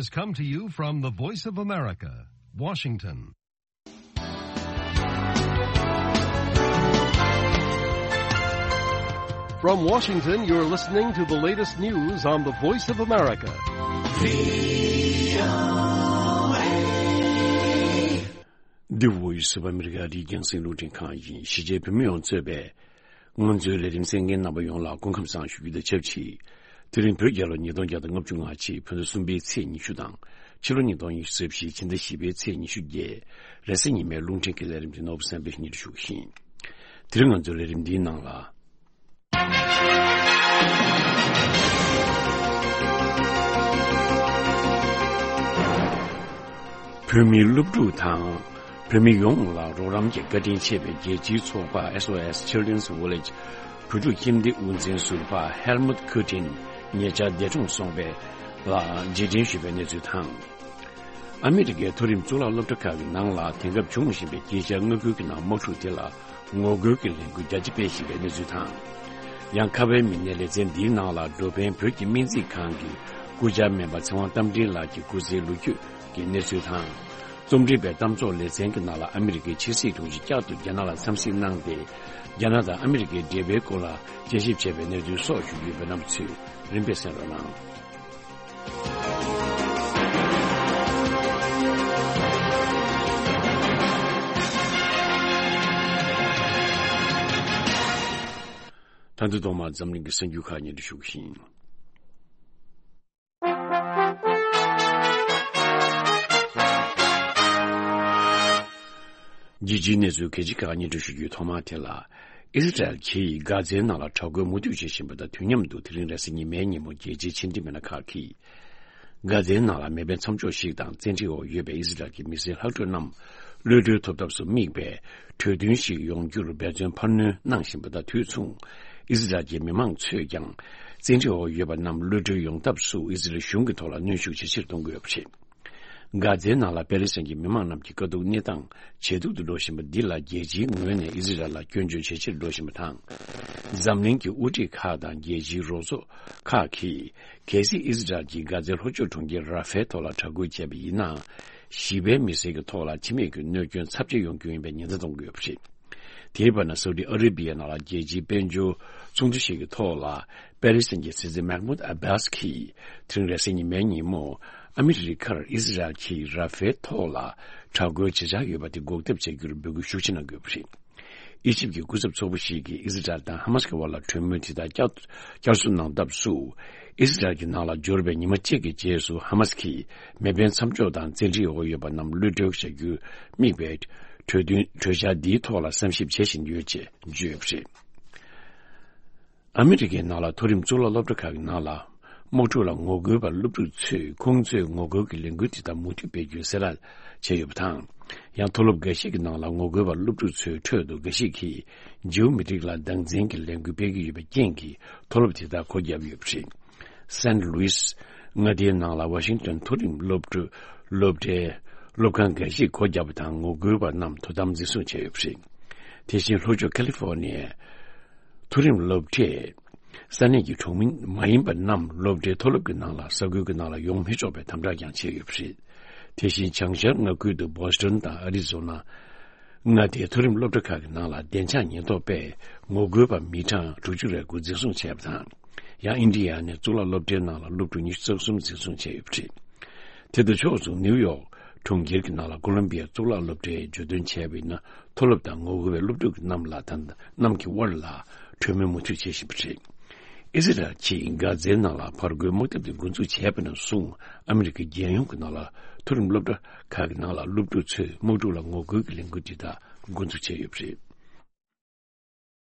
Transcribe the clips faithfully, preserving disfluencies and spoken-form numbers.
Has come to you from the Voice of America, Washington. From Washington, you're listening to the latest news on the Voice of America. The Voice of America. འདི་རྒྱང་སྲིང་རླུང་འཕྲིན་ཁང་ཡིན། གཞིས་བྱེས་བོད་མི་ཡོངས་གཙོས་པའི་ང་ཚོའི་ལས་རིམ་གསན་མཁན་རྣམ་པ་ཡོངས་ལ་སྐུ་ཁམས་བཟང་ཞུ་རྒྱུ་དང་ཆབས་ཅིག་དེ་རིང་བོད་རྒྱལ་ལོ་ཉིས་སྟོང་བརྒྱ་དང་ལྔ་བཅུ་ང་གཅིག་ཕུན་ཚོགས་གསུམ་པའི་ཚེས་ཉི་ཤུ་དང་། ཕྱི་ལོ་ཉིས་སྟོང་ཉི་ཤུ་རྩ་བཞི་ཕྱི་ཟླ་བཞི་པའི་ཚེས་ཉི་ཤུ་བརྒྱད། རེས་གཟའ་ཉི་མའི་རླུང་འཕྲིན་གྱི་ལས་རིམ་དེ་ནོར་བུ་བསམ་འཕེལ་གཉིས་སུ་ཞུགས་ཤིང་། དེ་རིང་ང་ཚོའི་ལས་རིམ་འདིའི་ནང་ལ། བོད་མིའི་སློབ་ཕྲུག་དང་། བོད་མི་ཡོངས་ལ་རོགས་རམ་གྱི་བཀའ་དྲིན་ཆེ་བའི་རྒྱལ་སྤྱིའི་ཚོགས་པ་S O S Children's Village བོད་ཕྲུག་ཁྱིམ་སྡེ་དབུ་འཛིན་ཟུར་པ་Helmut Kutin ཉེ་ཆར་འདས་གྲོངས་སོང་བས་ལ་རྗེས་དྲན་ཞུས་པའི་གནས་ཚུལ་དང་། ཨ་མི་རི་ཀའི་མཐོ་རིམ་གཙུག་ལག་སློབ་གྲྭ་ཁག་གི་ནང་ལ་དེང་སྐབས་བྱུང་བཞིན་པའི་དཀྱིལ་ཆར་མངའ་ཁུལ་གྱི་ནང་དམག་འཁྲུག་དེ་ལ་ངོ་རྒོལ་གྱི་ལས་འགུལ་རྒྱ་ཆེ་སྤེལ་བཞིན་པའི་གནས་ཚུལ་དང་། ཡང་ཁ་བའི་མི་སྣའི་ལེ་ཚན་འདིའི་ནང་ལ་འགྲོ་ཕན་བོད་ཀྱི་སྨན་རྩིས་ཁང་གི་སྐུ་བཅར་སྨན་པ་ཚེ་དབང་རྟ་མགྲིན་ལགས་ཀྱི་སྐུ་ཚེའི་ལོ་རྒྱུས་ཀྱི་གནས་ཚུལ་དང་། རྩོམ་སྒྲིག་པའི་གཏམ་ཚོགས་ལེ་ཚན་གྱི་ནང་ལ་ཨ་མི་རི་ཀའི་ཕྱི་སྲིད་དྲུང་ཆེ་བསྐྱར་དུ་རྒྱ་ནག་ལ་འཚམས་གཟིགས་གནང་སྟེ། རྒྱ་ནག་དང་ཨ་མི་རི་ཀའི་འབྲེལ་བའི་སྐོར་ལ་དཔྱད་ཞིབ་བྱས་པའི་གནས་ཚུལ་སོགས་ཞུ་རྒྱུ་ཡོད་པའི་རྣམ་པ་ཚོས་རིམ་པས་གསན་རོགས་གནང་། ད་དུང་ཐོག་མར་འཛམ་གླིང་གི་གསར་འགྱུར་ཁག་སྙན་སྒྲོན་ཞུ་གི་ཡིན། རྒྱལ་སྤྱིའི་གནས་ཚུལ་གལ་ཆེ་ཁག་སྙན་སྒྲོན་ཞུ་རྒྱུའི་ཐོག་མ་དེ་ལ། ཨི་སི་རལ་གྱིས་གྷ་ཛའི་ནང་ལ་དྲག་རྒོལ་མུ་མཐུད་བྱེད་བཞིན་པ་དང་དུས་མཉམ་དུ་དེ་རིང་རེས་གཟའ་ཉི་མའི་ཉིན་མོ་རྒྱལ་སྤྱིའི་ཕྱི་འབྲེལ་མི་སྣ་ཁག་གིས། གྷ་ཛའི་ནང་ལ་མེ་འཕེན་མཚམས་འཇོག་ཞིག་དང་བཙན་ཁྲིད་འོག་ཡོད་པའི་ཨི་སི་རལ་གྱི་མི་སེར་ལྷག་འཕྲོས་རྣམས་གློད་གྲོལ་ཐོབ་ཐབས་སུ་དམིགས་པའི་གྲོས་མཐུན་ཞིག་ཡོང་རྒྱུར་འབད་བརྩོན་འཕར་སྣོན་གནང་བཞིན་པ་དང་དུས་མཚུངས། ཨི་སི་རལ་གྱི་མི་མང་ཚོས་ཀྱང་བཙན་ཁྲིད་འོག་ཡོད་པ་རྣམས་གློད་གྲོལ་ཡོང་ཐབས་སུ་ཨི་སི་རལ་གཞུང་གི་ཐོག་ལ་གནོན་ཤུགས་ཇེ་ཆེར་གཏོང་གི་ཡོད་པ་རེད། གྷ་ཛའི་ནང་ལ་པེ་ལེ་སི་ཐན་གྱི་མི་མང་རྣམས་ཀྱི་དཀའ་སྡུག་གནས་སྟངས་ཇེ་སྡུག་ཏུ་འགྲོ་བཞིན་པ་འདི་ལ་རྒྱལ་སྤྱིའི་ངོས་ནས་ཨི་སི་རལ་ལ་སྐྱོན་བརྗོད་ཇེ་ཆེར་འགྲོ་བཞིན་པ་དང་། འཛམ་གླིང་གི་དབུ་ཁྲིད་ཁག་དང་རྒྱལ་སྤྱིའི་རོགས་ཚོགས་ཁག་གིས་གལ་སྲིད་ཨི་སི་རལ་གྱིས་གྷ་ཛའི་ལྷོ་ཕྱོགས་གྲོང་ཁྱེར་ར་ཧྥའི་ཐོག་ལ་དྲག་རྒོལ་བྱས་པ་ཡིན་ན། ཞི་བའི་མི་སེར་གྱི་ཐོག་ལ་འཆི་རྨས་ཀྱི་གནོད་སྐྱོན་ཚབས་ཆེ་ཡོང་རྒྱུ་ཡིན་པའི་ཉེན་བརྡ་གཏོང་གི་ཡོད་པ་རེད། དེའི་བར་ན་སའུ་ཏི་ཨ་རེ་བི་ཡའི་ནང་ལ་རྒྱལ་སྤྱིའི་དཔལ་འབྱོར་ཚོགས་འདུ་ཞིག་གི་ཐོག་ལ་པེ་ལེ་སི་ཐན་གྱི་སྲིད་འཛིན་མེག་མུད་ཨ་བྷཱས་ཀྱིས་དེ་རིང་རེས་གཟའ་ཉི་མའི་ཉིན་མོ་ཨ་མི་རི་ཁར་ཨི་སི་རལ་གྱིས་ར་ཧྥའི་ཐོག་ལ་དྲག་རྒོལ་བྱེད་འཆར་ཡོད་པ་དེ་འགོག་ཐབས་བྱ་རྒྱུར་འབོད་སྐུལ་ཤུགས་ཆེ་གནང་གི་ཡོད་པ་རེད། ཨི་ཇིབ་ཀྱི་སྐུ་ཚབ་ཚོགས་པ་ཞིག་གིས་ཨི་སི་རལ་དང་ཧ་མ་སི་ཀྱི་དབར་ལ་གྲོས་མོལ་དེ་དག་བསྐྱར་བསྐྱར་གསོ་གནང་ཐབས་སུ། ཨི་སི་རལ་གྱི་ནང་ལ་འབྱོར་བའི་ཉི་མ་གཅིག་གི་རྗེས་སུ་ཧ་མ་སི་ཀྱིས་མེ་འཕེན་མཚམས་འཇོག་དང་བཙན་ཁྲིད་འོག་ཡོད་པ་རྣམས་གློད་གྲོལ་བྱ་རྒྱུར་དམིགས་པའི་གྲོས་མཐུན་གྲོས་འཆར་འདིའི་ཐོག་ལ་བསམ་ཞིབ་བྱེད་བཞིན་ཡོད་ཅེས་བརྗོད་ཡོད་པ་རེད། ཨ་མི་རི་ཀའི་ནང་ལ་མཐོ་རིམ་གཙུག་ལག་སློབ་གྲྭ་ཁག་གི་ནང་ལ། དམག་འཁྲུག་ལ་ངོ་རྒོལ་བ་སློབ་ཕྲུག་ཚོས་ཁོང་ཚོའི་ངོ་རྒོལ་གྱི་ལས་འགུལ་དེ་དག་མུ་མཐུད་སྤེལ་རྒྱུའི་གསལ་བསྒྲགས་བྱས་ཡོད་པ་དང་། ཡང་མཐོ་སློབ་འགའ་ཤས་ཀྱི་ནང་ལ་ངོ་རྒོལ་བ་སློབ་ཕྲུག་ཚོའི་ཁྲོད་དུ་འགའ་ཞིག་གིས་ཇིའུ་མི་རིགས་ལ་སྡང་འཛིན་གྱི་ལས་འགུལ་སྤེལ་གྱི་ཡོད་པའི་རྐྱེན་གྱིས་མཐོ་སློབ་དེ་དག་སྒོ་བརྒྱབ་ཡོད་པ་རེད། སན་ལུའིས་མངའ་སྡེའི་ནང་ལ་ཝ་ཤིང་ཏོན་མཐོ་རིམ་སློབ་ཕྲུག་སློབ་གྲྭའི་སློབ་ཁང་འགའ་ཞིག་སྒོ་བརྒྱབ་པ་དང་ངོ་རྒོལ་བ་རྣམས་དོ་དམ་འཛིན་བཟུང་བྱས་ཡོད་པ་རེད། དེ་བཞིན་ལྷོ་ཕྱོགས་ཁ་ལི་ཧྥོ་ནི་ཡའི་མཐོ་རིམ་སློབ་གྲས། ས་གནས་ཀྱི་གྲོང་མི་མ་ཡིན་པ་རྣམས་སློབ་གྲྭའི་མཐོ་སློབ་ཀྱི་ནང་ལ་ས་ཁུལ་གྱི་ནང་ལ་ཡོང་མི་ཆོག་པའི་དམ་དྲག་ཀྱང་བྱས་ཡོད་པ་རེད། དེ་བཞིན་བྱང་ཤར་མངའ་ཁུལ་དུ་བྷོ་སི་ཊོན་དང་ཨ་རི་ཛོ་ན་མངའ་སྡེའི་མཐོ་རིམ་སློབ་གྲྭ་ཁག་གི་ནང་ལ་བདེ་འཇགས་ཉེན་རྟོག་པས་ངོ་རྒོལ་པ་མི་གྲངས་དྲུག་ཅུ་རེ་དགུ་འཛིན་བཟུང་བྱས་པ་དང་། ཡང་ཨིན་ཌི་ཡ་ནས་གཙུག་ལག་སློབ་གྲྭའི་ནང་ལ་སློབ་ཕྲུག་ཉི་ཤུ་རྩ་གསུམ་འཛིན་བཟུང་བྱས་ཡོད་པ་རེད། དེ་དང་ཕྱོགས་མཚུངས་ནིའུ་ཡོག་གྲོང་ཁྱེར་གྱི་ནང་ལ་ཀོ་ལོམ་བི་ཡ་གཙུག་ལག་སློབ་གྲྭས་བརྗོད་དོན་བྱས་པ་ཡིན་ན། མཐོ་སློབ་དང་ངོ་རྒོལ་བའི་སློབ་ཕྲུག་རྣམས་ལ་ད་ལྟ་གནམ་གྱི་དབར་ལ་གྲོས་མོལ་མུ་མཐུད་བྱེད་བཞིན་པ་རེད། ཨི་སི་རལ་གྱིས་གྷ་ཛའི་ནང་ལ་ཕར་རྒོལ་དམག་འཐབ་དེ་འགོ་འཛུགས་བྱས་པ་ནས་བཟུང་ཨ་མི་རི་ཀའི་རྒྱལ་ཡོངས་ཀྱི་ནང་ལ་མཐོ་རིམ་སློབ་གྲྭ་ཁག་གི་ནང་ལ་སློབ་ཕྲུག་ཚོས་དམག་འཁྲུག་ལ་ངོ་རྒོལ་གྱི་ལས་འགུལ་དེ་དག་འགོ་འཛུགས་བྱས་ཡོད་པ་རེད།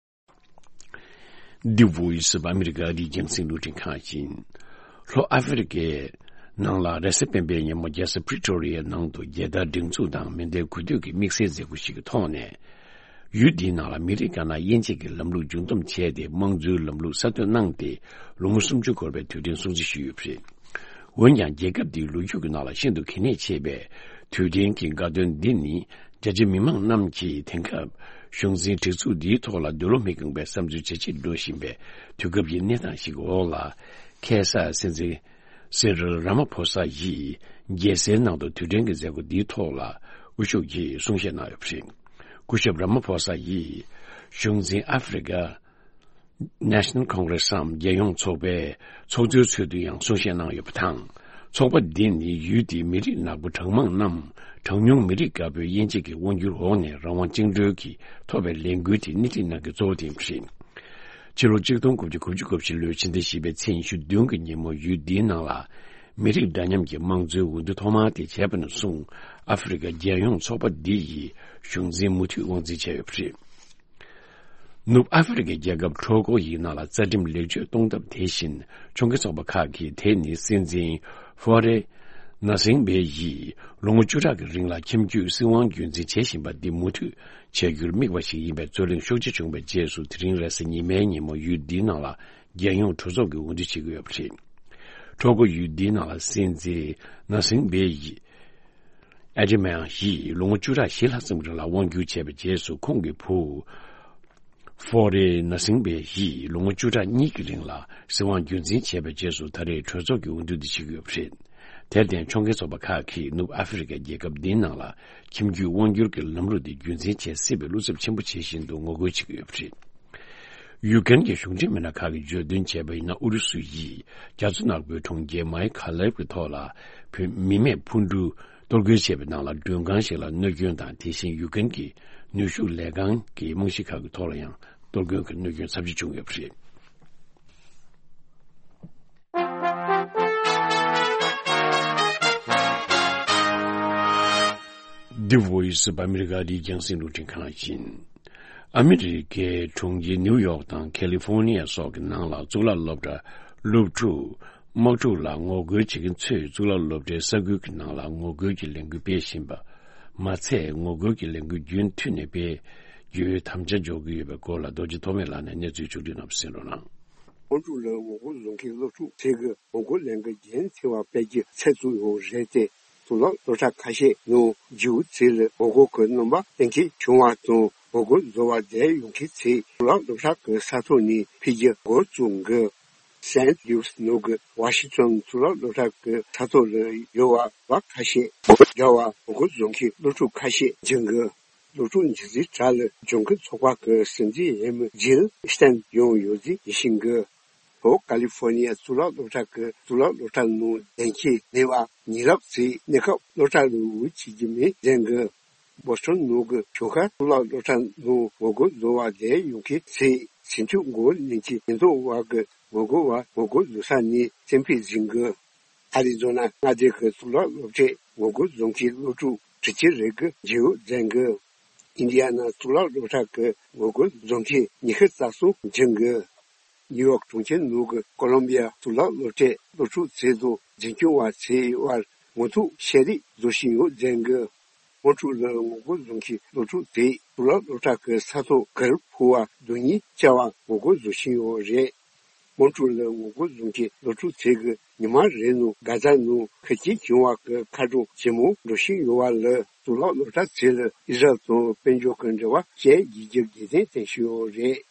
The Voice of America ཨ་རིའི་རྒྱང་སྲིང་རླུང་འཕྲིན་ཁང་ཡིན། ལྷོ་ཨ་ཧྥེ་རི་ཀའི་ནང་ལ་རེས་གཟའ་སྤེན་པའི་ཉིན་མོ་རྒྱལ་ས་Pretoria ནང་དུ་རྒྱལ་དར་སྒྲེང་འཛུགས་དང་མེ་མདའི་འགུལ་སྐྱོད་ཀྱི་དམིགས་བསལ་མཛད་སྒོ་ཞིག་གི་ཐོག་ནས། ཡུལ་འདིའི་ནང་ལ་མི་རིགས་དཀར་ནག་དབྱེ་འབྱེད་ཀྱི་ལམ་ལུགས་འཇུག་སྡོམ་བྱས་ཏེ་དམངས་གཙོའི་ལམ་ལུགས་གསར་གཏོད་གནང་སྟེ་ལོ་ངོ་སུམ་ཅུ་འཁོར་བའི་དུས་དྲན་སྲུང་བརྩི་ཞུས་ཡོད་པ་རེད། འོན་ཀྱང་རྒྱལ་ཁབ་འདིའི་ལོ་རྒྱུས་ཀྱི་ནང་ལ་ཤིན་ཏུ་གལ་གནད་ཆེ་བའི་དུས་དྲན་གྱི་དགའ་སྟོན་འདི་ནི། རྒྱ་ཆེ་མི་མང་རྣམས་ཀྱིས་དེང་སྐབས་གཞུང་འཛིན་སྒྲིག་འཛུགས་འདིའི་ཐོག་ལ་འདོད་བློ་མི་བསྐང་པའི་བསམ་ཚུལ་ཇེ་ཆེར་འགྲོ་བཞིན་པའི་དུས་སྐབས་ཀྱི་གནས་སྟངས་ཤིག་འོག་ལ། ཁ་སང་སྲིད་འཛིན་ སི་རིལ་ར་མ་ཕོ་ས་ཡིས་རྒྱལ་སའི་ནང་དུ་དུས་དྲན་གྱི་མཛད་སྒོ་འདིའི་ཐོག་ལ་དབུ་བཞུགས་ཀྱིས་གསུང་བཤད་གནང་ཡོད་པ་རེད། སྐུ་ཞབས་ར་མ་ཕོ་ས་ཡིས་གཞུང་འཛིན་ཨ་ཧྥེ་རི་ཀ་National Congress སམ་རྒྱལ་ཡོངས་ཚོགས་པའི་ཚོགས་གཙོའི་ཚུལ་དུ་ཡང་གསུང་བཤད་གནང་ཡོད་པ་དང་། ཚོགས་པ་འདི་ནི་ཡུལ་དེའི་མི་རིགས་ནག་པོ་གྲངས་མང་རྣམས་གྲངས་ཉུང་མི་རིགས་དཀར་པོའི་དབྱེ་འབྱེད་ཀྱི་དབང་སྒྱུར་འོག་ནས་རང་དབང་བཅིངས་འགྲོལ་གྱིས་ཐོབ་པའི་ལས་འགུལ་དེ་སྣེ་ཁྲིད་གནང་མཁན་གཙོ་བོ་དེ་ཡིན་པ་རེད། ཕྱི་ལོ་ཆིག་སྟོང་དགུ་བརྒྱ་དགུ་བཅུ་གོ་བཞི་ལོའི་ཕྱི་ཟླ་བཞི་པའི་ཚེས་ཉི་ཤུ་བདུན་གྱི་ཉིན་མོ་ཡུལ་འདིའི་ནང་ལ་མི་རིགས་འདྲ་མཉམ་གྱི་དམངས་གཙོའི་འོས་བསྡུ་ཐོག་མ་དེ་བྱས་པ་ནས་བཟུང་ཨ་ཧྥེ་རི་ཀ་རྒྱལ་ཡོངས་ཚོགས་པ་འདི་ཡི་གཞུང་འཛིན་མུ་མཐུད་དབང་འཛིན་བྱས་ཡོད་པ་རེད། ནུབ་ཨ་ཧྥེ་རི་ཀའི་རྒྱལ་ཁབ་ཁྲོ་ཀོ་ཡི་ནང་ལ་རྩ་ཁྲིམས་ལེགས་བཅོས་གཏོང་ཐབས་དེ་བཞིན་ཆུང་ཁེ་ཚོགས་པ་ཁག་གིས་དེ་ནི་སྲིད་འཛིན་ཧྥོ་རེ་ན་སིང་བེ་ཡིས་ལོ་ངོ་བཅུ་ཕྲག་གི་རིང་ལ་ཁྱིམ་རྒྱུད་སྲིད་དབང་རྒྱུན་འཛིན་བྱེད་བཞིན་པ་འདི་མུ་མཐུད་བྱ་རྒྱུར་དམིགས་པ་ཞིག་ཡིན་པའི་རྩོད་གླེང་ཤུགས་ཆེ་བྱུང་བའི་རྗེས་སུ། དེ་རིང་རེས་གཟའ་ཉི་མའི་ཉིན་མོ་ཡུལ་འདིའི་ནང་ལ་རྒྱལ་ཡོངས་གྲོས་ཚོགས་ཀྱི་འོས་བསྡུ་བྱེད་ཀྱི་ཡོད་པ་རེད། ཁྲོ་ཀོ་ཡུལ་འདིའི་ནང་ལ་སྲིད་འཛིན་ན་སིང་བེ་ཡིས། ཨ་ཏི་མའང་ཡིས་ལོ་ངོ་བཅུ་ཕྲག་བཞི་ལྷག་ཙམ་རིང་ལ་དབང་བསྒྱུར་བྱས་པའི་རྗེས་སུ། ཁོང་གི་བུ་ཧྥོ་རེ་ན་སིང་བེ་ཡིས་ལོ་ངོ་བཅུ་ཕྲག་གཉིས་ཀྱི་རིང་ལ་སྲིད་དབང་རྒྱུན་འཛིན་བྱས་པའི་རྗེས་སུ། ད་རེས་གྲོས་ཚོགས་ཀྱི་འོས་བསྡུ་འདི་བྱེད་ཀྱི་ཡོད་པ་རེད། དེར་བརྟེན་ཆུང་ཁེ་ཚོགས་པ་ཁག་གིས་ནུབ་ཨ་ཧྥེ་རི་ཀའི་རྒྱལ་ཁབ་འདིའི་ནང་ལ་ཁྱིམ་རྒྱུད་དབང་བསྒྱུར་གྱི་ལམ་ལུགས་འདི་རྒྱུན་འཛིན་བྱེད་སྲིད་པའི་བློ་འཚབ་ཆེན་པོ་བྱེད་བཞིན་དུ་ངོ་རྒོལ་བྱེད་ཀྱི་ཡོད་པ་རེད། ཡུ་ཀེན་གྱི་གཞུང་འབྲེལ་མི་སྣ་ཁག་གིས་བརྗོད་དོན་བྱས་པ་ཡིན་ན། ཨུ་རུ་སུ་ཡིས་རྒྱ་མཚོ་ནག་པོའི་གྲོང་ཁྱེར་མའི་ཁ་ལེབ་ཀྱི་ཐོག་ལ་བོད་མི་མེད་འཕུར་གྲུ་གཏོར་རྒོལ་བྱས་པའི་ནང་ལ་མགྲོན་ཁང་ཞིག་ལ་གནོད་སྐྱོན་དང་། དེ་བཞིན་ཡུ་ཀེན་གྱི་ནུས་ཤུགས་ལས་ཁང་གི་རྨང་གཞི་ཁག་གི་ཐོག་ལ་ཡང་གཏོར་སྐྱོན་གྱི་གནོད་སྐྱོན་ཚབས་ཆེ་བྱུང་ཡོད་པ་རེད། འདི་Voice of America རི་རྒྱང་སྲིང་རླུང་འཕྲིན་ཁང་ཡིན། ཨ་མི་རི་ཀའི་གྲོང་ཁྱེར་ནིའུ་ཡོག་དང་ཁ་ལི་ཧྥོ་ནི་ཡ་སོགས་ཀྱི་ནང་ལ་གཙུག་ལག་སློབ་གྲྭ་སློབ་ཕྲུག་དམག་འཁྲུག་ལ་ངོ་རྒོལ་བྱེད་མཁན་ཚོས་གཙུག་ལག་སློབ་གྲྭའི་ས་ཁུལ་གྱི་ནང་ལ་ངོ་རྒོལ་གྱི་ལས་འགུལ་སྤེལ་བཞིན་པ་མ་ཚད། ངོ་རྒོལ་གྱི་ལས་འགུལ་རྒྱུན་མཐུད་ནས་སྤེལ་རྒྱུའི་དམ་བཅའ་འཇོག་གི་ཡོད་པའི་སྐོར་ལ་རྡོ་རྗེ་ཐོགས་མེད་ལགས་ནས་གནས་ཚུལ་ཕྱོགས་བསྒྲིགས་གནང་བ་གསན་རོགས་གནང་། ཁོང་ཚོ་ལ་ངོ་རྒོལ་བཟོ་མཁན་སློབ་ཕྲུག་ཚོས་ཀྱི་ངོ་རྒོལ་ལས་འགུལ་རྒྱུན་མཐུད་པ་སྤེལ་རྒྱུ་ཚོད་བཙུགས་ཡོད་རེད་དེ། གཙུག་ལག་སློབ་གྲྭ་ཁ་ཤས་ནང་རྒྱུགས་ཚུལ་ལ་ངོ་རྒོལ་གྱི་རྣམ་པ་སྟོན་མཁན་བྱུང་བ་དང་། ངོ་རྒོལ་བཟོ་བ་དེ་ཡོང་མཁན་ཚོས་གཙུག་ལག་སློབ་གྲྭ་གི་ས་ཐོག་ནས་ཕུད་རྒྱུ་འགོ་བཙུགས་འགོ། སན་ལུའུ་སི་ནང་གི་ཝ་ཤིང་ཊོན་གཙུག་ལག་སློབ་གྲྭ་གི་ས་ཐོག་ལ་ཡོད་པ་ཁ་ཤས་འགོ་རྒྱག་པ། ངོ་རྒོལ་བཟོ་མཁན་སློབ་ཕྲུག་ཁ་ཤས་འཇུ་འགོ། སློབ་ཕྲུག་འཇུ་རྩིས་དྲག་ལ་ལྗང་ཁུ་ཚོགས་པ་གི་སྲིད་འཛིན་འོས་མི་ཇིལ་སྟན་ཡོང་ཡོད་ཚུལ་ཡིད་བཞིན་གྱི། ལྷོ་ཀ་ལི་ཧྥོ་ནི་ཡ་གཙུག་ལག་སློབ་གྲྭ་གི་གཙུག་ལག་སློབ་གྲྭ་ནང་བསྡད་མཁན་ནད་པ་ཉེ་རབས་ཚོས་གནས་སྐབས་སློབ་གྲྭ་ལ་འོས་བྱེད་ཀྱི་མེད་ཟེར་གི། བོ་སི་ཊོན་ནང་གི་ཆུང་ཤོས་གཙུག་ལག་སློབ་གྲྭ་ནང་ངོ་རྒོལ་བཟོ་བ་དེ་ཡོང་མཁན་ཚོས་སེམས་ཤུགས་འགོ་ནན་གྱི་ཉེན་རྟོག་པ་གི་ངོ་རྒོལ་བ་ངོ་རྒོལ་བཟོ་ས་ནས་བཙན་ཕུད་ཟིན་གི། ཨ་རི་ཛོ་ན་མངའ་སྡེ་གི་གཙུག་ལག་སློབ་གྲྭས་ངོ་རྒོལ་བཟོ་མཁན་སློབ་ཕྲུག་དྲུག་ཅུ་རེ་དགུ་འཇུ་བཟུང་བྱས་འགོ། ཨིན་ཌི་ཡ་ན་གཙུག་ལག་སློབ་གྲྭ་གི་ངོ་རྒོལ་བཟོ་མཁན་ཉི་ཤུ་རྩ་གསུམ་འཇུ་འགོ། ནིའུ་ཡོག་གྲོང་ཁྱེར་ནང་གི་ཀོ་ལོམ་བི་ཡ་གཙུག་ལག་སློབ་གྲྭའི་སློབ་ཕྲུག་ཚོ་དང་འཛིན་སྐྱོང་བ་ཚོའི་དབར་ངོ་ཐུག་བཤད་རེས་བཟོ་བཞིན་ཡོད་ཟེར་གི། དམག་འཁྲུག་ལ་ངོ་རྒོལ་བཟོ་མཁན་སློབ་ཕྲུག་དེས་གཙུག་ལག་སློབ་གྲྭ་གི་ས་ཐོག་གུར་ཕུབ་པ་རྡུལ་སྙེད་བཅག་པ་ངོ་རྒོལ་བཟོ་བཞིན་ཡོད་རེད། དམག་འཁྲུག་ལ་ངོ་རྒོལ་བཟོ་མཁན་སློབ་ཕྲུག་ཚོས་ཀྱི་ཉི་མ་རེ་ནང་གྷ་ཛ་ནང་ཁེ་ཆེ་བྱུང་བ་གི་མཁའ་གྲོང་ཇེ་མང་འགྲོ་བཞིན་ཡོད་པ་ལ། གཙུག་ལག་སློབ་གྲྭ་ཚོས་ལ་ཨི་ཟ་རལ་དང་དཔལ་འབྱོར་གྱི་འབྲེལ་བ་བཅད་རྒྱུའི་རྒྱུ་རྐྱེན་བསྟན་བཞིན་ཡོད་རེད།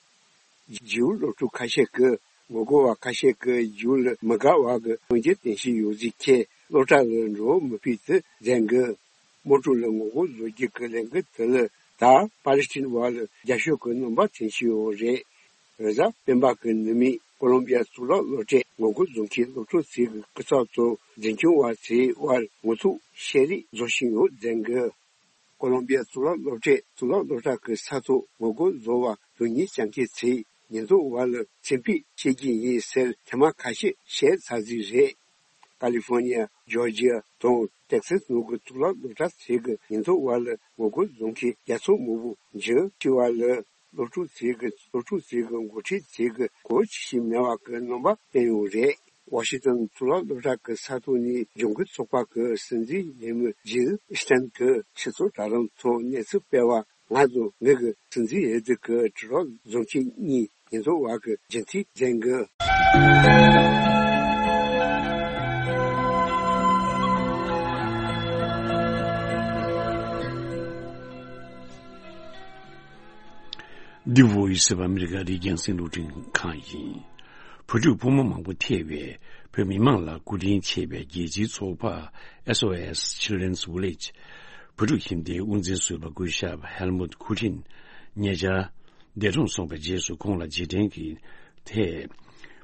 ཇིའུ་སློབ་ཕྲུག་ཁ་ཤས་ཀྱིས་ངོ་རྒོལ་བ་ཁ་ཤས་ཀྱིས་ཇིའུ་ལ་མི་དགའ་བ་གི་གཏམ་རྒྱུད་བསྟན་བཞིན་ཡོད་ཚུལ་ཁྱེད་སློབ་གྲྭ་ལ་འགྲོ་མི་ཕོད་ཚུལ་ཟེར་གི། དམག་འཁྲུག་ལ་ངོ་རྒོལ་བཟོ་རྒྱུ་གི་ལས་འགུལ་དེ་ལ་ད་པ་ལི་སི་ཐན་བར་ལ་རྒྱབ་སྐྱོར་གྱི་རྣམ་པ་ཐོན་བཞིན་ཡོད་རེད། རེས་གཟའ་སྤེན་པ་གི་ནུ་མས་ཀོ་ལོམ་བི་ཡ་གཙུག་ལག་སློབ་གྲྭའི་ངོ་རྒོལ་བཟོ་མཁན་སློབ་ཕྲུག་ཚོའི་སྐུ་ཚབ་ཚོ་འཛིན་སྐྱོང་བ་ཚོའི་དབར་ངོ་ཐུག་བཤད་རེས་བཟོ་བཞིན་ཡོད་ཟེར་གི། ཀོ་ལོམ་བི་ཡ་གཙུག་ལག་སློབ་གྲྭས་གཙུག་ལག་སློབ་གྲྭ་གི་ས་ཐོག་ངོ་རྒོལ་བཟོ་བ་རྡུལ་སྙེད་བཅག་མཁན་ཚོས་ཉེན་རྟོག་པ་ལ་བཙན་ཕུད་བྱེད་ཀྱི་ཡིན་ཟེར་ཐེངས་མ་ཁ་ཤས་བཤད་ཚར་རྩིས་རེད། ཀ་ལི་ཧྥོ་ནི་ཡ། ཇོར་ཇི་ཡ་དང་ཏེག་སཱས་ནང་གི་གཙུག་ལག་སློབ་གྲྭ་ཚོས་ཀྱི་ཉེན་རྟོག་པ་ལ་ངོ་རྒོལ་བཟོ་མཁན་བརྒྱ་ཚོ་མང་པོ་འཇུ་ཁྲིད་པ་ལ། སློབ་ཕྲུག་ཚོས་ཀྱི་སློབ་ཕྲུག་ཚོས་ཀྱི་འགོ་ཁྲིད་ཚོས་ཀྱི་གོ་ཆི་ཞིག་མེད་པ་གི་རྣམ་པ་བསྟན་ཡོད་རེད། ཝ་ཤིང་ཏོན་གཙུག་ལག་སློབ་གྲྭ་གི་ས་ཐོག་ནས་ལྗང་ཁུ་ཚོགས་པ་གི་སྲིད་འཛིན་འོས་མི་ཇིལ་སི་ཊན་གྱིས་ཕྱི་ཚོགས་དྲ་ལམ་ཐོག་གནས་ཚུལ་སྤེལ་བར། ང་དང་ངེད་ཀྱི་སྲིད་འཛིན་འོས་བསྡུ་གི་དྲིལ་སྒྲོག་བཟོ་མཁན་གཉིས་ཉེན་རྟོག་པ་གི་རྒྱུན་མཐུད་འཛིན་གི། འདི་Voice of America རི་རྒྱང་སྲིང་རླུང་འཕྲིན་ཁང་ཡིན། བུ་ཕྲུག་ཕོ་མོ་མང་པོ་ཐེ་བའི་བོད་མི་མང་ལ་སྐུ་དྲིན་ཆེ་བའི་རྒྱལ་སྤྱིའི་ཚོགས་པ་S O S Children's Village བུ་ཕྲུག་ཁྱིམ་སྡེའི་དབུ་འཛིན་ཟུར་པ་སྐུ་ཞབས་Helmut Kutin ཉེ་ཆར་འདས་གྲོངས་སོང་བའི་རྗེས་སུ་ཁོང་ལ་རྗེས་དྲན་གྱི་ཐད།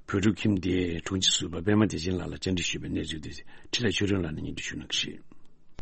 བོད་ཕྲུག་ཁྱིམ་སྡེའི་དྲུང་ཆེ་ཟུར་པ་པད་མ་བདེ་ཆེན་ལགས་ལ་བཅར་འདྲི་ཞུས་པའི་གནས་ཚུལ་དེ་འཕྲིན་ལས་ཆོས་སྒྲོན་ལགས་ནས་སྙན་སྒྲོན་ཞུ་གནང་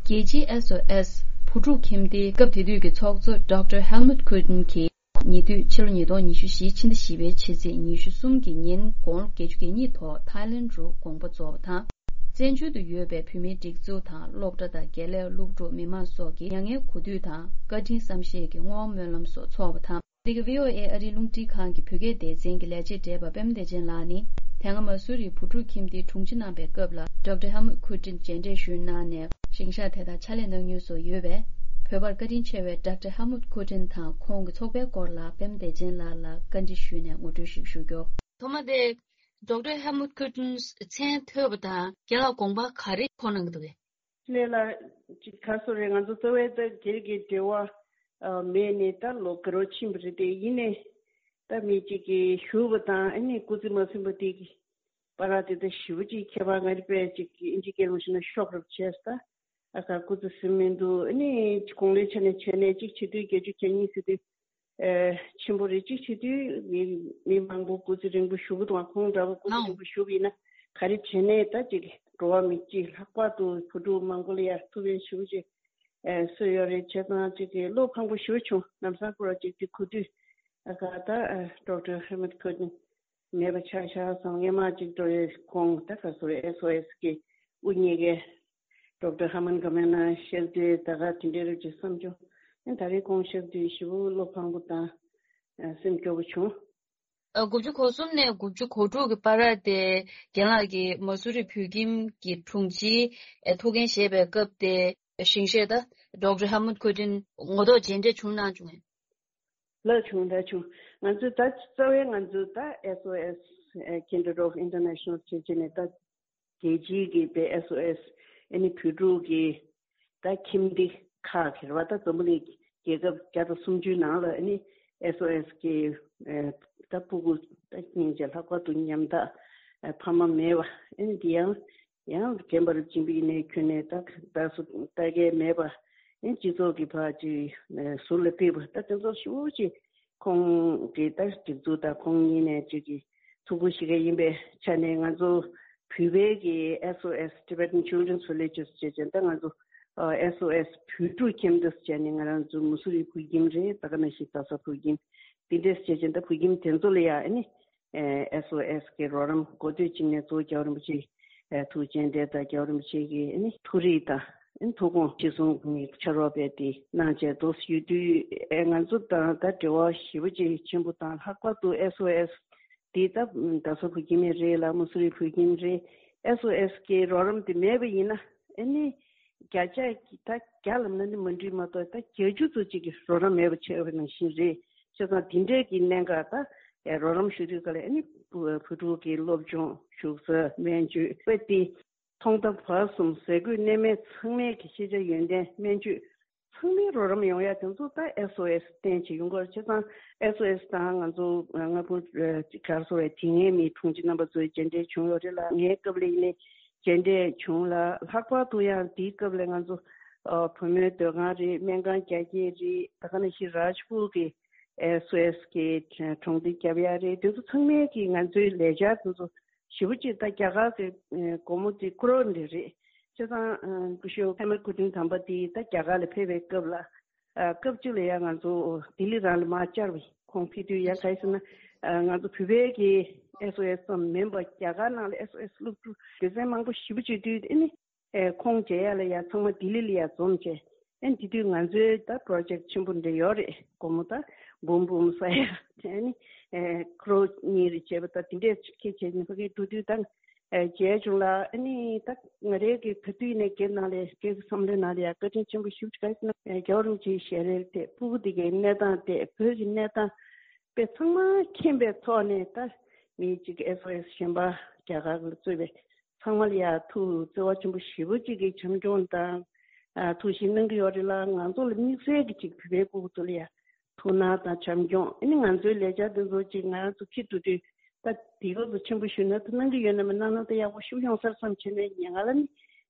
གི་རེད། རྒྱལ་སྤྱིའི་S O S བུ་ཕྲུག་ཁྱིམ་སྡེའི་སྐབས་དེ་དུས་ཀྱི་ཚོགས་གཙོ་Doctor Helmut Kutin གྱིས་ཉེ་དུས་ཕྱི་ལོ་ཉིས་སྟོང་ཉི་ཤུ་བཞི་ཕྱི་ཟླ་བཞི་པའི་ཕྱི་ཚེས་ཉི་ཤུ་གསུམ་གྱི་ཉིན་དགུང་ལོ་བརྒྱད་ཅུ་གྱ་གཉིས་ཐོག་ཐའི་ལེན་རུ་དགོངས་པ་རྫོགས་པ་དང་། བཙན་བྱོལ་དུ་ཡོད་པའི་བོད་མིའི་སྒྲིག་འཛུགས་དང་སློབ་གྲྭ་དང་དགེ་ལས་སློབ་ཕྲུག་མི་མང་སོགས་ཀྱིས་མྱ་ངན་གུས་འདུད་དང་བཀའ་དྲིན་བསམ་ཤེས་ཀྱི་བསྔོ་བ་སྨོན་ལམ་སོགས་འཚོགས་པ་དང་། འདི་ག་V O A ཨ་རིའི་རླུང་འཕྲིན་ཁང་གི་བོད་སྐད་སྡེ་ཚན་གྱི་ལས་བྱེད་བགྲེས་པ་པད་མ་བདེ་ཆེན་ལགས་ནི། དེ་སྔ་མ་སུ་རིའི་བུ་ཕྲུག་ཁྱིམ་སྡེའི་དྲུང་ཆེ་གནང་བའི་སྐབས་ལ་Doctor Helmut Kutin མཇལ་འཕྲད་ཞུས་གནང་ནས་ཞིང་གཤེགས་དེ་དག་ཕྱག་ལས་གནང་མྱོང་སོགས་ཡོད་པས། བོད་པར་བཀའ་དྲིན་ཆེ་བའི་Doctor Helmut Kutin དང་ཁོང་གི་ཚོགས་པའི་སྐོར་ལ་པད་མ་བདེ་ཆེན་ལགས་ལ་བཀའ་འདྲི་ཞུས་ནས་ངོ་སྤྲོད་ཞིག་ཞུ་རྒྱུ། ཐོག་མ་དེ་Doctor Helmut Kutin མཚན་ཐོས་པ་དང་རྒན་ལགས་དགོངས་པ་ག་རེ་མཁོ་གནང་གི་འདུག་གས། ལས་ལ་ཅིག་ག་སོ་རེད། ང་ཚོ་རྩ་བའི་ད་སྒེར་གྱི་འབྲེལ་བ་ཨ་མེད་ནས་ད་ལོ་འགའ་རོ་ཕྱིན་པ་རེད། དེ་ཡིན་ནས་ད་མི་གཅིག་གིས་ཞུ་བ་དང་ཨ་ནི་སྐུ་ཚེ་མ་ཟིན་པ་དེ་གི་བར་དེ་ད་ཞེ་པོ་ཅིག་ཁྱད་པར། ང་རེ་པས་ཅིག་ཨིན་ཇི་སྐད་ལ་ཞུ་ན་ཤོག་རབས་བྱས་ད། ཨ་ཁ་སྐུ་ཚེ་ཟིན་མི་འདུག་ཨ་ནི་གོང་ལས་ཆ་ནས་བྱས་ནས་ཅིག་བྱེད་དུས་བརྒྱད་ཅུ་གྱ་གཉིས་ཟེར་དུས། ཨེ་ཆེན་པོ་རེད། གཅིག་བྱེད་དུས་མི་མི་མང་པོ་སྐུ་ཚེ་རིང་པོ་བཞུགས་དང་། ཁོང་འདྲ་བོ་སྐུ་ཚེ་རིང་པོ་བཞུགས་པ་ཡིན་ན་ག་རེ་བྱས་ནས་ད་ཅིག་འགྲོ་བ་མི་གཅིག་ལྷག་པར་དུ་བུ་ཕྲུག་མང་པོ་ལ་ཡ་ཐུགས་ཕན་ཞེ་པོ་ཅིག་ཨེ་གསོས་ཡོད་རེད། བྱས་ཙང་ཅིག་བློ་ཕངས་པོ་ཞེ་པོ་བྱུང་། ལམ་སང་ཁོ་ར་ཅིག་དེ་གོ་དུས་ཨ་ཁ་ད་ཨ་Doctor Helmut Kutin མེད་པ་ཆགས་ཤག་བསམ། སྔན་མ་ཅིག་འགྲོ་ཡས་ཁོང་ད་ག་སོ་རེད། S O S གི་དབུ་བརྙེས་མཁན་Doctor Hermann Gmeiner གཤེགས་དུས་ད་ག་དེ་འདྲའི་རབས་ཅིག་བསམ་བྱུང་། ཨ་ད་རེས་ཁོང་གཤེགས་དུས་ཞེ་པོ་བློ་ཕངས་པོ་དང་ཨ་སེམས་སྐྱོ་པོ་བྱུང་། ཨ་དགུ་བཅུ་གོ་གསུམ་ནས་དགུ་བཅུ་གོ་དྲུག་གི་བར་དེ་རྒན་ལགས་ཀྱིས་མ་སུ་རི་བོད་ཁྱིམ་གྱི་དྲུང་ཆེའི་ཨ་ཐུགས་འགན་བཞེས་པའི་སྐབས་དེ་ཞིང་གཤེགས་ད་Doctor Helmut Kutin ངོ་ཐོག་མཇལ་འཕྲད་བྱུང་གནང་བྱུང་ངས། ལགས་བྱུང་། ལགས་བྱུང་། ང་ཚོས་ད་རྩ་བའི་ང་ཚོས་ད་S O S ཨེ་Kinderdorf International བྱས་བྱས་ནས་ད་རྒྱལ་སྤྱིའི་གི་པའི་S O S ཨེ་ནི་བོད་ཕྲུག་གི་ད་ཁྱིམ་སྡེ་ཁག་གི་རེད་བ། ད་འཛམ་བུ་གླིང་རྒྱལ་ཁབ་བརྒྱ་དང་སུམ་ཅུའི་ནང་ལ་ཨེ་ནི་S O S གི་ཨེ་ད་ཕྲུ་གུ་ད་སྙིང་རྗེ་ལྷག་པར་དུ་ཉམ་ཐག་ཨེ་ཕ་མ་མེད་པ་ཨེ་ནི་འདི་ཡང་ཡང་རྒན་པར་སྦྱིན་པའི་ནས་ཁྱོན་ནས་ད་ད་སུ་ལྟ་མཁན་མེད་པ། ཨེ་སྤྱི་ཚོགས་ཀྱི་བར་གྱི་ཨེ་ཟུར་ལ་ཕེབས་པ་ད་དེ་ཚོ་ཞེ་པོ་ཅིག་ཁོང་གི་ད་སྒྲིག་འཛུགས་དང་ཁོང་གཉིས་ནས་ཅིག་གི་ཐུགས་ཁུར་བཞེས་མཁན་ཡིན་པའི་ཆ་ནས་ང་ཚོ་བོད་པའི་གི་S O S Tibetan Children's Villages བྱས་ཙང་ད་ང་ཚོ་ཨ་S O S བོད་ཕྲུག་ཁྱིམ་སྡེ་བྱས་ནས་ང་རང་ཚོ་མུ་སུ་རི་བོད་ཁྱིམ་རེད། ད་ག་ནང་བཞིན་རྡ་ས་བོད་ཁྱིམ་འདི་འདྲས་བྱས་ཙང་ད་བོད་ཁྱིམ་དེ་ཚོ་ལ་ཡ་ཨེ་ནི་ཨེ་S O S གི་རོགས་རམ་འགོ་སྟོད་ཅིག་ནས་གཙོ་བོ་རྒྱལ་བ་རིན་པོ་ཆེ་ཨེ་ཐུགས་རྗེ་ཆེ་དང་རྒྱལ་བ་རིན་པོ་ཆེ་གི་ཨེ་ནི་ཐུགས་རིག་དང་ཨེ་ཐུགས་དགོངས་གཞིར་བཟུང་ནས་ཕྱག་རོགས་པས་དེ་གནང་བྱས་འདུག་ཡོད་དུས་ཨེ་ང་ཚོ་དང་ད་འབྲེལ་བ་ཞེ་པོ་ཅིག་ཆེན་པོ་དང་། ལྷག་པར་དུ་S O S དེ་ད་རྡ་ས་བོད་ཁྱིམ་རེད་ལ་མུ་སུ་རི་བོད་ཁྱིམ་རེད། S O S གི་རོགས་རམ་དེ་མེད་པ་ཡིན་ན་ཨེ་ནི་བརྒྱ་ཆ་ད་བརྒྱ་ལབ་ན་ནི་མ་འགྲིག་མ་གཏོགས་ད་བརྒྱད་ཅུ་ཙམ་ཅིག་གི་རོགས་རམ་མེད་པ་ཆགས་པ་ནང་བཞིན་རེད། བྱས་ཙང་དེ་འདྲའི་གི་གནད་འགག་ད་ཨེ་རོགས་རམ་ཞུ་དུས་ག་ལ་ཨེ་ནི་བུ་བུ་ཕྲུག་གི་སློབ་སྦྱོང་བཞུགས་ས་སྨན་བཅོས་དཔེ་དེ་ཐོག་མཐའ་བར་གསུམ་ཟས་གོས་གནས་མལ་ཚང་མའི་གི་ཤེས་བྱ་ཡོན་ཏན་སྨན་བཅོས་ཚང་མའི་རོགས་རམ་ཡོང་ཡ་དེ་ཚོ་ད་S O S བརྟེན་བྱས་ཡོང་གི་རེད། བྱས་ཙང་S O S དང་ང་ཚོ་ལྔ་པོ་ག་རེ་ཟེར་བའི་དེ་སྔའི་མི་དྲུང་ཆེ་རྣམ་པ་ཚོའི་མཇལ་འཕྲད་བྱུང་ཡོད་རེད་ལ། ངའི་སྐབས་ལ་ཡིན་ནའི་མཇལ་འཕྲད་བྱུང་ལ། ལྷག་པར་དུ་ཡང་དེའི་སྐབས་ལ་ང་ཚོ་ཨ་བུ་མོའི་སྡོད་ཁང་རེད། སྨན་ཁང་རྒྱ་སྐྱེད་རེད། ད་ག་ནང་བཞིན་རཱཇ་པུར་གི་S O S གི་གྲོང་སྡེ་རྒྱབ་ཡ་རེད། དེ་ཚོ་ཚང་མས་ཀྱིས་ང་ཚོའི་ལས་འཆར་དེ་ཚོ་ཞེ་པོ་ཅིག་ད་རྒྱ་གར་གྱི་སྒོར་མོ་དེ་ཀོ་རོར་འདྲ་རེད། བྱས་ཙང་སྐུ་ཞབས་ཧེ་མ་ཀུ་ཏིན་དམ་པ་དེ་ད་རྒྱ་གར་ལ་ཕེབས་པའི་སྐབས་ལ་སྐབས་གཅིག་ལ་ཡ་ང་ཚོ་ལྡི་ལི་རང་ལ་མར་བཅར་བས། ཁོང་ཕེབས་དུས་ཡ་ག་རེ་ཟེར་ན་ང་ཚོ་བོད་པའི་གི་S O S ཙམ་མིན་པ་རྒྱ་གར་ནང་ལ་S O S སློབ་ཕྲུག་སྡེ་ཚན་མང་པོ་ཞེ་པོ་ཅིག་འདུས། ཨེ་ནི་ཨེ་ཁོང་མཇལ་ཡ་ལ་ཡ་ཚང་མ་ལྡི་ལི་ལ་ཡ་འཛོམས་བྱས། ཨེ་དེ་དུས་ང་ཚོའི་ད་པྲོ་ཇེཀ་ཆེན་པོ་འདྲ་ཡོད་རེད། སྒོར་མོ་ད་འབུམ་འབུམ་ས་ཡ་དེ་ནི་ཨེ་ཀོ་རོར་གཉིས་རེ་བྱས་པ་ད་དེ་འདྲས་ཁྱེད་བྱས་ནས་ཕ་གིར་འགྲོ་དུས་ད་ཨེ་མཇལ་བྱུང་ལ། ཨེ་ནི་ད་ང་རའི་གི་ག་དུས་ནས་སྒེར་ནང་ལ་སྒེར་གྱི་བསམ་བློའི་ནང་ལ་ཡ་བཀའ་དྲིན་ཆེན་པོ་ཞེ་པོ་ཅིག་ག་རེ་ཟེར་ན་ཨེ་རྒྱལ་བ་རིན་པོ་ཆེའི་ཞལ་རས་དེ་ཕྲུ་གུ་དེ་གའི་གནས་སྟངས་དེ་བོད་ཀྱི་གནས་སྟངས་དཔེ་ཚང་མ་མཁྱེན་པའི་ཐོག་ནས་ད་མི་གཅིག་གི་S O S གཞན་པ་རྒྱ་གར་ལ་གཙོས་པའི་ཚང་མ་ལ་ཡ་ཐུགས་བརྩེ་བ་ཆེན་པོ་ཞེ་པོ་གཅིག་གིས་བྱམས་སྐྱོང་དང་ཨ་ཐུགས་ཞིབ་གནང་གི་ཡོད་རེད་ལ། ང་ཚོ་ལ་དམིགས་བསལ་གྱི་གཅིག་བོད་པའི་སྐུ་ཚོ་ལ་ཡ་ཐུགས་སྣང་དང་བྱམས་སྐྱོང་། ཨ་ནི་ང་ཚོའི་ལས་འཆར་འདི་ཚོ་གཅིག་ང་རང་ཚོ་ཕྱིར་འགྲོ་དུས་ ད་དེ་ག་ཚོད་ཆེན་པོ་ཞུས་ན་ད་གནང་གི་ཡོད་ན་མ་གནང་ན་ད་ཡག་པོ་ཞིག་ཡོང་ས་རེད་བསམ་བྱས་ནས་ངས་ང་ལ་ནི་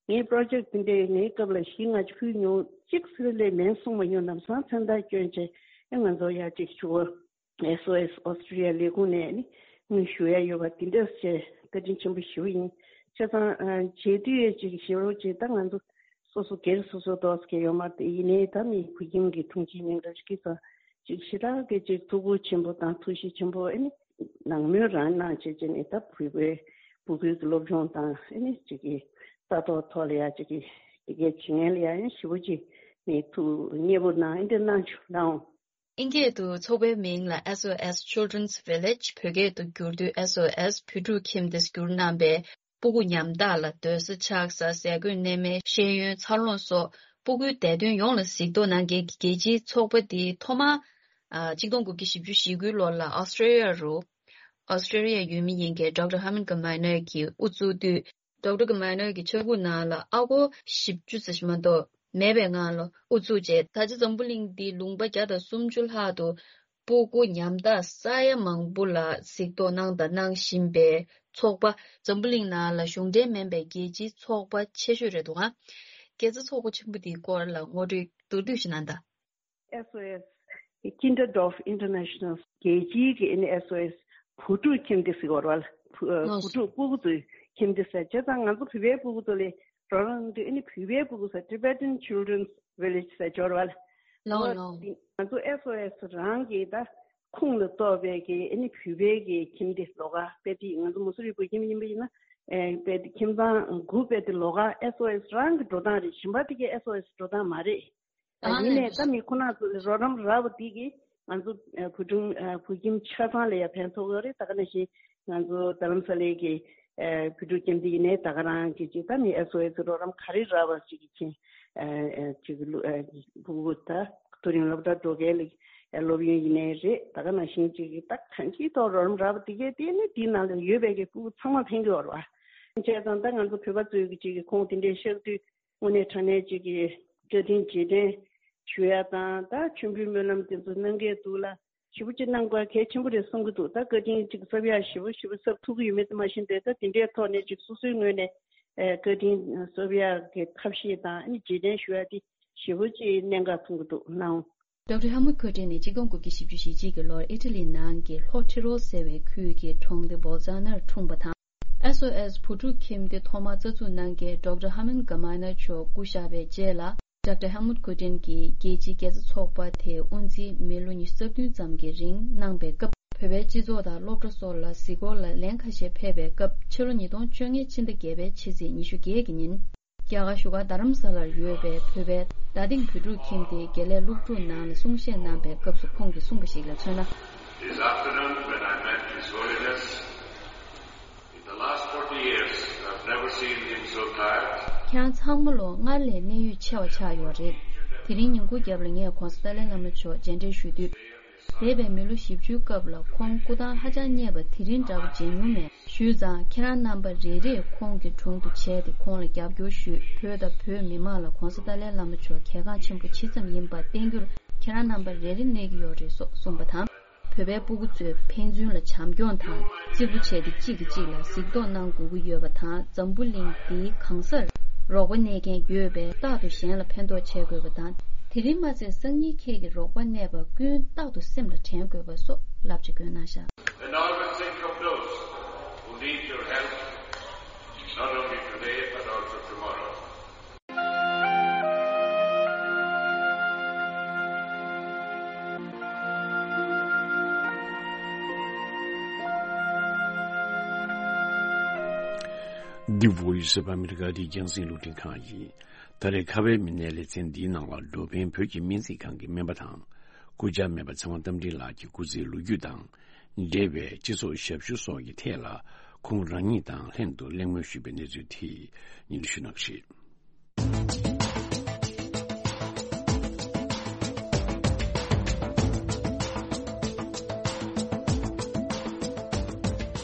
ངའི་པྲོ་ཇེག་དེ་འདྲའི་ངའི་སྐབས་ལ་གཞི་ང་ཅིག་ཕུལ་མྱོང་གཅིག་ཟེར་ལས་མིང་གསུངས་མ་མྱོང་། ལམ་སང་མཚན་རྟགས་བསྐྱོན་བྱས་ཨེ་ང་ཚོ་ཡ་ཅིག་ཞུ་བ། S O S Australia ལས་ཁུངས་ནས་ནི་དངུལ་ཞུ་ཡ་ཡོད་པ་དེ་འདྲ་བྱས་བཀའ་དྲིན་ཆེན་པོ་ཞུ་ཡིན། བྱས་ཙང་ཨ་བྱེད་དུས་ཡ་ཅིག་ཞེ་པོ་ཅིག་ད་ང་ཚོ་སོ་སོ་སྒེར་སོ་སོ་ཏོག་ཙམ་ཡོད་མ་རེད། ཡིན་ནའི་ད་མི་བུ་ཁྱིམ་གྱི་ཐུགས་རྗེ་ཉེ་འདྲ་ཞིག་གིས་ཙང་ཅིག་ཞེ་དྲག་གི་ཅིག་ཐུགས་ཁུར་ཆེན་པོ་དང་ཐུགས་གཤིས་ཆེན་པོ་ཨེ་ནི་ནང་མོལ་རང་གནང་བྱས་བྱས་ནས་ད་བུ་བའི་བུ་ཁུལ་གྱི་སློབ་སྦྱོང་དང་ཨེ་ནི་ཅིག་གི་ལྟ་རྟོག་ཐོག་ལ་ཡ་ཅིག་གི་དེ་གའི་བྱེད་མཁན་ལ་ཡ་ཡང་ཞེ་པོ་ཅིག་ནས་ཐུགས་མཉེས་པོ་གནང་ཨེ་འདྲ་གནང་བྱུང་ལགས། ཨིན་སྐད་དུ་ཚོགས་པའི་མིང་ལ་S O S Children's Village། བོད་སྐད་དུ་བསྒྱུར་དུས་S O S བུ་ཕྲུག་ཁྱིམ་སྡེ་བསྒྱུར་གནང་པས། སྤུ་གུ་ཉམ་ཐག་ལ་སྡོད་ས་ཆགས་ས། ཟས་གོས་གནས་མལ། ཤེས་ཡོན། འཚར་ལོངས་སོགས་སྤུ་གུའི་བདེ་དོན་ཡོངས་ལ་གཟིགས་རྟོག་གནང་མཁན་གྱི་རྒྱལ་སྤྱིའི་ཚོགས་པ་འདི་ཐོག་མར་ཨ་གཅིག་སྟོང་དགུ་བརྒྱ་བཞི་བཅུ་ཞེ་དགུའི་ལོ་ལ་ཨོ་སི་ཀྲེ་ལི་ཡ་རུ། ཨོ་སི་ཀྲེ་ལི་ཡ་ཡུལ་མི་ཡིན་མཁན་ཌོག་ཊར་ཧ་མིན་གྷ་མའི་ནར་གྱིས་དབུ་བཙུགས་དུས། ཌོག་ཊར་གྷ་མའི་ནར་གྱི་ཕྱྭ་ཁུག་ནང་ལ་ཨ་སྒོར་བཞི་བཅུ་ཙམ་ཞིག་མ་གཏོགས་མེད་པའི་ངང་ལ་དབུ་བཙུགས་རྗེས། ད་ཆ་འཛམ་བུ་གླིང་འདིའི་ལུང་པ་བརྒྱ་དང་སུམ་ཅུ་ལྷག་ཏུ་སྤུ་གུ་ཉམ་ཐག་ས་ཡ་མང་པོ་ལ་གཟིགས་རྟོག་གནང་དང་གནང་བཞིན་པའི་ཚོགས་པ། འཛམ་བུ་གླིང་ནང་ལ་གཞུང་འབྲེལ་མིན་པའི་རྒྱལ་སྤྱིའི་ཚོགས་པ་ཆེ་ཤོས་རེད་འདུག་ག་དགེ་རྩ་ཚོགས་པ་ཆེན་པོ་འདིའི་སྐོར་ལ་ངོ་སྤྲོད་མདོར་བསྡུས་ཤིག་གནང་དང་། S O S Kinderdorf International རྒྱལ་སྤྱིའི་གི་ཨ་ནི་S O S བུ་ཕྲུག་ཁྱིམ་སྡེ་ཟེར་བ་རེད་བ། བུ་ཨ་ལགས་བུ་སོ། ཕྲུག་སྤུ་གུ་ཚོའི་ཁྱིམ་སྡེ་ཟེར་བྱས་ཙང་ང་ཚོ་བོད་པའི་སྤུ་གུ་ཚོ་ལ་རོགས་རམ་དུས་ཨ་ནི་བོད་པའི་སྤུ་གུ་ཟེར་Tibetan Children's Village ཟེར་འབྱོར་བ་ལ། ལགས་ལགས། ང་ཚོ་S O S རང་གི་ད་ཁོངས་ལ་གཏོགས་པའི་གི་ཨ་ནི་བོད་པའི་གི་ཁྱིམ་སྡེ་ལོགས་ཀ་དཔེ་དེ་ང་ཚོ་མུ་སུ་རི་བོད་ཁྱིམ་ཡིན་པ་ཡིན་ན་ཨེ་དཔེ་དེ་ཁྱིམ་ཚང་དགུ་དཔེ་དེ་ལོགས་ཀ་S O S རང་གི་འགྲོ་སྟངས་རེད། གཞན་པ་དེ་གའི་S O S འགྲོ་སྟངས་མ་རེད། ཨ་ཡིན་ནའི་ད་མི་ཁོ་ན་ཚོ་རོགས་རམ་རག་པ་འདི་གིས་ང་ཚོ་ཨ་བུ་ཆུང་ཨ་བུ་ཁྱིམ་ཆ་ཚང་ལ་ཡང་ཕན་ཐོགས་ཡོད་རེད། ད་ག་ནང་བཞིན་ང་ཚོ་རྡ་རམ་ས་ལའི་གི་ཨ་བུ་ཕྲུག་ཁྱིམ་སྡེ་ཡིན་ནའི་ད་ག་རང་གི་ཅིག་ད་མི་ཨེས་ཨོ་ཨེས་རོགས་རམ་ག་རེ་རག་པ་ཅིག་གི་ཆེད་ཨ་ཨ་ཅིག་ལུ་ཨ་ཕྲུ་གུ་ད་མཐོ་རིམ་སློབ་གྲྭ་འགྲོ་མཁན་ལ་ཨ་སློབ་ཡོན་ཡིན་ནའི་རེད། ད་ག་ནང་བཞིན་ཅིག་གི་ད་གང་ཅིའི་ཐོག་རོགས་རམ་རག་པ་དེ་གས་དེ་ནི་དེའི་ནང་ལ་ཡོད་པའི་གི་ཕྲུ་གུ་ཚང་མ་ཕན་གི་ཡོད་རེད་བ། བྱས་ཙང་ད་ང་ཚོ་བོད་པ་ཚོའི་གི་ཅིག་གི་ཁོང་དེ་འདྲའི་བཤད་དུས། དངོས་གནས་དྲང་གནས་ཅིག་གིས་བཀའ་དྲིན་རྗེས་དྲན་ཞུ་ཡ་དང་ད་མཆོད་འབུལ་སྨོན་ལམ་དེ་ཚོ་གནང་གི་འདུག་ལ། ཞེ་པོ་ཅིག་གནང་དགོས་གལ་ཆེན་པོ་རེད་བསམ་གྱི་འདུག་ད་བཀའ་དྲིན་ཅིག་གསབ་ཡ་ཞེ་པོ་ཞེ་པོ་གསབ་ཐུབ་ཀྱི་ཡོད་མེད་དེ་མ་ཤེས་འདུག་ད་དེ་འདྲའི་ཐོག་ནས་ཅིག་སོ་སོའི་ངོས་ནས་ཨེ་བཀའ་དྲིན་གསབ་ཡ་གི་ཐབས་ཤེས་དང་ཨ་ནི་རྗེས་དྲན་ཞུ་ཡ་དེ་ཞེ་པོ་ཅིག་གནད་འགག་མཐོང་གི་འདུག་ནའང་། ཌོག་ཊར་ཧེལ་མུཐ་ཁོ་ཊིན་ནི་གཅིག་སྟོང་དགུ་བརྒྱ་བཞི་བཅུ་ཞེ་གཅིག་གི་ལོར་ཨི་ཊ་ལི་ནང་གི་ལྷོ་ཊི་རོ་ཟེར་བའི་ཁུལ་གྱི་གྲོང་སྡེ་བོལ་ཛ་ནར་འཁྲུངས་པ་དང་། ཨེས་ཨོ་ཨེས་བུ་ཕྲུག་ཁྱིམ་སྡེ་ཐོག་མར་རྩ་འཛུགས་གནང་མཁན་ཌོག་ཊར་ཧ་མན་གྷ་མ་ནར་མཆོག་སྐུ་གཤེགས་པའི་རྗེས་ལ། ཌོག་ཊར་ཧེལ་མུཐ་ཁོ་ཊིན་གྱིས་རྒྱལ་སྤྱིའི་དགེ་རྩ་ཚོགས་པ་དེའི་དབུ་འཛིན་མི་ལོ་ཉི་ཤུ་རྩ་བདུན་ཙམ་གྱི་རིང་གནང་པའི་སྐབས། བོད་པའི་སྤྱི་ཚོགས་དང་སློབ་གྲྭ་སོགས་ལ་གཟིགས་སྐོར་ལ་ལན་ཁ་ཤས་ཕེབས་པའི་སྐབས། ཕྱི་ལོ་ཉིས་སྟོང་བཅོ་ལྔའི་ཕྱི་ཟླ་བརྒྱད་པའི་ཕྱི་ཚེས་ཉི་ཤུ་བརྒྱད་ཀྱི་ཉིན། རྒྱ་གར་བཞུགས་སྒར་རྡ་རམ་ས་ལར་ཡོད་པའི་བོད་པའི་རྡ་སྟེང་བོད་ཕྲུག་ཁྱིམ་སྡེའི་དགེ་ལས་སློབ་ཕྲུག་ནང་ལ་གསུང་བཤད་གནང་པའི་སྐབས་སུ་ཁོང་གིས་གསུངས་པ་ཞིག་ལ་མཚོན་ན། This afternoon, when I met His Holiness, in the last forty years, I've never seen him so tired. ཁྱེད་རང་ཚང་མ་ལོ་སྔར་ལས་གནད་ཡོད་ཆེ་བ་ཆགས་ཡོད་རེད། དེ་རིང་ཉིན་གུང་རྒྱབ་ལ་ངས་༧གོང་ས་ཏཱ་ལའི་བླ་མ་མཆོག་མཇལ་འཕྲད་ཞུ་དུས། འདས་པའི་མི་ལོ་བཞི་བཅུའི་སྐབས་ལ་ཁོང་སྐུ་ཐང་ཧ་ཅང་བརྙེས་པ་དེ་རིང་འདྲ་བོ་མཇལ་མྱོང་མེད། ཞུས་ཙང་ཁྱེད་རང་རྣམ་པ་རེ་རེས་ཁོང་གི་དྲུང་དུ་བྱས་ཏེ་ཁོང་ལ་རྒྱབ་སྐྱོར་ཞུས། བོད་དང་བོད་མི་མང་ལ་༧གོང་ས་ཏཱ་ལའི་བླ་མ་མཆོག་གལ་འགངས་ཆེན་པོ་ཇི་ཙམ་ཡིན་པ་བསྟན་རྒྱུར་ཁྱེད་རང་རྣམ་པ་རེ་རེ་གནས་ཀྱི་ཡོད་རེད་སོགས་གསུངས་པ་དང་། བོད་པའི་སྤུ་གུ་ཚོས་ཕན་ཚུན་ལ་བྱམས་སྐྱོང་དང་གཅིག་པུ་བྱས་ཏེ་གཅིག་གིས་གཅིག་ལ་གཟིགས་རྟོག་གནང་དགོས་ཀྱི་ཡོད་པ་དང་། འཛམ་བུ་གླིང་འདིའི་གང་སར་རོགས་པ་གནས་མཁན་ཡོད་པས་རྟག་ཏུ་གཞན་ལ་ཕན་ཐོགས་བྱེད་དགོས་པ་དང་། དེ་རིང་མ་ཚད་སང་ཉིན་ཁྱེད་ཀྱི་རོགས་པ་གནས་པ་ཀུན་རྟག་ཏུ་སེམས་ལ་དྲན་དགོས་པ་སོགས་བསླབ་བྱ་བཀོད་གནང་བཞག And always think of those who need your help, not only today but also tomorrow. The Voice of America འདི་རྒྱང་སྲིང་རླུང་འཕྲིན་ཁང་ཡིན། ད་རེས་ཁ་བའི་མི་སྣའི་ལེ་ཚན་འདིའི་ནང་ལ་འགྲོ་ཕན་བོད་ཀྱི་སྨན་རྩིས་ཁང་གི་སྨན་པ་དང་། སྐུ་བཅར་སྨན་པ་ཚེ་དབང་རྟ་མགྲིན་ལགས་ཀྱི་སྐུ་ཚེའི་ལོ་རྒྱུས་དང་། འབྲེལ་བའི་སྤྱི་ཚོགས་ཞབས་ཞུ་སོགས་ཀྱི་ཐད་ལ་ཁོང་རང་ཉིད་དང་ལྷན་དུ་གླེང་མོལ་ཞུས་པའི་གནས་ཚུལ་དེ་སྙན་སྒྲོན་ཞུ་གནང་གི་རེད།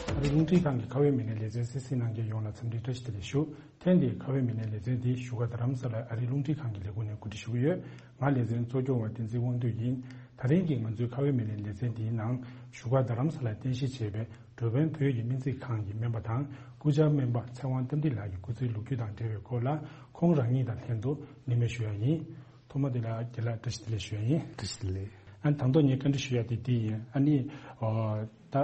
ཨ་རིའི་རླུང་འཕྲིན་ཁང་གི་ཁ་བའི་མི་སྣའི་ལེ་ཚན་གསན་གཟིགས་གནང་མཁན་ཡོངས་ལ་འཚམས་འདྲི་བཀྲ་ཤིས་བདེ་ལེགས་ཞུ། ཐེངས་འདིའི་ཁ་བའི་མི་སྣའི་ལེ་ཚན་འདི་བཞུགས་སྒར་རྡ་རམ་ས་ལའི་ཨ་རིའི་རླུང་འཕྲིན་ཁང་གི་ལས་ཁུངས་ནས་གོ་སྒྲིག་ཞུ་གི་ཡོད། ང་ལེ་ཚན་གཙོ་སྐྱོང་བ་བསྟན་འཛིན་དབང་འདུས་ཡིན། ད་རིང་གི་ང་ཚོའི་ཁ་བའི་མེ་ལེན་ལེ་ཚན་འདིའི་ནང་བཞུགས་སྒར་རྡ་རམ་ས་ལར་རྟེན་གཞི་བྱས་པའི་འགྲོ་ཕན་བོད་ཀྱི་སྨན་རྩིས་ཁང་གི་སྨན་པ་དང་སྐུ་བཅར་སྨན་པ་ཚེ་དབང་རྟ་མགྲིན་ལགས་ཀྱི་སྐུ་ཚེའི་ལོ་རྒྱུས་དང་འབྲེལ་བའི་སྐོར་ལ་ཁོང་རང་ཉིད་དང་ལྷན་དུ་གླེང་མོལ་ཞུ་ཡ་ཡིན། ཐོག་མ་དེ་ལ་རྒན་ལགས་བཀྲ་ཤིས་བདེ་ལེགས་ཞུ་ཡ་ཡིན། བཀྲ་ཤིས་བདེ་ལེགས། ཨ་ནི་ད་དུང་ངས་བཀའ་འདྲི་ཞུ་ཡ་དེ་འདི་ཡིན། ཨ་ནི་ཨོ་ད་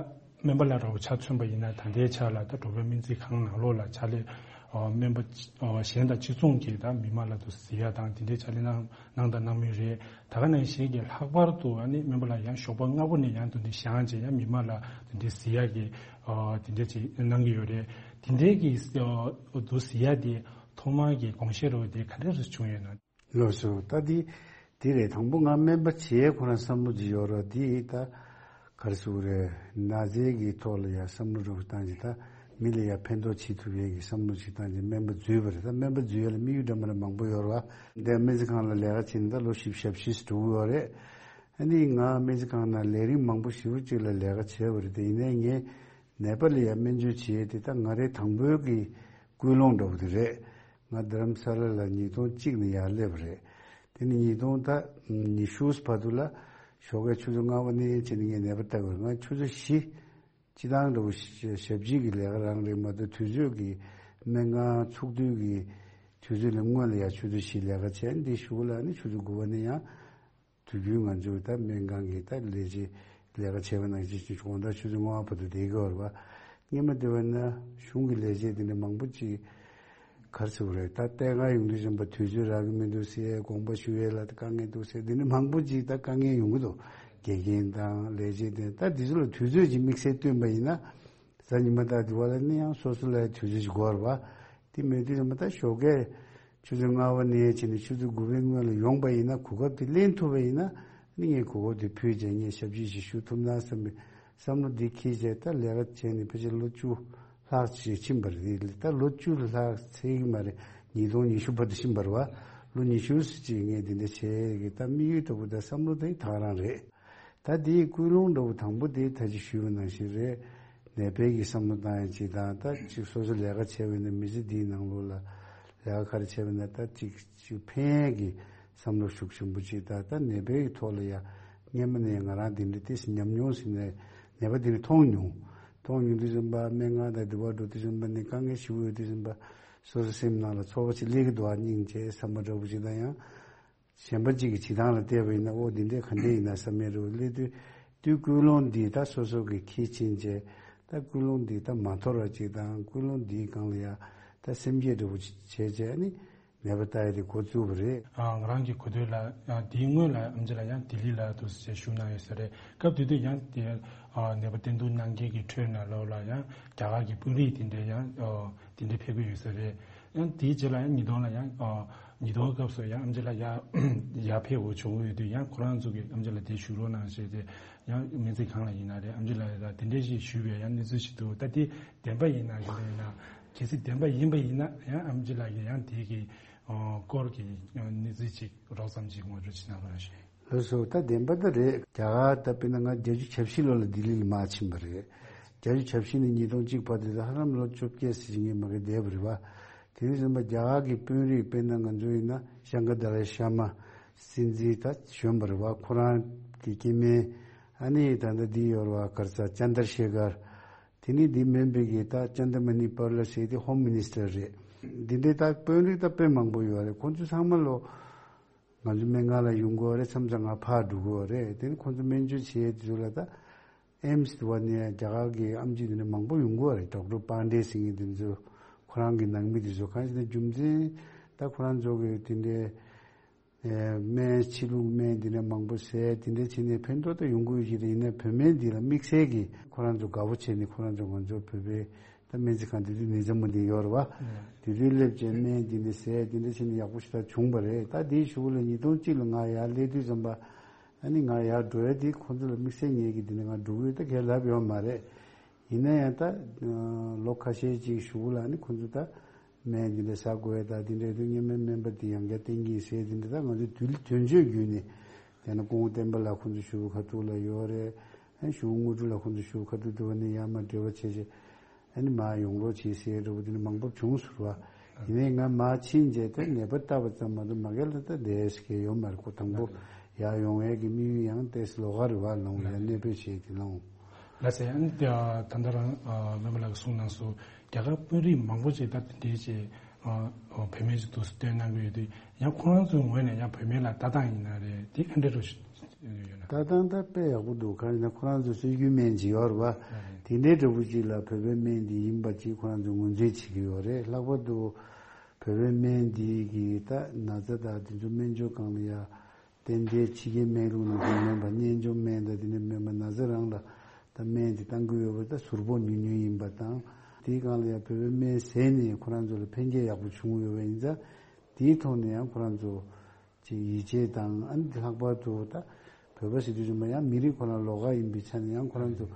སྨན་པ་ལ་རོགས་ཆ་མཚོན་པ་ཡིན་ན་ད་ལྟའི་ཆ་ལ་ད་འགྲོ་ཕན་སྨན་རྩིས་ཁང་ནང་ལོགས་ལ་ཕྱག་ལས་ཨོ་སྨན་པ་ཨོ་གཞན་དང་གཅིག་མཚུངས་ཀྱིས་ད་མི་མང་ལ་དུ་གཟིགས་ཡ་དང་དེ་འདྲའི་ཕྱག་ལས་གནང་གནང་དང་གནང་མུས་རེད། ད་ག་ནང་བཞིན་གྱི་ལྷག་པར་དུ་ཨ་ནི་སྨན་པ་ལ་ཡང་ཞོགས་པ་སྔ་པོ་ནས་ཡང་དུ་འདི་བཞེངས་བྱས་ཡང་མི་མང་ལ་དུ་འདི་གཟིགས་ཡ་གི་ཨོ་དེ་འདྲ་ཅིག་གནང་གི་ཡོད་རེད། དེ་འདྲའི་གི་ཨོ་དུ་གཟིགས་ཡ་དེ་ཐོག་མར་གི་དགོངས་བཞེས་རོགས་དེ་ག་འདྲ་རེ་བྱུང་ཡོད་ན། ལགས་སོ། ད་འདི་འདི་རེད། དང་པོ་ང་སྨན་པ་བྱེད་ཁོ་རང་བསམ་བློ་ཅིག་ཡོད་ར། འདི་ད་ག་རེ་ཟེར་དགོས་རེད། ན་ཚའི་གི་ཐོག་ལ་ཡང་བསམ་བློ་འདྲ་པོ་བཏང་ཅིག་ད་མི་ལ་ཡང་ཕན་ཐོགས་བྱེད་ཐུབ་ཡས་ཀྱི་བསམ་བློ་ཅིག་བཏང་ཅིག་སྨན་པ་འཛུལ་བ་རེད། ད་སྨན་པ་འཛུལ་ཡ་ལ་དམིགས་ཡུལ་འདྲ་མི་འདྲ་མང་པོ་ཡོད་ར་བ། འདི་སྨན་རྩིས་ཁང་ལ་ལས་ཀ་བྱེད་ནས་ད་ལོ་བཞི་བཅུ་ཞེ་བཞི་འགྲོ་གི་ཡོད་རེད། ཨ་ནི་ང་སྨན་རྩིས་ཁང་ནང་ལས་རིམ་མང་པོ་ཞེ་པོ་ཅིག་ལ་ལས་ཀ་བྱས་པ་རེད། དེ་ཡིན་ནའི་ངས་ནད་པ་ལ་ཡང་སྨན་བཅོས་བྱེད་ཡས་དེ་ད་ང་རའི་དང་པོའི་གི་ཀུན་སློང་འདྲ་པོ་དེ་རེད། ང་རྡ་རམ་ས་ལ་ལ་ཉིས་སྟོང་གཅིག་ནས་ཡར་སླེབས་པ་རེད། དེ་ནི་ཉིས་སྟོང་ད་ཉི་ཤུ་བར་དུ་ལ་ཞོགས་ཀའི་ཆུ་ཚོད་ལྔ་པ་ནས་བྱས་ནས་ངས་ནད་པ་ལྟ་དགོས་རེད། ང་ཆུ་ཚོད་བཞི་སྤྱི་བཏང་འདྲ་པོ་ཞབས་ཕྱི་གི་ལས་ཀ་རང་རེད་མ་གཏོགས་དུས་ཚོད་ཀྱི་སྨན་ཁང་ཚུགས་དུས་ཀྱི་དུས་ཚོད་ལས་སྔོན་ལ་ཡང་ཆུ་ཚོད་བཞི་ལས་ཀ་བྱས། འདི་གཞུག་ལ་ནི་ཆུ་ཚོད་དགུ་པ་ནས་ཡང་དུས་རྒྱུན་ང་ཚོའི་ད་སྨན་ཁང་གི་ད་ལས་བྱེད་ལས་ཀ་བྱས་པ་ནང་བཞིན་དགོང་དག་ཆུ་ཚོད་ལྔ་པ་བར་དུ་བསྡད་ཀྱི་ཡོད་རེད་བ། སྔོན་མ་དེ་བས་ན་གཞུང་གི་ལས་བྱེད་དེ་འདྲ་མང་པོ་ཅིག་ག་རེ་ཟེར་དགོས་རེད། ད་ལྟས་ངན་ཡོང་དུས་ཙམ་པ་དུས་ཚོད་རག་གི་མི་འདུག་ཟེར། དགོངས་པ་ཞུ་ཡས་ལ་དཀའ་ངལ་འདུག་ཟེར། དེ་འདྲ་མང་པོ་ཅིག་ད་དཀའ་ངལ་ཡོང་གི་འདུག་དགེ་རྒན་དང་ལས་བྱེད་དེ་ད་དེ་ཚོ་ལ་དུས་ཚོད་ཅིག་དམིགས་བསལ་བཏོན་པ་ཡིན་ན་གཟའ་ཉི་མ་དང་དེ་བ་ལ་ནི་ཡང་སོ་སོ་ལ་དུས་ཚོད་ཅིག་དགོས་རེད་བ། དེ་མེད་དུས་ཙམ་པ་ད་ཞོགས་ཀས་ཆུ་ཚོད་ལྔ་པ་ནས་བྱས་ནས་ཆུ་ཚོད་དགུ་པའི་སྔོན་ལ་ཡོང་པ་ཡིན་ན་གོ་སྐབས་དེ་ལེན་ཐུབ་པ་ཡིན་ན་ནི་ངས་གོ་སྐབས་དེ་ཕུལ་བྱས་ངས་ཞབས་ཕྱི་ཞིག་ཞུ་ཐུབ་ན་བསམ་པའི་བསམ་བློ་འདི་འཁྱེར་བྱས་ད་ལས་ཀ་བྱས་ནས་ཕལ་ཆེར་ལོ་བཅུ་ལྷག་ཅིག་ཕྱིན་པ་རེད། ད་ལོ་བཅུ་ལྷག་ཚར་གི་མ་རེད། ཉིས་སྟོང་ཉི་ཤུ་བར་དུ་ཕྱིན་པ་རེད་བ། ལོ་ཉི་ཤུ་ཙམ་ཅིག་ངས་འདི་འདྲ་བྱས་གི་ད་དམིགས་ཡུལ་ལྟ་བུ་ད་བསམ་བློ་དེ་ད་ག་རང་རེད། ད་དེའི་ཀུན་སློང་འདྲ་བོ་དང་པོ་དེ་ད་ཅི་ཞུས་པ་ནང་བཞིན་རེད། ནད་པའི་གི་བསམ་བློ་བཏང་ཡ་ཅིག་དང་ད་ཅིག་སོ་སོ་ལས་ཀ་བྱས་པ་ཡིན་ན་མི་ཚེ་འདིའི་ནང་ལོགས་ལ་ལས་ཀ་ག་རེ་བྱས་པ་ཡིན་ན་ད་ཅིག་ཅིག་ཕན་ཡས་ཀྱི་བསམ་བློ་ཤུགས་ཆེན་པོ་ཅིག་དང་ད་ནད་པའི་གི་ཐོག་ལ་ཡ་སྔན་མ་ནས་ང་རང་འདི་འདྲ་ཏོག་ཙམ་ཉམས་མྱོང་ཟིན་ནས་ནད་པ་འདི་འདྲ་མཐོང་མྱོང་། མཐོང་མྱོང་དུས་ཙམ་པ་སྨན་ཁང་དང་འདི་བར་འགྲོ་དུས་ཙམ་པ་ནས་དཀའ་ངལ་ཞེ་པོ་ཡོད་དུས་ཙམ་པ་སོ་སོ་སེམས་ནང་ལ་ཚོར་བ་ཅིག་སླེབས་ཀྱི་འདུག་ཨ་སྙིང་རྗེ་བསམ་པ་འདྲ་བོ་ཅིག་དང་ཡང་། གཞན་པ་གཅིག་གི་བྱེད་སྟངས་ལ་བལྟས་པ་ཡིན་ན་ཨོ་འདི་འདྲས་ག་འདྲས་ཡིན་ན་བསམ་ཡས་རེད་བ། སླེབས་དུས་དུས་ཀུན་སློང་འདི་ད་སོ་སོ་གི་ཁྱི་ཕྱིན་བྱས་ད་ཀུན་སློང་འདི་ད་མ་འཐོར་བ་ཅིག་དང་ཀུན་སློང་འདིའི་སྒང་ལ་ཡ་ད་སེམས་བསྐྱེད་འདྲ་བོ་ཅིག་བྱས་བྱས་ནི་ནད་པ་ལྟ་ཡ་དེ་འགོ་བཙུགས་པ་རེད། ཨ་ང་རང་གི་གོ་ཐོས་ལ་ཡང་དེའི་སྔོན་ལ་ཨེམ་ཆི་ལགས་ཡང་ལྡི་ལི་ལ་འདུག་སེ་བཞུགས་གནང་ཡོད་ས་རེད། སྐབས་དེ་དུས་ཡང་དེ་ཨ་ནད་པ་བསྟེན་གཏུག་གནང་མཁན་གྱི་ཁྲོད་ནང་ལོགས་ལ་ཡང་རྒྱ་གར་གྱི་དཔོན་རིགས་དེ་འདྲས་ཡང་ཨ་དེ་འདྲས་ཕེབས་ཀྱི་ཡོད་ས་རེད། ཡང་དེའི་རྗེས་ལ་ཡང་ཉིས་སྟོང་ལ་ཡང་ཨ་ཉིས་སྟོང་སྐབས་སུ་ཡང་ཨེམ་ཆི་ལགས་ཡར་ཡར་ཕེབས་དགོས་བྱུང་ཡོད་དུས་ཡང་ཁོ་རང་ཚོ་གིས་ཨེམ་ཆི་ལགས་དེ་བཞུགས་རོགས་གནང་ཞེས་ཏེ་ཡང་སྨན་རྩིས་ཁང་ལ་ཡིན་ན་རེད་ཨེམ་ཆི་ལགས་ལ་དེ་འདྲས་ཞིག་ཞུས་པའི་ཡང་གནས་ཚུལ་ཞིག་འདུག་ད་དེ་བདེན་པ་ཡིན་ན་ག་འདྲ་ཡིན་ན་གལ་སྲིད་བདེན་པ་ཡིན་པ་ཡིན་ན་ཡང་ཨེམ་ཆི་ལགས་ཀྱིས་ཡང་དེ་གི་ཨ་སྐོར་གྱི་ཡང་གནས་ཚུལ་ཅིག་རོབ་ཙམ་ཅིག་ངོ་སྤྲོད་ཅིག་གནང་རོགས་ཞུ། ལགས་སོ། ད་བདེན་པ་ད་རེད། རྒྱ་གར་ད་དཔེར་ན་ང་བརྒྱད་ཅུ་གྱ་བཞི་ལོ་ལ་ལྡི་ལི་ལ་མར་ཕྱིན་པ་རེད། བརྒྱད་ཅུ་གྱ་བཞི་ནས་ཉིས་སྟོང་གཅིག་བར་དུ་ད་ཧ་ལམ་ལོ་བཅོ་བརྒྱད་ཙམ་ཞིག་ངས་མ་གི་བསྡད་པ་རེད་བ། དེ་དུས་ཙམ་པ་རྒྱ་གར་གྱི་དཔོན་རིགས་དཔེར་ན་ང་ཚོ་ཡིན་ན་ཤང་ཀར་དཱ་ལའི་ཤར་མ་སྲིད་འཛིན་ད་གཞོན་པ་རེད་བ། ཁོ་རང་གི་སྐྱེ་དམན་ཨ་ནི་ད་ལྟ་འདི་ཡོད་རེད་བ། ག་རེ་ཟེར་ཅན་དར་ཤེ་ཁར། དེ་ནས་འདི་མིན་པའི་གི་ད་ཅན་དར་མ་ནི་པར་ལ་ཟེར་དེ་ཧོམ་མི་ནི་སི་ཊར་རེད། འདི་འདྲའི་ད་དཔོན་རིགས་ད་དཔེ་མང་པོ་ཡོད་རེད། ཁོང་ཚོ་ཚང་མ་ལོ། ང་ཚོ་སྨན་ཁང་ལ་ཡོང་གི་ཡོད་རེད། མཚམས་མཚམས་ང་ཕར་འགྲོ་གི་ཡོད་རེད། དེ་ནི་ཁོང་ཚོ་སྨན་བཅོས་བྱེད་དུས་ལ་ད་ཨེམ་སི་དེ་བ་ནས་རྒྱ་གར་གྱི་ཨེམ་ཆི་དེ་འདྲ་མང་པོ་ཡོང་གི་ཡོད་རེད། ཌོག་ཊར་པཱན་ཌེ་ཟེར་མཁན་དེ་ཚོ་ཁོ་རང་གི་ནང་མི་དེ་ཚོ་གང་ཞིག་ན་རྒྱུ་མཚན་ད་ཁོ་རང་ཚོ་གི་དེ་འདྲའི་སྨན་ཕྱི་ལུགས་སྨན་དེ་འདྲ་མང་པོ་ཟས་དེ་འདྲ་བྱས་ནས་ཕན་ཐོགས་ད་ཡོང་གི་ཡོད་ཀྱི་རེད། ཡིན་ན་བོད་སྨན་འདི་ལ་དམིགས་བསལ་གྱི་ཁོ་རང་ཚོ་དགའ་པོ་བྱས་ནས་ཁོ་རང་ཚོ་ང་ཚོ་བོད་པའི་ད་སྨན་རྩིས་ཁང་དེ་དུས་ནེ་ཙོ་མོ་དེ་ཡོད་རེད་བ། དེ་དུས་སླེབས་བྱས་སྨན་འདི་འདྲ་ཟས་འདི་འདྲ་བྱས་ནས་ཡག་པོ་ཞིག་ད་བྱུང་བ་རེད། ད་དེའི་གཞུག་ལ་ཉིས་སྟོང་གཅིག་ལ་ང་ཡར་སླེབས་དུས་ཙམ་པ་ཨ་ནི་ང་ཡར་འགྲོ་ཡ་དེ་ཁོང་ཚོ་ལ་དམིགས་བསལ་ངེད་ཀྱིས་འདི་ནས་ང་འགྲོ་གི་ཡོད་ད་གས་ལབ་ཡོད་མ་རེད། ཡིན་ན་ཡང་ད་ལོ་ཁ་ཤས་ཅིག་གཞུག་ལ་ཨ་ནི་ཁོང་ཚོ་ད་སྨན་འདི་འདྲ་ཟ་དགོས་ཡ་ད་འདི་འདྲ་དུས་སྔོན་མའི་སྨན་པ་འདི་ཡང་བསྐྱར་བསྟེན་གྱི་ཡིན་ཟེར་འདི་འདྲ་ད་ང་ཚོ་དུས་དོན་གཅོད་བརྒྱུད་ནས་དེ་ན་སྐུ་ངོ་བསྟན་པ་ལགས་ཁོང་ཚོ་ཞུ་བ་ཁ་ཐུག་ལ་ཡོད་རེད། ཨ་ཞུ་དངོས་གྲུབ་ལ་ཁོང་ཚོ་ཞུ་ཁ་ཐུག་དུ་བ་ནི་ཡར་མར་འབྲེལ་བ་བྱས་བྱས་ཨ་ནི་མར་ཡོང་རོགས་བྱེད་ཟེར་འདྲ་བོ་དེ་ནི་མང་པོ་བྱུང་ཟེར་བ། ཡིན་ནའི་ང་མར་ཕྱིན་རྗེས་ད་ནད་པ་ལྟ་བ་ཙམ་མ་གཏོགས་མ་གི་ལ་ད་བསྡད་ཤེས་ཀྱི་ཡོད་མ་རེད། ཁོ་དང་པོ་ཡར་ཡོང་ཡས་ཀྱི་དམིགས་ཡུལ་ཡང་ཏོག་ཙམ་ལོགས་ཀ་རེད་བ། ལོང་ཡ་གནས་སྤོས་བྱས་དེ་ལོང་། ལགས་སེ། ཨ་ནི་ད་ད་ལྟ་རང་ཨ་སྨན་པ་ལགས་ཀྱིས་གསུངས་གནང་སོང་། རྒྱ་གར་དཔོན་རིགས་མང་པོ་ཅིག་ད་དེ་འདྲའི་ཅིག་ཨ་བུད་མེད་ཅིག་འདུག་སེ་སྟོན་གནང་གི་ཡོད་དུས། ཡང་ཁོ་རང་ཚོའི་ངོས་ནས་ཡང་བུད་མེད་ལ་ལྟ་སྟངས་ཡིན་ན་རེད། དེ་ག་འདྲ་རུ་ཡོད་ན། ལྟ་སྟངས་ད་དཔེ་ཡག་པོ་འདུག་གང་ཡིན་ན་ཁོ་རང་ཚོ་སྲོལ་རྒྱུན་སྨན་ཅིག་ཡོད་རེད་བ། ཨ་རེད། དེ་འདྲའི་འདྲ་པོ་ཅིག་ལ་བོད་པའི་སྨན་འདི་ཡིན་པ་ཅིག་ཁོ་རང་ཚོས་ངོས་འཛིན་བྱེད་ཀྱི་ཡོད་རེད། ལྷག་པར་དུ་བོད་པའི་སྨན་འདི་གི་ད་ན་ཚ་དང་དེ་ཚོ་སྨན་བཅོས་སྒང་ལ་ཡ་ཏན་ཏན་ཕྱི་རྒྱལ་སྨན་ལུགས་ནང་བཞིན་མིན་པ། གཉེན་སྐྱོང་སྨན་དང་དེ་འདྲ་མིན་པ། ན་ཚ་རང་ལ་ད་སྨན་དེ་བཏང་གི་ཡོད་པ་ད་ཟུར་ཕོག་ཉུང་ཉུང་ཡིན་པ་དང་། དེའི་སྒང་ལ་ཡང་བོད་པའི་སྨན་ཟས་ནས་ཁོ་རང་ཚོ་ལ་ཕན་ཁྱད་ཡག་པོ་བྱུང་ཡོད་པ་ཡིན་ཙང་། དེའི་ཐོག་ནས་ཡང་ཁོ་རང་ཚོ་ཅིག་ཡིད་ཆེས་དང་། ཨ་ནི་ལྷག་པར་དུ་ད་བོད་པ་ཟེར་དུས་ཙམ་པ་ཡང་མི་རིགས་ཁོ་རང་ལོགས་ཀ་ཡིན་པའི་ཆ་ནས་ཡང་ཁོ་རང་ཚོ་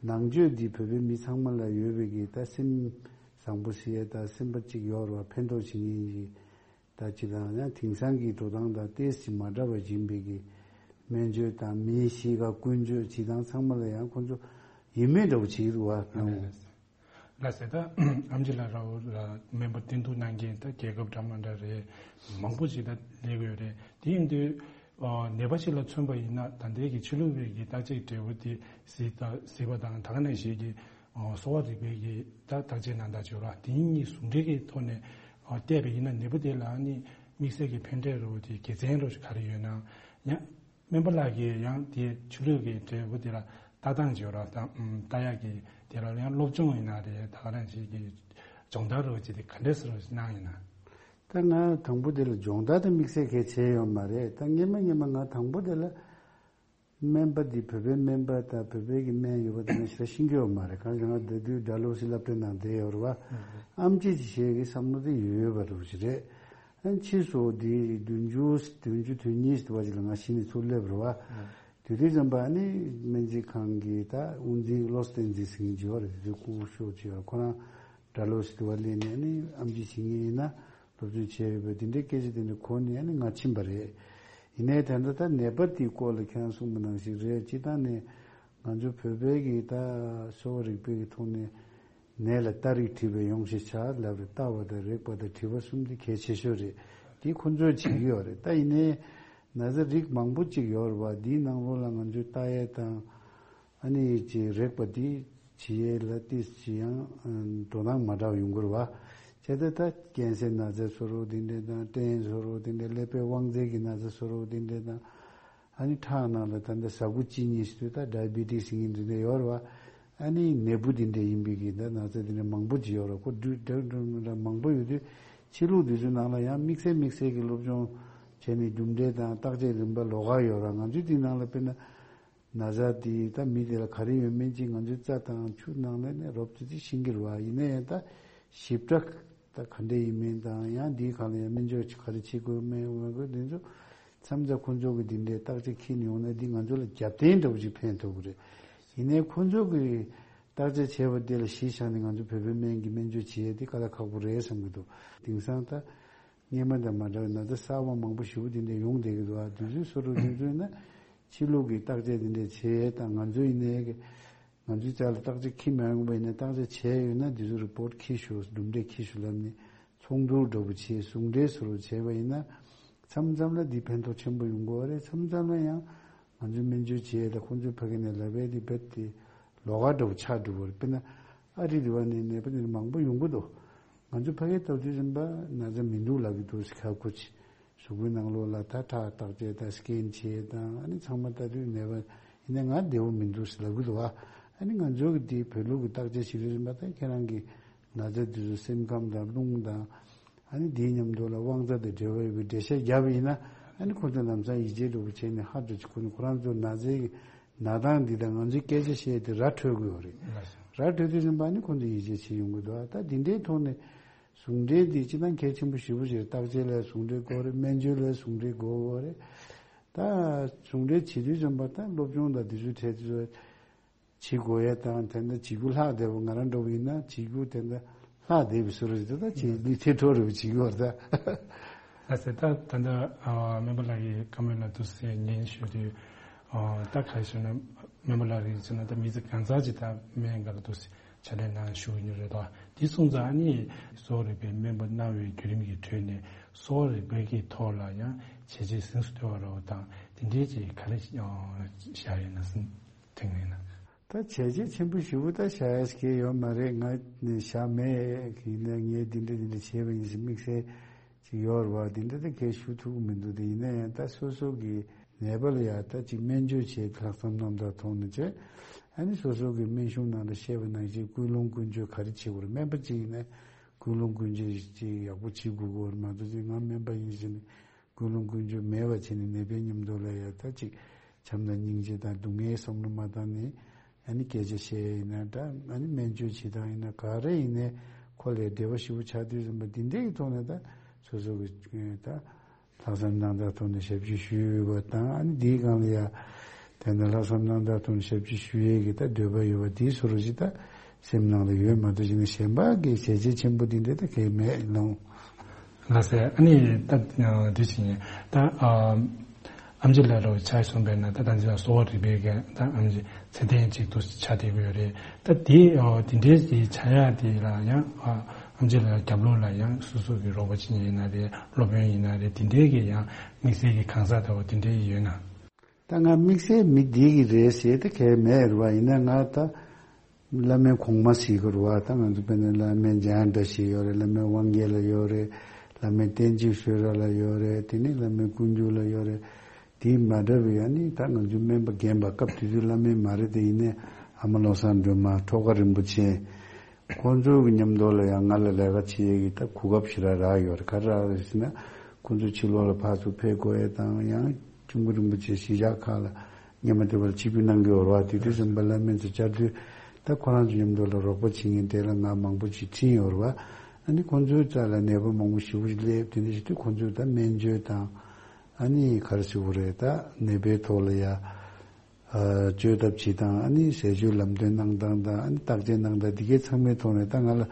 ནང་ཆོས་འདི་བོད་པའི་མི་ཚང་མ་ལ་ཡོད་པའི་གི་ད་སེམས་བཟང་པོ་ཟེར་ཡས་ད་སེམས་པ་ཅིག་ཡོད་རེད་བ། ཕན་ཐོགས་བྱེད་མཁན་གྱི། ད་སྤྱིར་བཏང་ཡང་དེང་སང་གི་འགྲོ་སྟངས་དང་ཏོག་ཙམ་མ་འདྲ་བ་ཡིན་པའི་གི་སྨན་བཅོས་དང་མིའི་གཤིས་ཀ་ཀུན་སྤྱོད་བྱེད་སྟངས་ཚང་མ་ལ་ཡང་ཁོང་ཚོ་ཡིད་སྨོན་འདྲ་བོ་བྱེད་ཀྱི་འདུག་བ། ལགས་སེ། ད་ཨེམ་ཆི་ལགས་ར་བོ་ལ་སྨན་པ་བསྟེན་གཏུག་གནང་མཁན་ད་རྒྱལ་ཁབ་འདྲ་མ་འདྲ་རེད། མང་པོ་ཞིག་ད་སླེབས་ཀྱི་ཡོད་རེད། དེ་ཡིན་དུས་ཨ་ནད་པ་ཞིག་ལ་མཚོན་པ་ཡིན་ན། ད་ལྟའི་གི་ཕྱི་ལུགས་པའི་གི་བརྟག་དཔྱད་འབྲས་བུ་དེ་གཟིགས་ད་གཟིགས་པ་དང་། ད་ག་ནང་བཞིན་གྱི་ཨ་གསོ་བ་རིག་པའི་གི་ད་བརྟག་དཔྱད་གནང་སྟངས་བྱེད་ར། དེ་གཉིས་ཟུང་འབྲེལ་གྱི་ཐོག་ནས་ཨ་བལྟས་པ་ཡིན་ན། ནད་པ་དེ་ལ་ཨ་ནི་དམིགས་བསལ་གྱི་ཕན་འབྲས་རོ་དེ་དགེ་མཚན་རོ་ག་རེ་ཡོད་ན་ཡང་། སྨན་པ་ལགས་ཀྱིས་ཡང་དེ་ཕྱི་ལུགས་ཀྱི་འབྲས་བུ་དེ་ལ་ལྟ་སྟངས་བྱེད་རོགས་དང་། ལྟ་ཡག་གི་དེ་ལ་ཡང་སློབ་སྦྱོང་ཡིན་ན་རེད། ད་ག་རང་ཞིག་གི་སྦྱོང་བརྡར་རོགས་ཅིག་དེ་ག་འདྲས་སེ་རོགས་གནང་ཡིན་ན། ད་ང་དང་པོ་དེ་ལ་སྦྱོང་བརྡར་དེ་དམིགས་བསལ་གལ་ཆེ་ཡོད་མ་རེད། ད་སྔན་མ་སྔན་མ་ང་དང་པོ་དེ་ལ་སྨན་པ་འདི་བོད་པའི་སྨན་པ་དང་བོད་པའི་གི་སྨན་ཡོད་པ་དེ་ང་ཞེ་དྲག་ཤེས་ཀྱི་ཡོད་མ་རེད། གང་ལྟར་ང་ད་དུང་སྒྲ་ལོག་སི་སློབ་གྲྭའི་ནང་བསྡད་ཡོད་རེད་བ། ཨམ་ཆི་ཅིག་བྱེད་ཀྱི་བསམ་བློ་དེ་ཡོད་པ་རེད་ཅིག་རེད། ཨ་ཕྱིས་སུ་དེ་བདུན་ཅུ་བདུན་ཅུ་དོན་གཉིས་དེ་བ་ཅིག་ལ་ང་གཞི་ནས་ཚུར་སླེབས་རེད་བ། དེ་དུས་ཙམ་པ་ཨ་ནི་སྨན་རྩིས་ཁང་གི་ད་དབུ་འཛིན་བློ་བསྟན་འཛིན་ཟེར་མཁན་ཅིག་ཡོད་རེད། དེ་དུས་སྐུ་ཞབས་ཅིག་ཡོད་རེད། ཁོ་རང་སྒྲ་ལོག་སི་དེ་བ་སླེབས་ནས་ཨ་ནི་ཨམ་ཆི་བྱེད་མཁན་ཡིན་ན་སློབ་སྦྱོང་བྱས་ཡོད་པའི་དེ་འདྲའི་སྐད་ཆ་དེ་འདྲ་གོ་ནས་ཨ་ནི་ང་ཕྱིན་པ་རེད། ཡིན་ནའི་ད་ལྟ་ད་ནད་པ་དེའི་སྐོར་ལ་ཁྱེད་རང་གསུངས་པ་ནང་བཞིན་རེད། སྤྱིར་བཏང་ནས་ང་ཚོ་བོད་པའི་གི་ད་གསོ་བ་རིག་པའི་གི་ཐོག་ནས་ནད་ལ་ལྟ་རིགས་བྲིས་པའི་ཡོང་ཞེས་བྱ་ལབ་རེད། ལྟ་བ་དང་རེག་པ་དང་དྲི་བ་གསུམ་དེ་གལ་ཆེ་ཤོས་རེད། དེ་ཁོ་ཚོས་བྱེད་ཀྱི་ཡོད་རེད། ད་ཡིན་ནའི་ན་ཚ་རིགས་མང་པོ་ཅིག་ཡོད་རེད་བ། དེའི་ནང་ལོགས་ལ་ང་ཚོས་ལྟ་ཡས་དང་ཨ་ནི་ཅིག་རེག་པ་དེ་བྱེད་ཡས་ལ་ཏིས་ཅི་ཡང་འགྲོ་སྟངས་མ་འདྲ་བ་ཡོང་གི་རེད་བ། བྱས་ཙང་ད་ཀན་སར་ན་ཚ་བཟོ་འདྲ་དེ་འདྲ་དང་སྐྲན་བཟོ་འདྲ་དེ་འདྲ། ཀླད་པའི་དབང་རྩའི་གི་ན་ཚ་བཟོ་འདྲ་དེ་འདྲ་དང་། ཨ་ནི་ཁྲག་ནང་ལ་ད་ལྟ་ཟ་ཁུ་གཅིན་སྙི་ཟེར་དུས་ད་ཌའི་བི་ཊི་སི་ཟེར་མཁན་དེ་འདྲ་ཡོད་རེད་བ། ཨ་ནི་ནད་འབུ་དེ་འདྲ་ཡིན་པའི་གི་ད་ན་ཚ་དེ་འདྲ་མང་པོ་ཅིག་ཡོད་རེད། ཁོ་འདྲ་འདྲ་མང་པོ་ཡོད་དུས་ཕྱི་ལུགས་དེ་ཚོའི་ནང་ལ་ཡང་དམིགས་བསལ་དམིགས་བསལ་གྱི་སློབ་སྦྱོང་བྱས་ནས་རྒྱུ་འབྲས་དང་བརྟག་དཔྱད་རིམ་པ་ལོགས་ཀ་ཡོད་རེད། ང་ཚོའི་དེའི་ནང་ལ་དཔེར་ན་ན་ཚ་དེ་ད་མི་དེ་ལ་ག་རེ་ཡོད་མེད་ཅིག་ང་ཚོའི་རྩ་དང་ཆུ་ནང་ལ་ནས་རོབ་ཙམ་ཅིག་ཤེས་ཀྱི་རེད་བ། ཡིན་ན་ཡང་ད་ཞིབ་ཕྲ་ད་ག་འདྲ་ཡིན་མིན་དང་། ཡང་འདིའི་སྒང་ལ་ཡང་སྨན་བཅོས་ག་རེ་བྱེད་དགོས་མེད་དགོས་འདི་ཚོ་མཚམས་མཚམས་ཁོ་ཚོ་གི་འདི་འདྲའི་བརྟག་དཔྱད་འཁྱེར་ཡོང་ན་འདི་ང་ཚོ་ལ་རྒྱབ་རྟེན་འདྲ་བོ་ཅིག་ཕན་ཐོགས་ཀྱི་རེད། ཡིན་ནའི་ཁོ་ཚོ་གི་བརྟག་དཔྱད་བྱས་པ་དེ་ལ་གཞི་བཞག་ནས་ང་ཚོ་བོད་པའི་སྨན་གྱི་སྨན་བཅོས་བྱེད་ཡས་དེ་དཀའ་ལས་ཁག་པོ་རེད་བསམ་གྱི་འདུག་དེང་སང་ད་སྔན་མ་དང་མ་འདྲ་བའི་ན་ཚ་གསར་པ་མང་པོ་ཞེ་པོ་དེ་འདྲ་ཡོང་བསྡད་ཀྱི་འདུག་ཨ་དུས་ཚོད་བཟོ་འདྲ་དུས་ཚོད་ན་ཕྱི་ལུགས་ཀྱི་བརྟག་དཔྱད་དེ་འདྲ་བྱེད་ཡས་དང་། ང་ཚོ་ཡིན་ནའི་གི་ང་ཚོའི་རྩ་ལ་བརྟག་དཔྱད་འཁྱེར་མ་ཡོང་པ་ཡིན་ན་བརྟག་དཔྱད་བྱས་ཡོད་ན་དེ་ཚོ་རི་པོར་ཊི་འཁྱེར་ཤོག་གྲུབ་འབྲས་འཁྱེར་ཤོག་ལབ་ནས་ཚོགས་འདུ་འདྲ་པོ་བྱས་ཟུང་འབྲེལ་བཟོ་འདྲ་བྱས་པ་ཡིན་ན་མཚམས་མཚམས་ལ་འདི་ཕན་ཐོགས་ཆེན་པོ་ཡོང་གི་ཡོད་རེད། མཚམས་མཚམས་ལ་ཡང་ང་ཚོའི་སྨན་བཅོས་བྱས་ལ་ཁོང་ཚོའི་ཕ་གི་ནས་ལབ་པའི་དེ་རྦད་དེ་ལོགས་ཀ་འདྲ་པོ་ཆགས་འགྲོ་གི་རེད། དཔེར་ན་ཨ་རི་དེ་བ་ནས་ནད་པ་དེ་མང་པོ་ཡོང་གི་འདུག་ང་ཚོ་ཕ་གིར་ལྟ་དུས་ཙམ་པ་ན་ཚ་མི་འདུག་ལབ་ཀྱི་འདུག་ཟེར། ཁ་ཁུ་ཆེ་གཟུགས་པོའི་ནང་ལོགས་ལ་ད་ཁྲག་བརྟག་དཔྱད་དང་སི་ཀེན་བྱས་དང་ཨ་ནི་ཚང་མ་ལྟ་དུས་ནད་པ་ཡིན་ན་ང་བདེ་པོ་མི་འདུག་ཟེར་ལབ་ཀྱི་འདུག་ཨ་ནི་ང་ཚོ་གི་དེ་བོད་ལུགས་ཀྱི་བརྟག་དཔྱད་བྱེད་དུས་ཙམ་པ་ད་ཁྱེད་རང་གི་ན་ཚ་དེ་ཚོ་སེམས་ཁམས་དང་རླུང་དང་ཨ་ནི་དེའི་མཉམ་དུ་ལ་དབང་རྩ་དང་འབྲེལ་བ་ཡོད་པའི་འགྲེལ་བཤད་བརྒྱབ་པ་ཡིན་ན་ཨ་ནི་ཁོ་ཚོ་ལམ་སང་ཡིད་ཆེས་འདྲ་པོ་བྱས་ནས་ཧ་འདྲ་ཅིག་ཁོ་ནི་ཁོ་རང་ཚོ་ན་ཚའི་གི་ན་སྟངས་འདི་དང་ང་ཚོའི་སྐད་ཆ་བཤད་དེ་ར་འཕྲོད་དགོས་པ་རེད། ར་འཕྲོད་དུས་ཙམ་པ་ནི་ཁོ་ཚོ་ཡིད་ཆེས་བྱེད་ཡོང་གི་འདུག་ད་འདི་འདྲའི་ཐོག་ནས་ཟུང་འབྲེལ་འདི་སྤྱིར་བཏང་གལ་ཆེན་པོ་ཞེ་པོ་ཞིག་རེད། བརྟག་དཔྱད་ལ་ཟུང་འབྲེལ་དགོས་རེད། སྨན་བཅོས་ལ་ཟུང་འབྲེལ་དགོས་རེད། ད་ཟུང་འབྲེལ་བྱེད་དུས་ཙམ་པ་ད་སློབ་སྦྱོང་དང་འདི་ཚོའི་གྲས་དེ་ཚོ་བྱེད་དགོས་ཡ་དང་། དེ་འདྲ་བྱེད་རྒྱུ་ལྷག་བསྡད་པ་ང་རང་འདྲ་པོ་ཡིན་ན་བྱེད་རྒྱུ་དེ་འདྲ་ལྷག་བསྡད་པའི་བཟོ་འདྲ་ཞིག་ད་བྱེད་ལུས་ཐེ་འཕྲོ་རེ་བ་བྱེད་ཀྱི་ཡོད་རེད་ད། ལགས་སེ། ད་ད་ལྟ་ཨ་སྨན་པ་ལགས་ཀྱིས་བཀའ་མོལ་ལ་འདུག་སེ་ཉན་ཞུས་དུས་ཨ་ད་ག་རེ་ཞུ་ན་སྨན་པ་ལགས་རེད་ཟེར་ན་ད་མི་ཚེ་གང་ཚར་ཅིག་ད་སྨན་སྒང་ལ་འདུག་སེ་ ཕྱག་ལས་གནང་ཞུ་གི་ཡོད་རེད་དོ། དེ་སོང་ཙང་ཨ་ནི་གསོ་བ་རིག་པའི་སྨན་པ་གནང་བའི་བརྒྱུད་རིམ་གྱི་ཁྲོད་ནས་གསོ་བ་རིག་པའི་གི་ཐོག་ལ་ཡང་བྱས་རྗེས་གཟེངས་སུ་ཐོན་པ་རོགས་དང་དེ་འདྲའི་ཅིག་ག་རེ་བཞག་ཡོད་ན་དྲན་གྱི་ཡོད་ན། ད་བྱས་རྗེས་ཆེན་པོ་ཞེ་པོ་ད་བཞག་ཡ་ཞིག་ཡོད་མ་རེད། ང་ནི་བཞག་མེད་ཡིན་ན་ངས་འདི་འདྲ་འདི་འདྲ་བྱས་པ་ཡིན་ཞེས་དམིགས་བསལ་ཅིག་ཡོད་རེད་བ། འདི་འདྲ་ད་གས་ཞུ་ཐུབ་ཀྱི་མི་འདུག་དེ་ཡིན་ན་ཡང་ད་སོ་སོ་གི་ནད་པ་ལ་ཡང་ད་ཅིག་སྨན་བཅོས་བྱེད་ལྷག་བསམ་རྣམ་དག་ཐོག་ནས་བྱས། ཨ་ནི་སོ་སོ་གི་སྨན་གཞུང་ནང་ལ་བཤད་པ་ནང་བཞིན་ཀུན་སློང་ཀུན་སྤྱོད་ག་རེ་བྱེད་དགོས་རེད། སྨན་པ་ཅིག་ཡིན་ན་ཀུན་སློང་ཀུན་སྤྱོད་ཅིག་ཡག་པོ་བྱེད་དགོས་ཀྱི་ཡོད་རེད། མ་གཏོགས་ཅིག་ང་སྨན་པ་ཡིན་ཟེར་ནས་ཀུན་སློང་ཀུན་སྤྱོད་མེད་པ་བྱས་ནས་ནད་པའི་མཉམ་དུ་ལ་ཡང་ད་ཅིག་བྱམས་དང་སྙིང་རྗེ་དང་སྡུག་བསྔལ་བསམ་བློ་མ་བཏང་ནས། ཨ་ནི་སྐད་ཆ་བཤད་ཡིན་ན་འདྲ། ཨ་ནི་སྨན་བཅོས་བྱེད་སྟངས་ཡིན་ན་ག་རེ་ཡིན་ནའི་ཁོ་ལས་བདེ་བ་ཞེ་པོ་ཆགས་དུས་ཙམ་པ་འདི་འདྲའི་གི་ཐོག་ནས་ད་སོ་སོ་གི་ད་ལྷག་བསམ་རྣམ་དག་ཐོག་ནས་ཞབས་ཕྱི་ཞུས་ཡོད་པ་དང་། ཨ་ནི་འདིའི་སྒང་ལ་ཡ་དེ་འདྲ་ལྷག་བསམ་རྣམ་དག་ཐོག་ནས་ཞབས་ཕྱི་ཞུ་ཡས་ཀྱི་ད་འདོད་པ་ཡོད་པ་འདིའི་སོ་རུ་ཞིག་ད་སེམས་ནང་ལ་ཡོད་མ་གཏོགས་ཅིག་ནི་གཞན་པ་གི་བྱས་རྗེས་ཆེན་པོ་འདི་འདྲ་ད་གས་མེད་ལོང་། ལགས་སེ། ཨ་ནི་ད་འདི་བྱེད་ཉན་ད་ཨ་ཨམ་ཆི་ལགས་རོགས་ཆ་གསུངས་པས་ན། ད་ད་འདི་གསོ་བ་རིག་པའི་གི་ད་ཨམ་ཆི་ཚད་ལྡན་ཅིག་ཏུ་ཆགས་བསྡད་ཀྱི་ཡོད་རེད། ད་དེ་ཨ་དེ་འདྲའི་དེ་ཆགས་ཡག་དེ་ལ་ཡང་ཨ་ཨམ་ཆི་ལགས་རྒྱབ་ལོགས་ལ་ཡང་སོ་སོ་གི་རོགས་པ་བྱེད་ཉན་ཡིན་ན་རེད། སློབ་དཔོན་ཡིན་ན་རེད། དེ་འདྲའི་གི་ཡང་དམིགས་བསལ་གྱི་གང་ཟག་ལྟ་བུ་དེ་འདྲའི་ཡོད་ན། ད་ང་དམིགས་བསལ་མི་འདི་གི་རེད་ཟེར་ད་གས་མེད་རེད་བ། ཡིན་ན་ང་ད་བླ་སྨན་གོང་མ་ཟེར་གི་རེད་བ། ད་ང་ཚོ་དཔེར་ན་བླ་སྨན་འཇམ་དབྱངས་བཀྲ་ཤིས་ཡོད་རེད། བླ་སྨན་དབང་རྒྱལ་ལགས་ཡོད་རེད། བླ་སྨན་བསྟན་འཛིན་བསོད་ར་ལགས་ཡོད་རེད། དེ་ནས་བླ་སྨན་ཀུན་འགྱུར་ལགས་ཡོད་རེད། དེ་མ་འདྲ་བའི་ཨ་ནི་ད་ང་ཚོའི་སྨན་པ་རྒན་པ་སྐབས་དེ་དུས་བླ་སྨན་མ་རེད་དེ། ཡིན་ནའི་ཨ་མ་བློ་བཟང་སྒྲོལ་མ། ཁྲོ་དགའ་རིན་པོ་ཆེ། ཁོང་ཚོའི་གི་མཉམ་དུ་ལ་ཡང་ང་ལ་ལས་ཀ་བྱེད་ཡས་ཀྱི་ད་གོ་སྐབས་ཞེ་དྲག་རག་ཡོད་རེད། ག་རེ་རག་རེད་ཟེར་ན། ཁོང་ཚོ་ཕྱི་ལོགས་ལ་ཕར་ཚུར་ཕེབས་དགོས་ཡས་དང་། ཡང་ཁྱུང་པོ་རིན་པོ་ཆེ་གཞིས་ཆགས་ཁག་ལ་སྔོན་མ་དེ་བར་ཆིབས་བསྒྱུར་གནང་གི་ཡོད་རེད་བ། དེ་དུས་ཙམ་པ་བླ་སྨན་ཚོ་བཅར་དུས་ད་ཁོ་རང་ཚོ་མཉམ་དུ་ལ་རོགས་པ་བྱེད་མཁན་དེ་ལ་ང་མང་པོ་ཅིག་ཕྱིན་ཡོད་རེད་བ། ཨ་ནི་ཁོང་ཚོའི་རྩ་ལ་ནད་པ་མང་པོ་ཞེ་པོ་ཅིག་སླེབས། དེ་འདྲ་བྱེད་དུས་ཁོང་ཚོས་ད་སྨན་བཅོས་དང་། ཨ་ནི་ག་རེ་ཟེར་དགོས་རེད། ད་ནད་པའི་ཐོག་ལ་ཡ། ཨ་བཅོས་ཐབས་བྱེད་སྟངས། ཨ་ནི་ཟས་སྤྱོད་ལམ་སྟོན་གནང་སྟངས་དང་། ཨ་ནི་བརྟག་དཔྱད་གནང་སྟངས། འདི་གའི་ཚང་མའི་ཐོག་ནས་ད་ང་ལ་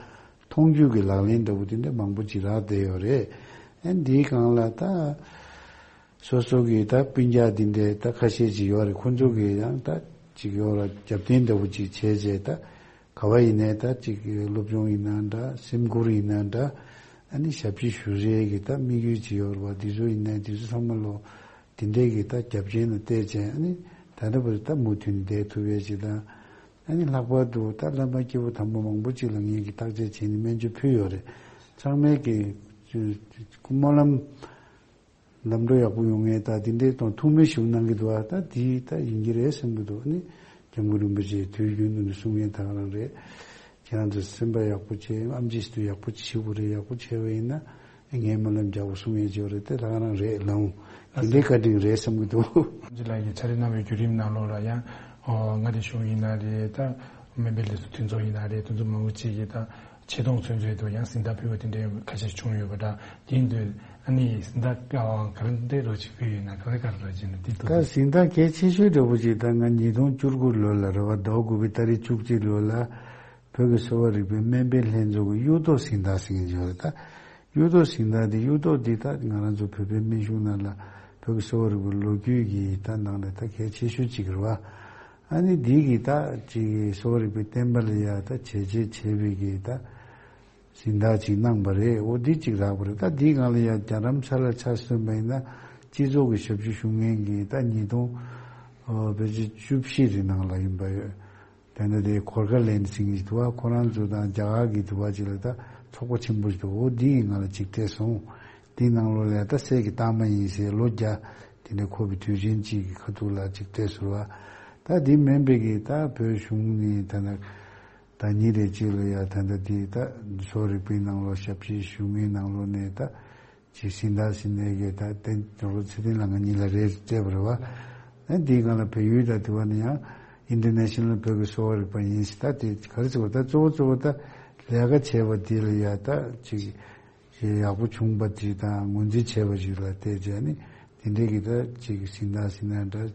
མཐོང་ཆོས་ཀྱི་ལག་ལེན་འདྲ་བོ་དེ་འདྲ་མང་པོ་ཅིག་རག་བསྡད་ཡོད་རེད། ཨ་འདིའི་སྒང་ལ་ད་སོ་སོ་གི་ད་སྤུན་ཀྱག་འདི་འདྲའི་ད་ཁ་ཤས་ཅིག་ཡོད་རེད། ཁོང་ཚོ་གིས་ཡང་ད་ཅིག་ཡོད་ར་རྒྱབ་རྟེན་འདྲ་བོ་ཅིག་བྱས་བྱས། ད་ག་བ་ཡིན་ནའི་ད་ཅིག་སློབ་སྦྱོང་ཡིན་ན་འདྲ། སེམས་ཁུར་ཡིན་ན་འདྲ། ཨ་ནི་ཞབས་ཕྱི་ཞུ་རེས་ཀྱི་ད་དམིགས་ཡུལ་ཅིག་ཡོད་རེད་བ། འདི་ཚོ་ཡིན་ནའི་འདི་ཚོ་ཚང་མ་ལོ། དེ་འདྲའི་གི་ད་རྒྱབ་རྟེན་ལ་བལྟས་བྱས། ཨ་ནི་ད་ལྟ་བར་ད་མུ་མཐུད་ནས་བསྡད་ཐུབ་ཡས་ཅིག་དང་། ཨ་ནི་ལྷག་པར་དུ་ད་བླ་མ་སྐྱེས་བུ་དམ་པ་མང་པོ་ཅིག་ལ་ངེད་ཀྱིས་བརྟག་དཔྱད་བྱས་ནས་སྨན་བཅོས་ཕུལ་ཡོད་རེད། ཚང་མས་ཀྱི་སྨོན་ལམ་ལམ་འགྲོ་ཡག་པོ་ཡོང་ངེས་ད་དེ་འདྲའི་དང་ཐུགས་སྨོན་ཞིག་གནང་གི་འདུག་ཨ་ད་དེ་ད་ཡིན་གྱི་རེད་བསམ་གྱི་འདུག་ཨ་ནི་སྐྱབས་མགོན་རིན་པོ་ཆེས་དུས་རྒྱུན་དུ་ནས་གསུང་མཁན་ད་ག་རང་རེད། ཁྱེད་རང་ཚོ་སེམས་པ་ཡག་པོ་བྱེད། ཨམ་ཆི་ཞིག་ཏུ་ཡག་པོ་བྱེད་དགོས་རེད། ཡག་པོ་བྱས་པ་ཡིན་ན་ངས་སྨོན་ལམ་རྒྱག་དགོས་གསུང་ཡས་ཅིག་ཡོད་རེད། དེ་ད་ག་རང་རེད་ལགས། དེ་འདྲའི་བཀའ་དྲིན་རེད་བསམ་གྱི་འདུག་ཨམ་ཆི་ལགས་ཀྱིས་ཕྱག་ལས་གནང་བའི་བརྒྱུད་རིམ་ནང་ལོགས་ལ་ཡང་ཨོ་མངའ་སྡེ་གཞུང་ཡིན་ན་རེད། ད་སྨན་པའི་ལས་ཚོགས་མཐུན་ཚོགས་ཡིན་ན་རེད། དེ་ཚོ་མང་པོ་ཅིག་གིས་ད་ཆེ་མཐོང་ཚུན་ཚོད་དུ་ཡང་གཟེངས་རྟགས་ཕུལ་བ་དེ་འདྲའི་ཁ་ཤས་བྱུང་ཡོད་པ་འདྲ། དེ་ཡིན་དུས་ཨ་ནི་གཟེངས་རྟགས་ག་རེ་འདྲ་རོགས་ཅིག་ཕུལ་ཡོད་ན། ག་རེ་ག་རེ་རོགས་བྱས་ན་དེ་ད་ཐུགས་གཟེངས་རྟགས་གལ་ཆེ་ཤོས་འདྲ་པོ་ཅིག་ད་ང་ཉིས་སྟོང་བཅུ་དགུ་ལོ་ལ་རེད་བ། ཟླ་བ་དགུ་པའི་ཏ་རིག་བཅུ་གཅིག་ལོ་ལ་བོད་ཀྱི་གསོ་བ་རིག་པའི་སྨན་པའི་ལྷན་ཚོགས་ཀྱི་གཡུ་ཐོག་གཟེངས་རྟགས་ཟེར་མཁན་ཅིག་ཡོད་རེད། ད་གཡུ་ཐོག་གཟེངས་རྟགས་དེ། གཡུ་ཐོག་འདི་ད་ང་རང་ཚོ་བོད་པའི་སྨན་གཞུང་ནང་ལ་བོད་ཀྱི་གསོ་བ་རིག་པའི་ལོ་རྒྱུས་ཀྱི་ད་ནང་ལ་ད་གལ་ཆེ་ཤོས་ཅིག་རེད་བ། ཨ་ནི་འདི་གི་ད་ཅིག་གསོ་བ་རིག་པའི་བསྟན་པ་ལ་ཡ་ད་བྱས་རྗེས་བྱས་པའི་གི་ད་གཟེངས་རྟགས་ཅིག་གནང་པ་རེད། འོ་འདི་ཅིག་རག་པ་རེད། ད་འདིའི་སྒང་ལ་ཡ་རྒྱ་རམ་ས་ལ་ཆ་མཚོན་པ་ཡིན་ན་སྤྱི་ཚོགས་ཀྱི་ཞབས་ཞུ་ཞུ་མཁན་གྱི་ད་ཉིས་སྟོང་ཨོ་བེད་སྤྱི་བཅུ་བཞི་རེ་ནང་ལ་ཡིན་པ་ཡོད། དེ་འདྲ་དེ་གོར་ཁ་ལན་ཟེར་གྱི་འདུག་བ། ཁོ་རང་ཚོ་དང་རྒྱ་གར་གྱི་འདུག་བ་ཅིག་ལ་ད་ཚོགས་པ་ཆེན་པོ་ཞིག་འདུག་འོ་འདི་ཡི་ནང་ལ་ཅིག་བལྟས་སོང་། འདིའི་ནང་ལོགས་ལ་ད་སྲས་ཀྱི་རྟགས་མ་ཡིན་ཟེར་ལོ་བརྒྱ་དེ་འདྲ་འཁོར་བའི་དུས་ཆེན་གཅིག་གི་ཁ་ཐུག་ལ་ཅིག་བལྟས་སོང་བ། ད་འདི་མིན་པའི་གི་ད་བོད་གཞུང་ནས་ད་ནི་ད་ཉིན་རེ་གཅིག་ལ་ཡ་ད་ད་འདི་ད་གསོ་བ་རིག་པའི་ནང་ལོགས་ཞབས་ཕྱི་ཞུ་མཁན་ནང་ལོགས་ནས་ད། ཅིག་གཟེངས་རྟགས་ཟེར་ནས་གི་ད་བསྟན་རོགས་ཚེ་བརྟན་ལགས་ང་གཉིས་ལ་རེ་སྤྲད་པ་རེད་བ། ཨ་འདིའི་སྒང་ལ་བལ་ཡུལ་དང་དེ་བ་ནི་ཡང་ཨིན་ཊར་ནེ་ཤ་ནལ་བོད་ཀྱི་གསོ་བ་རིག་པ་ཡིན་ཟེར། ད་དེ་ག་རེ་ཟེར་བ། ད་གཙོ་བོ་གཙོ་བོ་ད་ལས་ཀ་བྱས་པ་འདི་ལ་ཡ་ད་ཅིག་ཡག་པོ་བྱུང་བ་ཅིག་དང་ངོས་འཛིན་བྱས་པ་ཞིག་ལ་བལྟས་བྱས་ནི་དེ་འདྲའི་གི་ད་ཅིག་གཟེངས་རྟགས་ཟེར་ན་འདྲ།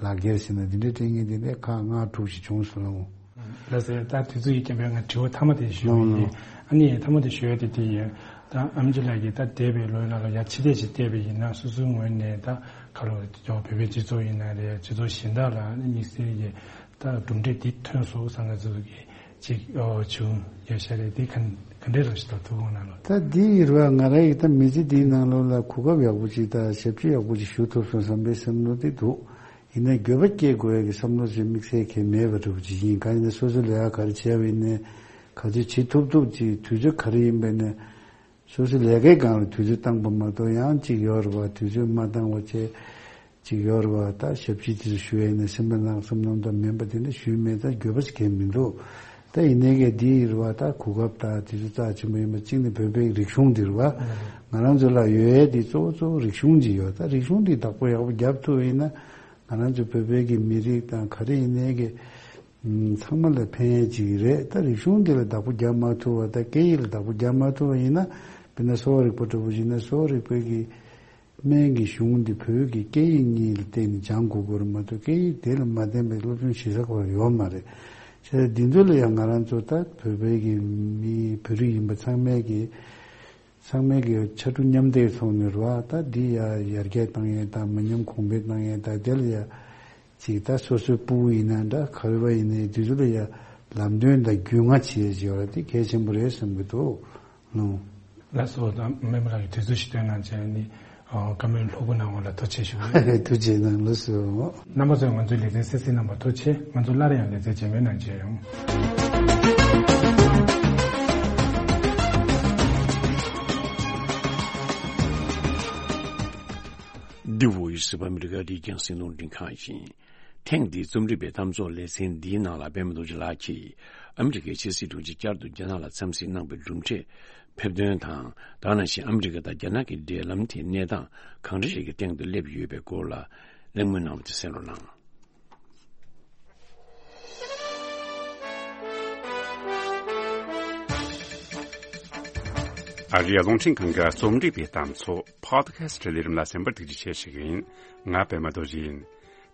ལག་འཁྱེར་ཟེར་ན་འདི་འདྲའི་སྤྲད་མཁན་འདི་འདྲའི་ཁག་ལྔ་དྲུག་ཞིག་བྱུང་སོང་ལགས། ལགས་སེ། ད་དུས་ཚོད་ཡིན་རྐྱེན་པས་ང་དྲི་བ་མཐའ་མ་དེ་ཞུ་ཡིན། ཨ་ནི་མཐའ་མ་དེ་ཞུ་ཡ་དེ་དེ་ཡིན། ད་ཨམ་ཆི་ལགས་ཀྱིས་ད་འདས་པའི་ལོའི་ནང་ལ་ཡ་ཕྱི་བལྟས་ཤིག་བལྟས་པ་ཡིན་ན་སོ་སོའི་ངོས་ནས་ད་ག་རེ་བོད་པའི་སྤྱི་ཚོགས་ཡིན་ན་རེད། སྤྱི་ཚོགས་གཞན་དག་ལ་ཨ་ནི་དམིགས་བསལ་གྱི་ད་གྲུབ་འབྲས་འདི་ཐོན་སོང་བསམ་ན་ཚོ་གི་ ཅིག་ཨོ་བྱུང་ཡོད་ཤག་རེད། དེ་ག་ག་འདྲས་རང་ཞིག་ད་ཐུགས་དགོངས་གནང་རོགས། ད་འདི་ཡིན་ར་ང་རང་ཡིས་ད་མི་ཚེ་འདིའི་ནང་ལོགས་ལ་གོ་སྐབས་ཡག་པོ་ཅིག་དང་ཞབས་ཕྱི་ཡག་པོ་ཅིག་ཞུ་ཐུབ་སོང་བསམ་པའི་བསམ་བློ་དེ་འདུག་ཡིན་ན་འགྱོད་པ་སྐྱེ་དགོས་ཡ་གི་བསམ་བློ་ཅིག་དམིགས་བསལ་གང་མེད་པ་འདྲ་པོ་ཅིག་ཡིན། གང་ཡིན་ན་སོ་སོ་ལས་ཀ་ག་རེ་བྱས་པ་ཡིན་ནའི་ག་ཚོད་བྱེད་ཐུབ་ཐུབ་ཅིག་དུས་ཚོད་ག་རེ་ཡིན་པ་ཡིན་ནའི་སོ་སོའི་ལས་ཀའི་སྒང་ལ་དུས་ཚོད་བཏང་པ་མ་གཏོགས་ཡང་གཅིག་ཡོད་རེད་པ། དུས་ཚོད་མ་བཏང་བ་བྱས་གཅིག་ཡོད་རེད་པ། ད་ཞབས་ཕྱི་དེ་ཚོ་ཞུ་ཡས་ནས་སེམས་པ་ནང་བསམ་བློ་འདྲ་མིན་པ་དེ་འདྲ་ཞུས་མེད། ད་འགྱོད་པ་ཞིག་གང་མི་འདུག་ད་ཡིན་ནའི་གལ་འདི་ཡིན་རེད་པ། ད་གོ་སྐབས་ད་དུས་ཚོད་རྩ་ཆེན་པོ་ཡིན་པ་གཅིག་ནས་བོད་པའི་རིག་གཞུང་འདི་རེད་པ། ང་རང་ཚོ་ལ་ཡོད་ཡས་འདི་གཙོ་བོ་གཙོ་བོ་རིག་གཞུང་ཅིག་ཡོད། ད་རིག་གཞུང་འདི་བདག་པོ་ཡག་པོ་རྒྱབ་ཐུབ་པ་ཡིན་ན་ང་རང་ཚོ་བོད་པའི་གི་མི་རིགས་དང་ག་རེ་ཡིན་ནའི་གི་ཚང་མ་ལ་ཕན་ཡས་ཅིག་རེད། ད་རིག་གཞུང་འདི་ལ་བདག་པོ་རྒྱབ་མ་ཐུབ་པ། ད་སྐད་ཡིག་ལ་བདག་པོ་རྒྱབ་མ་ཐུབ་པ་ཡིན་ན་དཔེར་ན་གསོ་བ་རིག་པ་འདྲ་པོ་ཡིན་ན་གསོ་བ་རིག་པའི་གི་སྨན་གྱི་གཞུང་འདི་བོད་ཀྱི་སྐད་ཡིག་གཉིས་ལ་བརྟེན་ནས་སྦྱང་དགོས་ཀྱི་རེད་མ་གཏོགས་སྐད་ཡིག་དེ་ལ་མ་བརྟེན་པའི་སློབ་སྦྱོང་བྱེད་ས་ཁོ་རང་ཡོད་མ་རེད། བྱས་ཙང་འདི་ཚོ་ལ་ཡང་ང་རང་ཚོ་ད་བོད་པའི་གི་མི་བོད་རིགས་ཡིན་པ་ཚང་མས་གི་ཚང་མས་ཀྱི་ཕྱར་གྲུ་མཉམ་འདེགས་ཐོག་ནས་རེད་པ། ད་འདི་ཡ་ཡར་རྒྱས་བཏང་ཡས་དང་མི་ཉམས་གོང་འཕེལ་བཏང་ཡས་དང་དེ་ལ་ཡ་ཅིག་ད་སོ་སོའི་སྤུ་གུ་ཡིན་ན་འདྲ་ག་རེ་བ་ཡིན་ནའི་དུས་ཚོད་ལ་ཡ་ལམ་སྟོན་དང་རྒྱུས་མངའ་བྱེད་ཡས་ཅིག་ཡོད་ར། དེ་གལ་ཆེན་པོ་རེད་བསམ་གྱི་འདུག་ལགས་སོ། ད་སྨན་པ་ལགས་ཀྱིས་དུས་ཚོད་ཞིག་བཏོན་གནང་བྱས་ནི་བཀའ་མོལ་ལྷུག་པོ་གནང་བ་ལ་ཐུགས་རྗེ་ཆེ་ཞུ་གི་ཡོད། ཐུགས་རྗེ་གནང་། ལགས་སོ། རྣམ་པ་ཚོས་ང་ཚོའི་ལེ་ཚན་གསན་གཟིགས་གནང་བར་ཐུགས་རྗེ་ཆེ། ང་ཚོ་སླར་ཡང་ལེ་ཚན་རྗེས་མའི་ནང་མཇལ་ཡོང་། འདི་བོད་ཡིག་གཟིགས་པ་ཨ་མི་རི་ཀ་རིག་གཞུང་སྲིད་ལུང་འདྲེན་ཁང་ཡིན། ཐེངས་འདིའི་རྩོམ་སྒྲིག་པའི་གཏམ་ཚོགས་ལེ་ཚན་འདིའི་ནང་ལ་པད་མ་རྡོ་རྗེ་ལགས་ཀྱིས་ཨ་མི་རི་ཀའི་ཕྱི་སྲིད་དྲུང་ཆེ་བསྐྱར་དུ་རྒྱ་ནག་ལ་འཚམས་གཟིགས་གནང་བའི་གྲུབ་འབྲས་ཕེབས་དོན་དང་། དེ་ནང་བཞིན་ཨ་མི་རི་ཀ་དང་རྒྱ་ནག་གི་འབྲེལ་ལམ་དེའི་གནས་སྟངས་གང་འདྲ་ཞིག་གི་སྟེང་དུ་སླེབས་ཡོད་པའི་སྐོར་ལ་གླེང་མོལ་གནང་བ་དེ་གསན་རོགས་གནང་། ཨ་རིའི་རླུང་འཕྲིན་ཁང་གི་རྩོམ་སྒྲིག་པའི་གཏམ་ཚོགས་Podcast ལས་རིམ་ལ་གསན་པར་ཐུགས་རྗེ་ཆེ་ཞུ་གི་ཡིན། ང་པད་མ་རྡོ་རྗེ་ཡིན།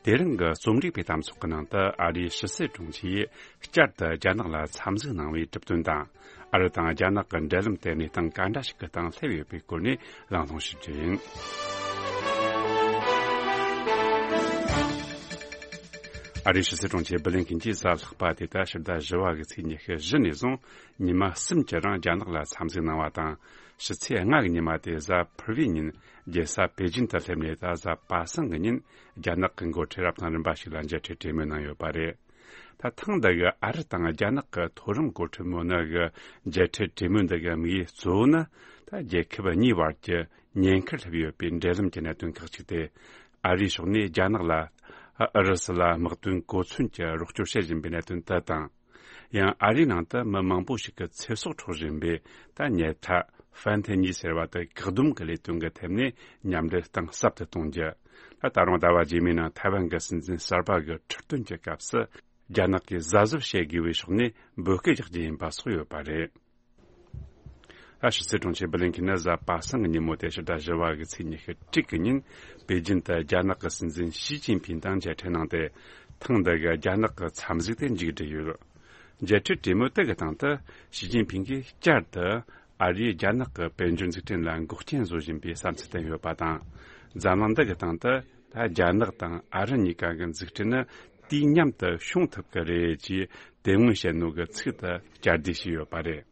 དེ་རིང་གི་རྩོམ་སྒྲིག་པའི་གཏམ་ཚོགས་ཀྱི་ནང་དུ་ཨ་རིའི་ཕྱི་སྲིད་དྲུང་ཆེས་བསྐྱར་དུ་རྒྱ་ནག་ལ་འཚམས་གཟིགས་གནང་བའི་གྲུབ་དོན་དང་། ཨ་རི་དང་རྒྱ་ནག་གི་འབྲེལ་ལམ་དེ་གནས་སྟངས་ག་འདྲ་ཞིག་གི་སྟེང་སླེབས་ཡོད་པའི་སྐོར་ནས་གླེང་སློང་ཞུ་རྒྱུ་ཡིན། ཨ་རིའི་ཕྱི་སྲིད་དྲུང་ཆེ་བྷི་ལིན་ཁིན་གྱིས་གཟའ་ལྷག་པ་དེ་ལྟར་ཕྱི་ཟླ་བཞི་བ་གི་ཚེས་ཉི་ཤུ་བཞི་ནས་བཟུང་ཉི་མ་གསུམ་གྱི་རིང་རྒྱ་ནག་ལ་འཚམས་གཟིགས་གནང་བ་དང་། ཕྱི་ཚེས་ལྔ་གི་ཉི་མ་དེ་གཟའ་ཕུར་བུའི་ཉིན་རྒྱལ་ས་པེ་ཅིན་དུ་སླེབས་ནས། ད་གཟའ་པ་སངས་ཀྱི་ཉིན་རྒྱ་ནག་གི་འགོ་ཁྲིད་རབ་དང་རིམ་པ་ཞིག་ལ་མཇལ་འཕྲད་གྲོས་མོལ་གནང་ཡོད་པ་རེད། ད་ཐེངས་འདི་གི་ཨ་རི་དང་རྒྱ་ནག་གི་མཐོ་རིམ་འགོ་ཁྲིད་མི་སྣ་གི་མཇལ་འཕྲད་གྲོས་མོལ་འདི་གི་དམིགས་ཡུལ་གཙོ་བོ་ནི། ད་རྒྱལ་ཁབ་གཉིས་བར་གྱི་ཉེན་ཁར་སླེབས་ཡོད་པའི་འབྲེལ་ལམ་གྱི་གནད་དོན་ཁག་ཅིག་སྟེ། ཨ་རིའི་ཕྱོགས་ནས་རྒྱ་ནག་ལ་ཨུ་རུ་སུ་ལ་དམག་དོན་གོ་མཚོན་གྱི་རོགས་སྐྱོར་བྱེད་བཞིན་པའི་གནད་དོན་དེ་དང་། ཡང་ཨ་རིའི་ནང་དུ་མི་མང་པོ་ཞིག་གི་ཚེ་སྲོག་འཕྲོག་བཞིན་པའི་ད་ཉལ་ཐ་ཧྥན་ཐེ་ཉི་ཟེར་བ་དེ་བཀག་སྡོམ་གྱི་ལས་དོན་གྱི་ཐད་ནས་མཉམ་འབྲེལ་གཏིང་ཟབ་ཏུ་གཏོང་རྒྱུ། ད་ད་རུང་ཟླ་བ་རྗེས་མའི་ནང་ཐའེ་ཝན་གྱི་སྲིད་འཛིན་གསར་པ་གི་ཁྲི་སྟོན་གྱི་སྐབས་སུ་རྒྱ་ནག་གིས་གཟབ་གཟབ་བྱེད་དགོས་པའི་ཕྱོགས་ནས་འབོད་སྐུལ་རྒྱག་རྒྱུ་ཡིན་པ་སོགས་ཡོད་པ་རེད། ཨ་ཕྱི་སྲིད་དྲུང་ཆེ་བྷི་ལིན་ཁིན་ནི་གཟའ་པ་སངས་ཀྱི་ཉིན་མོ་སྟེ་ཕྱི་ཟླ་བཞི་བ་གི་ཚེས་ཉི་ཤུ་དྲུག་གི་ཉིན་པེ་ཅིན་དུ་རྒྱ་ནག་གི་སྲིད་འཛིན་ཞི་ཅིན་ཕིང་དང་མཇལ་འཕྲད་གནང་སྟེ། ཐེངས་འདི་གི་རྒྱ་ནག་གི་འཚམས་གཟིགས་དེ་མཇུག་བསྒྲིལ་ཡོད། མཇལ་འཕྲད་གྲོས་མོལ་དེ་གི་སྟེང་དུ་ཞི་ཅིན་ཕིང་གིས་བསྐྱར་དུ་ཨ་རིས་རྒྱ་ནག་གི་དཔལ་འབྱོར་འཛུགས་སྐྲུན་ལ་འགོག་རྐྱེན་བཟོ་བཞིན་པའི་བསམ་ཚུལ་བསྟན་ཡོད་པ་དང་། འཛམ་གླིང་འདི་གི་སྟེང་དུ་ད་རྒྱ་ནག་དང་ཨ་རི་གཉིས་ཀ་གི་འཛུགས་སྐྲུན་ནི་དུས་མཉམ་དུ་བྱུང་ཐུབ་ཀྱི་རེད་ཅེས་དེ་སྔོན་བཤད་ནོ་གི་ཚིག་དེ་བསྐྱར་ཟློས་བྱས་ཡོད་པ་རེད།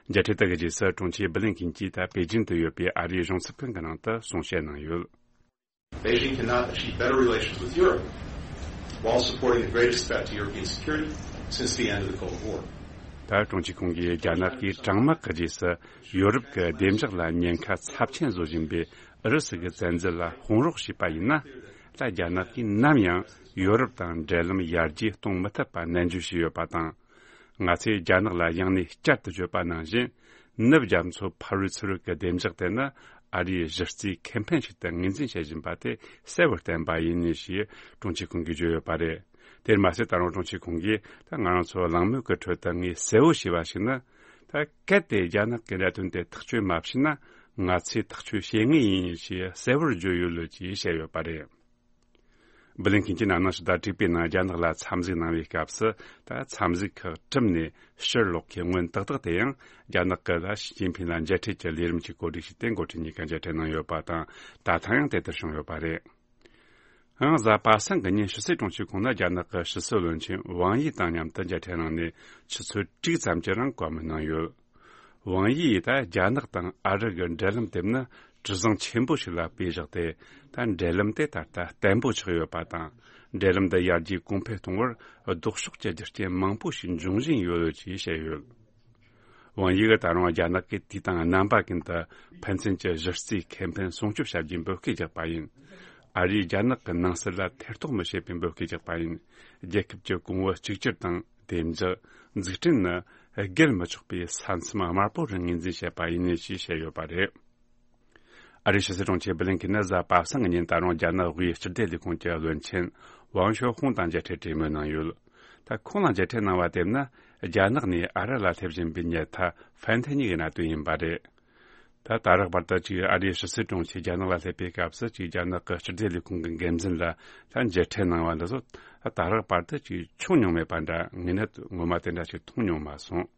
མཇལ་འཕྲད་དེ་གི་རྗེས་སུ་དྲུང་ཆེ་བྷི་ལིན་ཁིན་གྱིས་ད་པེ་ཅིན་དུ་ཡོད་པའི་ཨ་རིའི་གཞུང་ཚབ་ཁང་གི་ནང་དུ་གསུང་བཤད་གནང་ཡོད། Beijing cannot achieve better relations with Europe while supporting the greatest threat to European security since the end of the Cold War. ད་དྲུང་ཆེ་ཁོང་གིས་རྒྱ་ནག་གིས་གྲང་དམག་གི་རྗེས་སུ་ཡོ་རོབ་ཀྱི་བདེ་འཇགས་ལ་ཉེན་ཁ་ཚབས་ཆེན་བཟོ་བཞིན་པའི་ཨུ་རུ་སུ་གི་བཙན་འཛུལ་ལ་དཔུང་རོགས་བྱས་པ་ཡིན་ན། ད་རྒྱ་ནག་གིས་ནམ་ཡང་ཡོ་རོབ་དང་འབྲེལ་ལམ་ཡར་རྒྱས་གཏོང་མི་ཐུབ་པ་ནན་བརྗོད་བྱས་ཡོད་པ་དང་། ང་ཚོས་རྒྱ་ནག་ལ་ཡང་ནས་བསྐྱར་དུ་བརྗོད་པ་ནང་བཞིན། ནུབ་རྒྱ་མཚོ་ཕ་རོལ་ཚུར་རོལ་གྱི་བདེ་འཇགས་དེ་ནི་ཨ་རིའི་གཞི་རྩའི་ཁེ་ཕན་ཞིག་ཏུ་ངོས་འཛིན་བྱེད་བཞིན་པ་དེ་གསལ་བོར་བསྟན་པ་ཡིན་ཞེས་དྲུང་ཆེ་ཁོང་གིས་བརྗོད་ཡོད་པ་རེད། དེར་མ་ཟད་ད་རུང་དྲུང་ཆེ་ཁོང་གིས་ད་ང་རང་ཚོ་གླེང་མོལ་གྱི་ཁྲོད་དུ་ངས་གསལ་བོ་བྱས་པ་ཞིག་ནི། ད་གལ་ཏེ་རྒྱ་ནག་གི་གནད་དོན་དེ་ཐག་གཅོད་མ་བྱས་ན། ང་ཚོས་ཐག་གཅོད་བྱེད་ངེས་ཡིན་ཞེས་གསལ་བོར་བརྗོད་ཡོད་ལོ་ཅེས་བཤད་ཡོད་པ་རེད། བྷི་ལིན་ཁིན་གྱིས་ན་ནིང་ཕྱི་ཟླ་དྲུག་པའི་ནང་རྒྱ་ནག་ལ་འཚམས་གཟིགས་གནང་བའི་སྐབས་སུ། ད་འཚམས་གཟིགས་ཁག་གྲུབ་ནས་ཕྱིར་ལོག་མཁན་སྔོན་ཏག་ཏག་དེ་ཡང་རྒྱ་ནག་གི་ད་ཞི་ཅིན་ཕིང་ལ་མཇལ་འཕྲད་ཀྱི་ལས་རིམ་གྱི་གོ་སྒྲིག་བྱས་ཏེ་འགོ་ཁྲིད་གཉིས་ཀ་མཇལ་འཕྲད་གནང་ཡོད་པ་དང་། ད་ཐེངས་ཡང་དེ་ལྟར་བྱུང་ཡོད་པ་རེད། ཡང་གཟའ་པ་སངས་ཀྱི་ཉིན་ཕྱི་སྲིད་དྲུང་ཆེ་ཁོང་ནས་རྒྱ་ནག་གི་ཕྱི་སྲིད་བློན་ཆེན་ཝང་ཡི་དང་མཉམ་དུ་མཇལ་འཕྲད་གནང་ནས་ཆུ་ཚོད་དྲུག་ཙམ་གྱི་རིང་བཀའ་མོལ་གནང་ཡོད། ཝང་ཡིས་ད་རྒྱ་ནག་དང་ཨ་རི་གི་འབྲེལ་ལམ་དེ་ནི་གྲུ་གཟིངས་ཆེན་པོ་ཞིག་ལ་དཔེ་བཞག་སྟེ། ད་འབྲེལ་ལམ་དེ་ད་ལྟ་བརྟན་པོ་ཆགས་ཡོད་པ་དང་། འབྲེལ་ལམ་འདི་ཡར་རྒྱས་གོང་འཕེལ་གཏོང་བར་ལྡོག་ཕྱོགས་ཀྱི་རྒྱུ་རྐྱེན་མང་པོ་ཞིག་འབྱུང་བཞིན་ཡོད་ཅེས་བཤད་ཡོད། ཝང་ཡི་གིས་ད་རུང་རྒྱ་ནག་གིས་དུས་དང་རྣམ་པ་ཀུན་ཏུ་ཕན་ཚུན་གྱི་གཞི་རྩའི་ཁེ་ཕན་སྲུང་སྐྱོབ་བྱ་རྒྱུའི་འབོད་སྐུལ་རྒྱག་པ་ཡིན། ཨ་རིས་རྒྱ་ནག་གི་ནང་སྲིད་ལ་ཐེ་གཏོགས་མི་བྱེད་པའི་འབོད་སྐུལ་རྒྱག་པ་ཡིན། རྒྱལ་ཁབ་ཀྱི་གོང་བུ་གཅིག་གྱུར་དང་བདེ་འཇགས། འཛུགས་སྐྲུན་ནི་བརྒལ་མི་ཆོག་པའི་ས་མཚམས་དམར་པོ་རུ་ངོས་འཛིན་བྱེད་པ་ཡིན་ཞེས་བཤད་ཡོད་པ་རེད། ཨ་རིའི་ཕྱི་སྲིད་དྲུང་ཆེ་སྦི་ལིན་ཁིན་ནི་གཟའ་པ་སངས་ཀྱི་ཉིན་ད་རུང་རྒྱ་ནག་དབུས་སྤྱི་བདེ་ལས་ཁུངས་ཀྱི་བློན་ཆེན་ཝང་ཞོ་ཧུང་དང་མཇལ་འཕྲད་གྲོས་མོལ་གནང་ཡོད། ད་ཁོང་ལ་མཇལ་འཕྲད་གནང་བ་དེ་ནི་རྒྱ་ནག་ནས་ཨ་རི་ལ་སླེབས་བཞིན་པའི་ཉལ་ཐ་ཧྥན་ཐི་ཉི་གི་གནད་དོན་ཡིན་པ་རེད། ད་ད་རག་བར་དུ་ཅིག་ཨ་རིའི་ཕྱི་སྲིད་དྲུང་ཆེ་རྒྱ་ནག་ལ་སླེབས་པའི་སྐབས་སུ་ཅིག་རྒྱ་ནག་གི་སྤྱི་བདེ་ལས་ཁུངས་ཀྱི་འགན་འཛིན་ལ་ད་མཇལ་འཕྲད་གནང་བ་འདི་ཚོ་ད་ད་རག་བར་དུ་ཅིག་བྱུང་མྱོང་མེད་པ་འདྲ། ངས་ནི་ངོ་མ་དེ་འདྲ་ཞིག་མཐོང་མྱོང་མ་སོང་།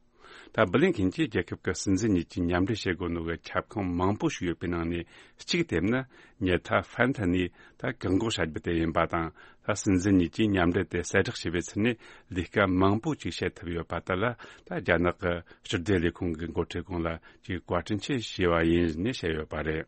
ད་སྦི་ལིན་ཁིན་གྱིས་རྒྱལ་ཁབ་ཀྱི་སྲིད་འཛིན་གཉིས་ཀྱིས་མཉམ་འབྲེལ་བྱེད་དགོས་ནོ་གི་ཁྱབ་ཁོངས་མང་པོ་ཞིག་ཡོད་པའི་ནང་ནས་གཅིག་དེ་ནི་ཉལ་ཐ་ཧྥན་ཐི་ནི་ད་བཀག་འགོག་བྱ་རྒྱུ་དེ་ཡིན་པ་དང་། ད་སྲིད་འཛིན་གཉིས་ཀྱིས་མཉམ་འབྲེལ་དེ་གསལ་བསྒྲགས་བྱས་པའི་ཚུལ་ནས་ལས་ཀ་མང་པོ་ཅིག་བྱེད་ཐུབ་ཡོད་པ་དེ་ལ་ད་རྒྱ་ནག་གི་སྤྱི་བདེ་ལས་ཁུངས་ཀྱི་འགོ་ཁྲིད་ཁོང་ལ་ཅིག་བཀའ་དྲིན་ཆེ་ཞུ་བ་ཡིན་ནས་བཤད་ཡོད་པ་རེད།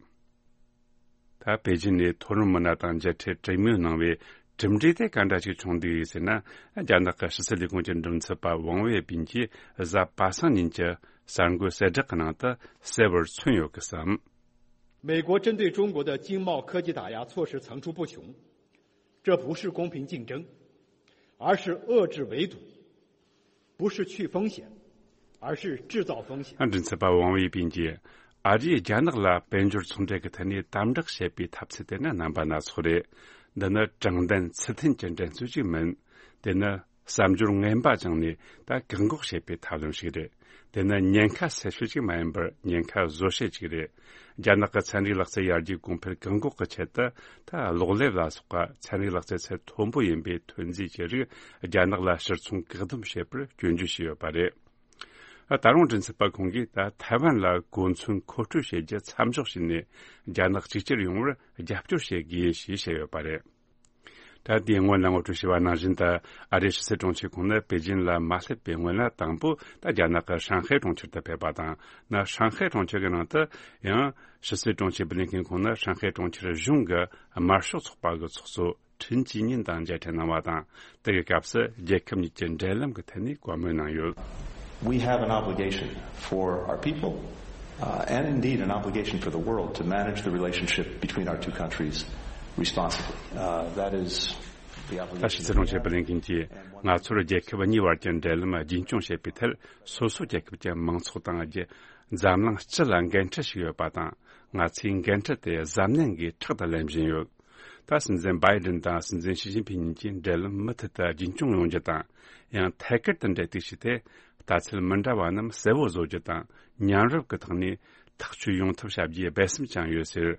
ད་པེ་ཅིན་ནས་མཐོ་རིམ་མི་སྣ་དང་མཇལ་འཕྲད་གྲོས་མོལ་གནང་བའི་གྲུབ་འབྲས་དེ་ག་འདྲ་ཞིག་བྱུང་འདུག་ཟེར་ན། རྒྱ་ནག་གི་ཕྱི་སྲིད་ལས་ཁུངས་ཀྱི་མགྲིན་ཚབ་པ་ཝང་ཝེ་པིན་གྱིས་གཟའ་པ་སངས་ཉིན་གྱི་གསར་འགོད་གསལ་བསྒྲགས་ཀྱི་ནང་དུ་གསལ་བོར་མཚོན་ཡོད་ཀི་བསམ། 美国针对中国的经贸科技打压措施层出不穷，这不是公平竞争，而是遏制围堵，不是去风险，而是制造风险。 མགྲིན་ཚབ་པ་ཝང་ཝེ་པིན་གྱིས་ཨ་རིས་རྒྱ་ནག་ལ་དཔལ་འབྱོར་ཚོང་འབྲེལ་གྱི་ཐད་ནས་དམ་དྲག་བྱེད་པའི་ཐབས་ཚུལ་དེ་ནི་རྣམ་པ་སྣ་ཚོགས་རེད། འདི་ནི་དྲང་བདེན་ཚུལ་མཐུན་གྱི་འགྲན་རྩོད་ཅིག་མིན། དེ་ནི་བསམ་སྦྱོར་ངན་པ་བཅངས་ནས་ད་བཀག་འགོག་བྱེད་པའི་ཐབས་ལམ་ཞིག་རེད། དེ་ནི་ཉེན་ཁ་སེལ་ཕྱོད་ཅིག་མ་ཡིན་པར་ཉེན་ཁ་བཟོ་བྱེད་ཅིག་རེད། རྒྱ་ནག་གི་ཚན་རིག་ལག་རྩལ་ཡར་རྒྱས་གོང་འཕེལ་བཀག་འགོག་གི་ཆེད་དུ་ད་གློག་ཀླད་ལ་སོགས་པ་ཚན་རིག་ལག་རྩལ་ཚད་མཐོན་པོ་ཡིན་པའི་ཐོན་རྫས་ཀྱི་རིགས་རྒྱ་ནག་ལ་ཕྱིར་ཚོང་བཀག་སྡོམ་བྱེད་པར་སྐྱོན་བརྗོད་བྱས་ཡོད་པ་རེད། ད་རུང་མགྲིན་ཚབ་པ་ཁོང་གིས་ད་ཐའེ་ཝན་ལ་གོ་མཚོན་མཁོ་སྤྲོད་བྱེད་རྒྱུ་མཚམས་འཇོག་བྱས་ནས་རྒྱ་ནག་གཅིག་གྱུར་ཡོང་བར་རྒྱབ་སྐྱོར་བྱེད་དགོས་ཞེས་བཤད་ཡོད་པ་རེད། ད་ལྟའི་སྔོན་ལ་ངོ་སྤྲོད་བྱས་པ་ནང་བཞིན། ད་ཨ་རིའི་ཕྱི་སྲིད་དྲུང་ཆེ་ཁོང་ནི་པེ་ཅིན་ལ་མ་སླེབས་པའི་སྔོན་ལ་དང་པོ་ད་རྒྱ་ནག་གི་ཧྲང་ཧའེ་གྲོང་ཁྱེར་དུ་ཕེབས་པ་དང་། ན་ཧྲང་ཧའེ་གྲོང་ཁྱེར་གྱི་ནང་དུ་ཡང་ཕྱི་སྲིད་དྲུང་ཆེ་སྦི་ལིན་ཁིན་ཁོང་ནི་ཧྲང་ཧའེ་གྲོང་ཁྱེར་གཞུང་གི་དམར་ཤོག་ཚོགས་པ་གི་ཚོགས་གཙོ་ཁྲིན་ཅི་ཉིན་དང་མཇལ་འཕྲད་གནང་བ་དང་། དེ་གི་སྐབས་སུ་རྒྱལ་ཁབ་གཉིས་ཀྱི་འབྲེལ་ལམ་གྱི་ཐད་ནས་བཀའ་མོལ་གནང་ཡོད། We have an obligation for our people, uh, and indeed an obligation for the world to manage the relationship between our two countries responsibly. Uh, that is the obligation. 他是这种这不能跟结。 ང་ཚོར་རྒྱལ་ཁབ་གཉིས་བར་གྱི་འབྲེལ་ལམ་རྒྱུན་འཁྱོངས་བྱེད་པའི་ཐད། སོ་སོ་རྒྱལ་ཁབ་ཀྱི་མང་ཚོགས་དང་རྒྱལ་འཛམ་གླིང་སྤྱི་ལ་འགན་འཁྲི་ཞིག་ཡོད་པ་དང་། ང་ཚོས་འགན་འཁྲི་དེ་གཟབ་ནན་གྱིས་ཕྲག་ཏུ་ལེན་བཞིན་ཡོད། ད་སྲིད་འཛིན་བྷའི་ཌེན་དང་སྲིད་འཛིན་ཞི་ཅིན་ཕིན་གཉིས་ཀྱིས་འབྲེལ་ལམ་མུ་མཐུད་དུ་རྒྱུན་འཁྱོངས་ཡོང་རྒྱུ་དང་། ཡང་ཐད་ཀར་དུ་འབྲེལ་གཏུག་བྱས་ཏེ། ལྟ་ཚུལ་མི་འདྲ་བ་རྣམས་གསལ་བོ་བཟོ་རྒྱུ་དང་། མཉམ་རུབ་ཀྱི་ཐོག་ནས་ཐག་གཅོད་ཡོང་ཐབས་བྱ་རྒྱུའི་འབད་བརྩོན་བྱུང་ཡོད་ཟེར།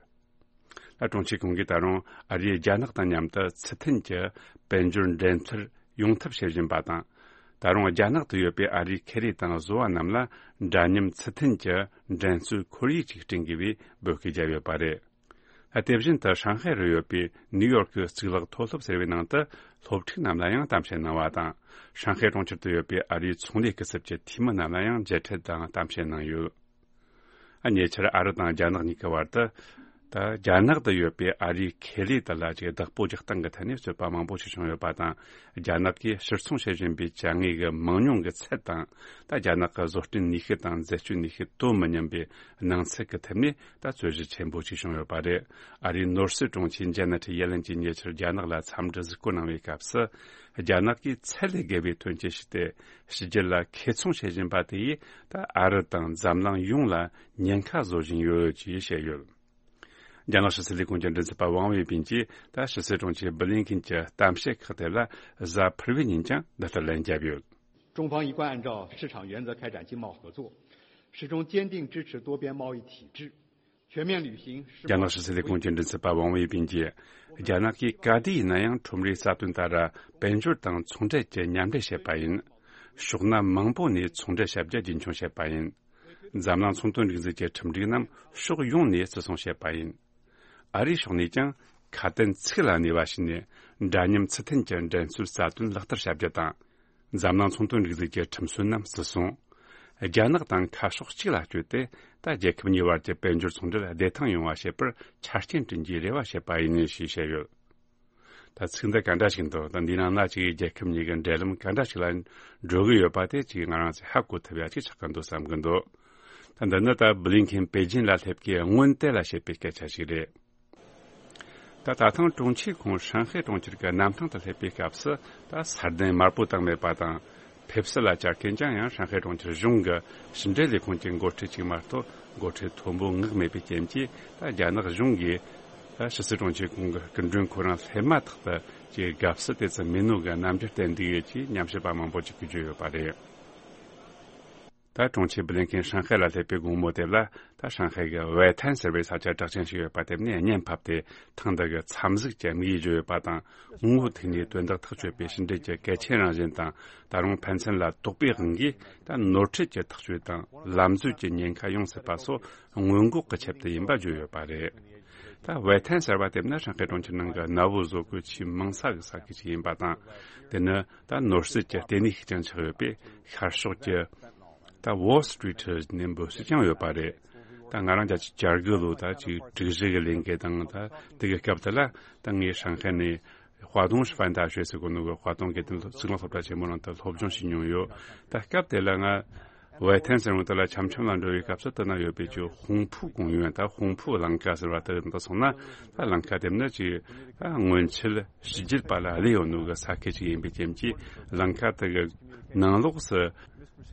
ད་དྲུང་ཆེ་ཁོང་གིས་ད་རུང་ཨ་རིས་རྒྱ་ནག་དང་མཉམ་དུ་ཚུལ་མཐུན་གྱི་དཔལ་འབྱོར་འགྲན་རྩོད་ཡོང་ཐབས་བྱེད་བཞིན་པ་དང་། ད་རུང་རྒྱ་ནག་ཏུ་ཡོད་པའི་ཨ་རིའི་ཁེ་ལས་དང་བཟོ་བ་རྣམས་ལ་འདྲ་མཉམ་ཚུལ་མཐུན་གྱི་འགྲན་རྩོད་ཁོར་ཡུག་ཅིག་བསྐྲུན་དགོས་པའི་འབོད་སྐུལ་བརྒྱབ་ཡོད་པ་རེད། དེ་བཞིན་དུ་ཧྲང་ཧའེ་རུ་ཡོད་པའི་ནིའུ་ཡོར་གྱི་གཙུག་ལག་མཐོ་སློབ་ཟེར་བའི་ནང་དུ་སློབ་ཕྲུག་རྣམས་ལ་ཡང་གཏམ་བཤད་གནང་བ་དང་། ཧྲང་ཧའེ་གྲོང་ཁྱེར་དུ་ཡོད་པའི་ཨ་རིའི་ཚོང་ལས་སྐུ་ཚབ་ཀྱི་འཐུས་མི་རྣམས་ལ་ཡང་མཇལ་འཕྲད་དང་གཏམ་བཤད་གནང་ཡོད། ཉེ་ཆར་ཨ་རི་དང་རྒྱ་ནག་གཉིས་ཀྱི་བར་དུ། ད་རྒྱ་ནག་ཏུ་ཡོད་པའི་ཨ་རིའི་ཁེ་ལས་དེ་ལ་ཅིག་བདག་པོ་རྒྱག་སྟངས་ཀྱི་ཐད་ནས་རྩོད་པ་མང་པོ་ཞིག་བྱུང་ཡོད་པ་དང་། རྒྱ་ནག་གིས་ཕྱིར་ཚོང་བྱེད་བཞིན་པའི་ཅ་དངོས་ཀྱི་མང་ཉུང་གི་ཚད་དང་། ད་རྒྱ་ནག་གི་བཟོ་སྐྲུན་ནུས་ཤུགས་དང་འཛད་སྤྱོད་ནུས་ཤུགས་དོ་མི་མཉམ་པའི་སྣང་ཚུལ་གྱི་ཐད་ནས་ད་རྩོད་གཞི་ཆེན་པོ་ཞིག་བྱུང་ཡོད་པ་རེད། ཨ་རིའི་ནོར་སྲིད་དྲུང་ཆེ་ཇེ་ནེ་ཊི་ཡེ་ལན་གྱིས་ཉེ་ཆར་རྒྱ་ནག་ལ་འཚམས་འདྲི་གཟིགས་སྐོར་གནང་བའི་སྐབས་སུ། རྒྱ་ནག་གིས་ཚད་ལས་བརྒལ་བའི་ཐོན་སྐྱེད་ཞིག་སྟེ། ཕྱི་རྒྱལ་ལ་ཁེ་ཚོང་བྱེད་བཞིན་པ་དེ་ཡིས་ད་ཨ་རི་དང་འཛམ་གླིང་ཡོངས་ལ་ཉེན་ཁ་བཟོ་བཞིན་ཡོད་ཅེས་བཤད་ཡོད། རྒྱ་ནག་ཕྱི་སྲིད་ལས་ཁུངས་ཀྱི་མགྲིན་ཚབ་པ་ཝང་ཝེ་པིན་གྱིས་ད་ཕྱི་སྲིད་དྲུང་ཆེ་སྦི་ལིན་ཁིན་གྱི་གཏམ་བཤད་ཁག་དེ་ལ་གཟའ་ཕུར་བུའི་ཉིན་ཀྱང་འདི་ལྟར་ལན་བརྒྱབ་ཡོད། 中方一贯按照市场原则开展经贸合作，始终坚定支持多边贸易体制， རྒྱ་ནག་ཕྱི་སྲིད་ལས་ཁུངས་ཀྱི་མགྲིན་ཚབ་པ་ཝང་ཝེ་པིན་གྱིས། རྒྱ་ནག་གིས་ག་དུས་ཡིན་ན་ཡང་ཁྲོམ་རའི་རྩ་དོན་ལྟར་དཔལ་འབྱོར་དང་ཚོང་འབྲེལ་གྱི་མཉམ་འབྲེལ་བྱེད་པ་ཡིན། ཕྱོགས་མཐའ་མང་པོ་ནས་ཚོང་འབྲེལ་བྱ་རྒྱུ་རྒྱུན་འཁྱོངས་བྱེད་པ་ཡིན། འཛམ་གླིང་ཚོང་དོན་སྒྲིག་འཛུགས་ཀྱི་ཁྲིམས་སྒྲིག་རྣམས་ཕྱོགས་ཡོངས་ནས་བརྩི་སྲུང་བྱེད་པ་ཡིན། ཨ་རིའི་ཕྱོགས་ནས་ཀྱང་ ཁ་དན་ཚིག་ལ་གནས་པ་ཞིག་ནས། འདྲ་མཉམ་ཚུལ་མཐུན་གྱི་འགྲན་རྩོད་རྩ་དོན་ལག་བསྟར་བྱ་རྒྱུ་དང་། འཛམ་གླིང་ཚོང་དོན་སྒྲིག་འཛུགས་ཀྱི་ཁྲིམས་སྲོལ་རྣམས་བརྩི་སྲུང་། རྒྱ་ནག་དང་ཁ་ཕྱོགས་གཅིག་ལ་བསྐྱོད་དེ། ད་རྒྱལ་ཁབ་གཉིས་བར་གྱི་དཔལ་འབྱོར་ཚོང་འབྲེལ་བདེ་ཐང་ཡོང་བ་བྱེད་པར་ཆ་རྐྱེན་བསྐྲུན་རྒྱུའི་རེ་བ་བྱེད་པ་ཡིན་ཞེས་བཤད་ཡོད། ད་ཚིག་འདི་ག་འདྲ་ཞིག་འདུག་ད་འདིའི་ནང་ན་ཅིག་རྒྱལ་ཁབ་གཉིས་ཀྱི་འབྲེལ་ལམ་ག་འདྲ་ཞིག་ལ་འགྲོ་གི་ཡོད་པ་དེ་ཅིག་ང་རང་ཚོས་ཧ་གོ་ཐུབ་ཡ་ཅིག་ཆགས་ཀྱི་འདུག་བསམ་གྱི་འདུག་ད་འདི་ནི་ད་བྷི་ལིན་ཁེན་པེ་ཅིན་ལ་སླེབས་ཀྱི་སྔོན་དེ་ལ་བཤད་པའི་སྐད་ཆ་ཞིག་རེད། ད་ད་ཐེངས་དྲུང་ཆེ་ཁོང་ཧྲང་ཧའེ་གྲོང་ཁྱེར་གྱི་གནམ་ཐང་དུ་སླེབས་པའི་སྐབས་སུ། ད་ས་གདན་དམར་པོ་བཏང་མེད་པ་དང་། ཕེབས་བསུ་ལ་བཅར་མཁན་ཅང་ཡང་ཧྲང་ཧའེ་གྲོང་ཁྱེར་གཞུང་གི་ཕྱི་འབྲེལ་ལས་ཁུངས་ཀྱི་འགོ་ཁྲིད་ཅིག་མ་གཏོགས་འགོ་ཁྲིད་མཐོན་པོ་མངགས་མེད་པའི་རྐྱེན་གྱིས། ད་རྒྱ་ནག་གཞུང་གིས་ད་ཕྱི་སྲིད་དྲུང་ཆེ་ཁོང་གི་སྐུ་མགྲོན་ཁོ་རང་སླེབས་མ་ཐག་ཏུ་ཅིག་དགའ་བསུ་དེ་ཙམ་མེད་ནོ་གི་རྣམ་འགྱུར་བསྟན་འདུག་ཡོད་ཅེས་ཉམས་ཞིབ་པ་མང་པོ་ཅིག་གིས་བརྗོད་ཡོད་པ་རེད། ད་དྲུང་ཆེ་བྷི་ལིན་ཁེན་ཧྲང་ཧའེ་ལ་སླེབས་པའི་དགོང་མོ་དེ་ལ། ད་ཧྲང་ཧའེ་གི་ཝེ་ཐན་ཟེར་བའི་ས་ཆ་གྲགས་ཅན་ཞིག་ཡོད་པ་དེ་ནས་བརྙན་ཕབ་སྟེ། ཐེངས་འདི་གི་འཚམས་གཟིགས་ཀྱི་དམིགས་ཡུལ་བརྗོད་ཡོད་པ་དང་། ངོ་བོ་ཐུག་ནས་དོན་དག་ཐག་གཅོད་པའི་ཕྱི་འབྲེལ་གྱི་གལ་ཆེན་རང་བཞིན་དང་། ད་རུང་ཕན་ཚུན་ལ་དོགས་པའི་དབང་གིས། ད་ནོར་འཁྲུལ་གྱི་ཐག་གཅོད་དང་ལམ་འཛོལ་གྱི་ཉེན་ཁ་ཡོང་སྲིད་པ་སོགས་སྔོན་འགོག་གི་ཆེད་དུ་ཡིན་པ་བརྗོད་ཡོད་པ་རེད། ད་ཝེ་ཐན་ཟེར་བ་དེ་ནི་ཧྲང་ཧའེ་གྲོང་ཁྱེར་ནང་གི་གནའ་བོའི་བཟོ་བཀོད་ཆེས་མང་ས་གི་ས་ཁུལ་ཞིག་ཡིན་པ་དང་། དེ་ནི་ད་ནོར་སྲིད་ཀྱི་ལྟེ་གནས་ཤིག་ཀྱང་ཆགས་ཡོད་པས། ཤར་ཕྱོགས་ཀྱི་ད་Wall Street་ནས་འབོད་སྲོལ་ཀྱང་ཡོད་པ་རེད། ད་ང་རང་རྒྱལ་སྤྱིའི་བྱ་དགའ་ལོ་ད་ཅིག་དྲུག་བཞི་གི་ལས་འགུལ་དང་། ད་དེ་གི་སྐབས་དེ་ལ་ད་ངས་ཧྲང་ཧའེ་ནས་ཧྭ་ཏུང་ཧྥན་ཏ་ཤོས་ཟེར་གོ་ནོ་གི་ཧྭ་ཏུང་དགེ་ལྡན་གཙུག་ལག་སློབ་གྲྭ་ཆེན་མོ་ནང་དུ་སློབ་སྦྱོང་བྱེད་མྱོང་ཡོད། ད་སྐབས་དེ་ལ་ང་ཝེ་ཐན་ཟེར་བ་དེ་ལ་འཆམ་འཆམ་ལ་འགྲོ་བའི་སྐབས་སུ། དེ་ན་ཡོད་པའི་ཅིག་ཧུང་ཕུའུ་ཀུང་ཡུན། ད་ཧུང་ཕུའུ་ལམ་ཁ་ཟེར་བ་དེ་དང་སོང་ན། ད་ལམ་ཁ་དེ་ནི་ཅིག་ད་སྔོན་ཆད་ཕྱི་རྒྱལ་པ་ལ་གླས་ཡོད་ནོ་གི་ས་ཁུལ་ཅིག་ཡིན་པའི་རྐྱེན་གྱིས། ལམ་ཁ་དེ་གི་ནང་ལོགས་སུ་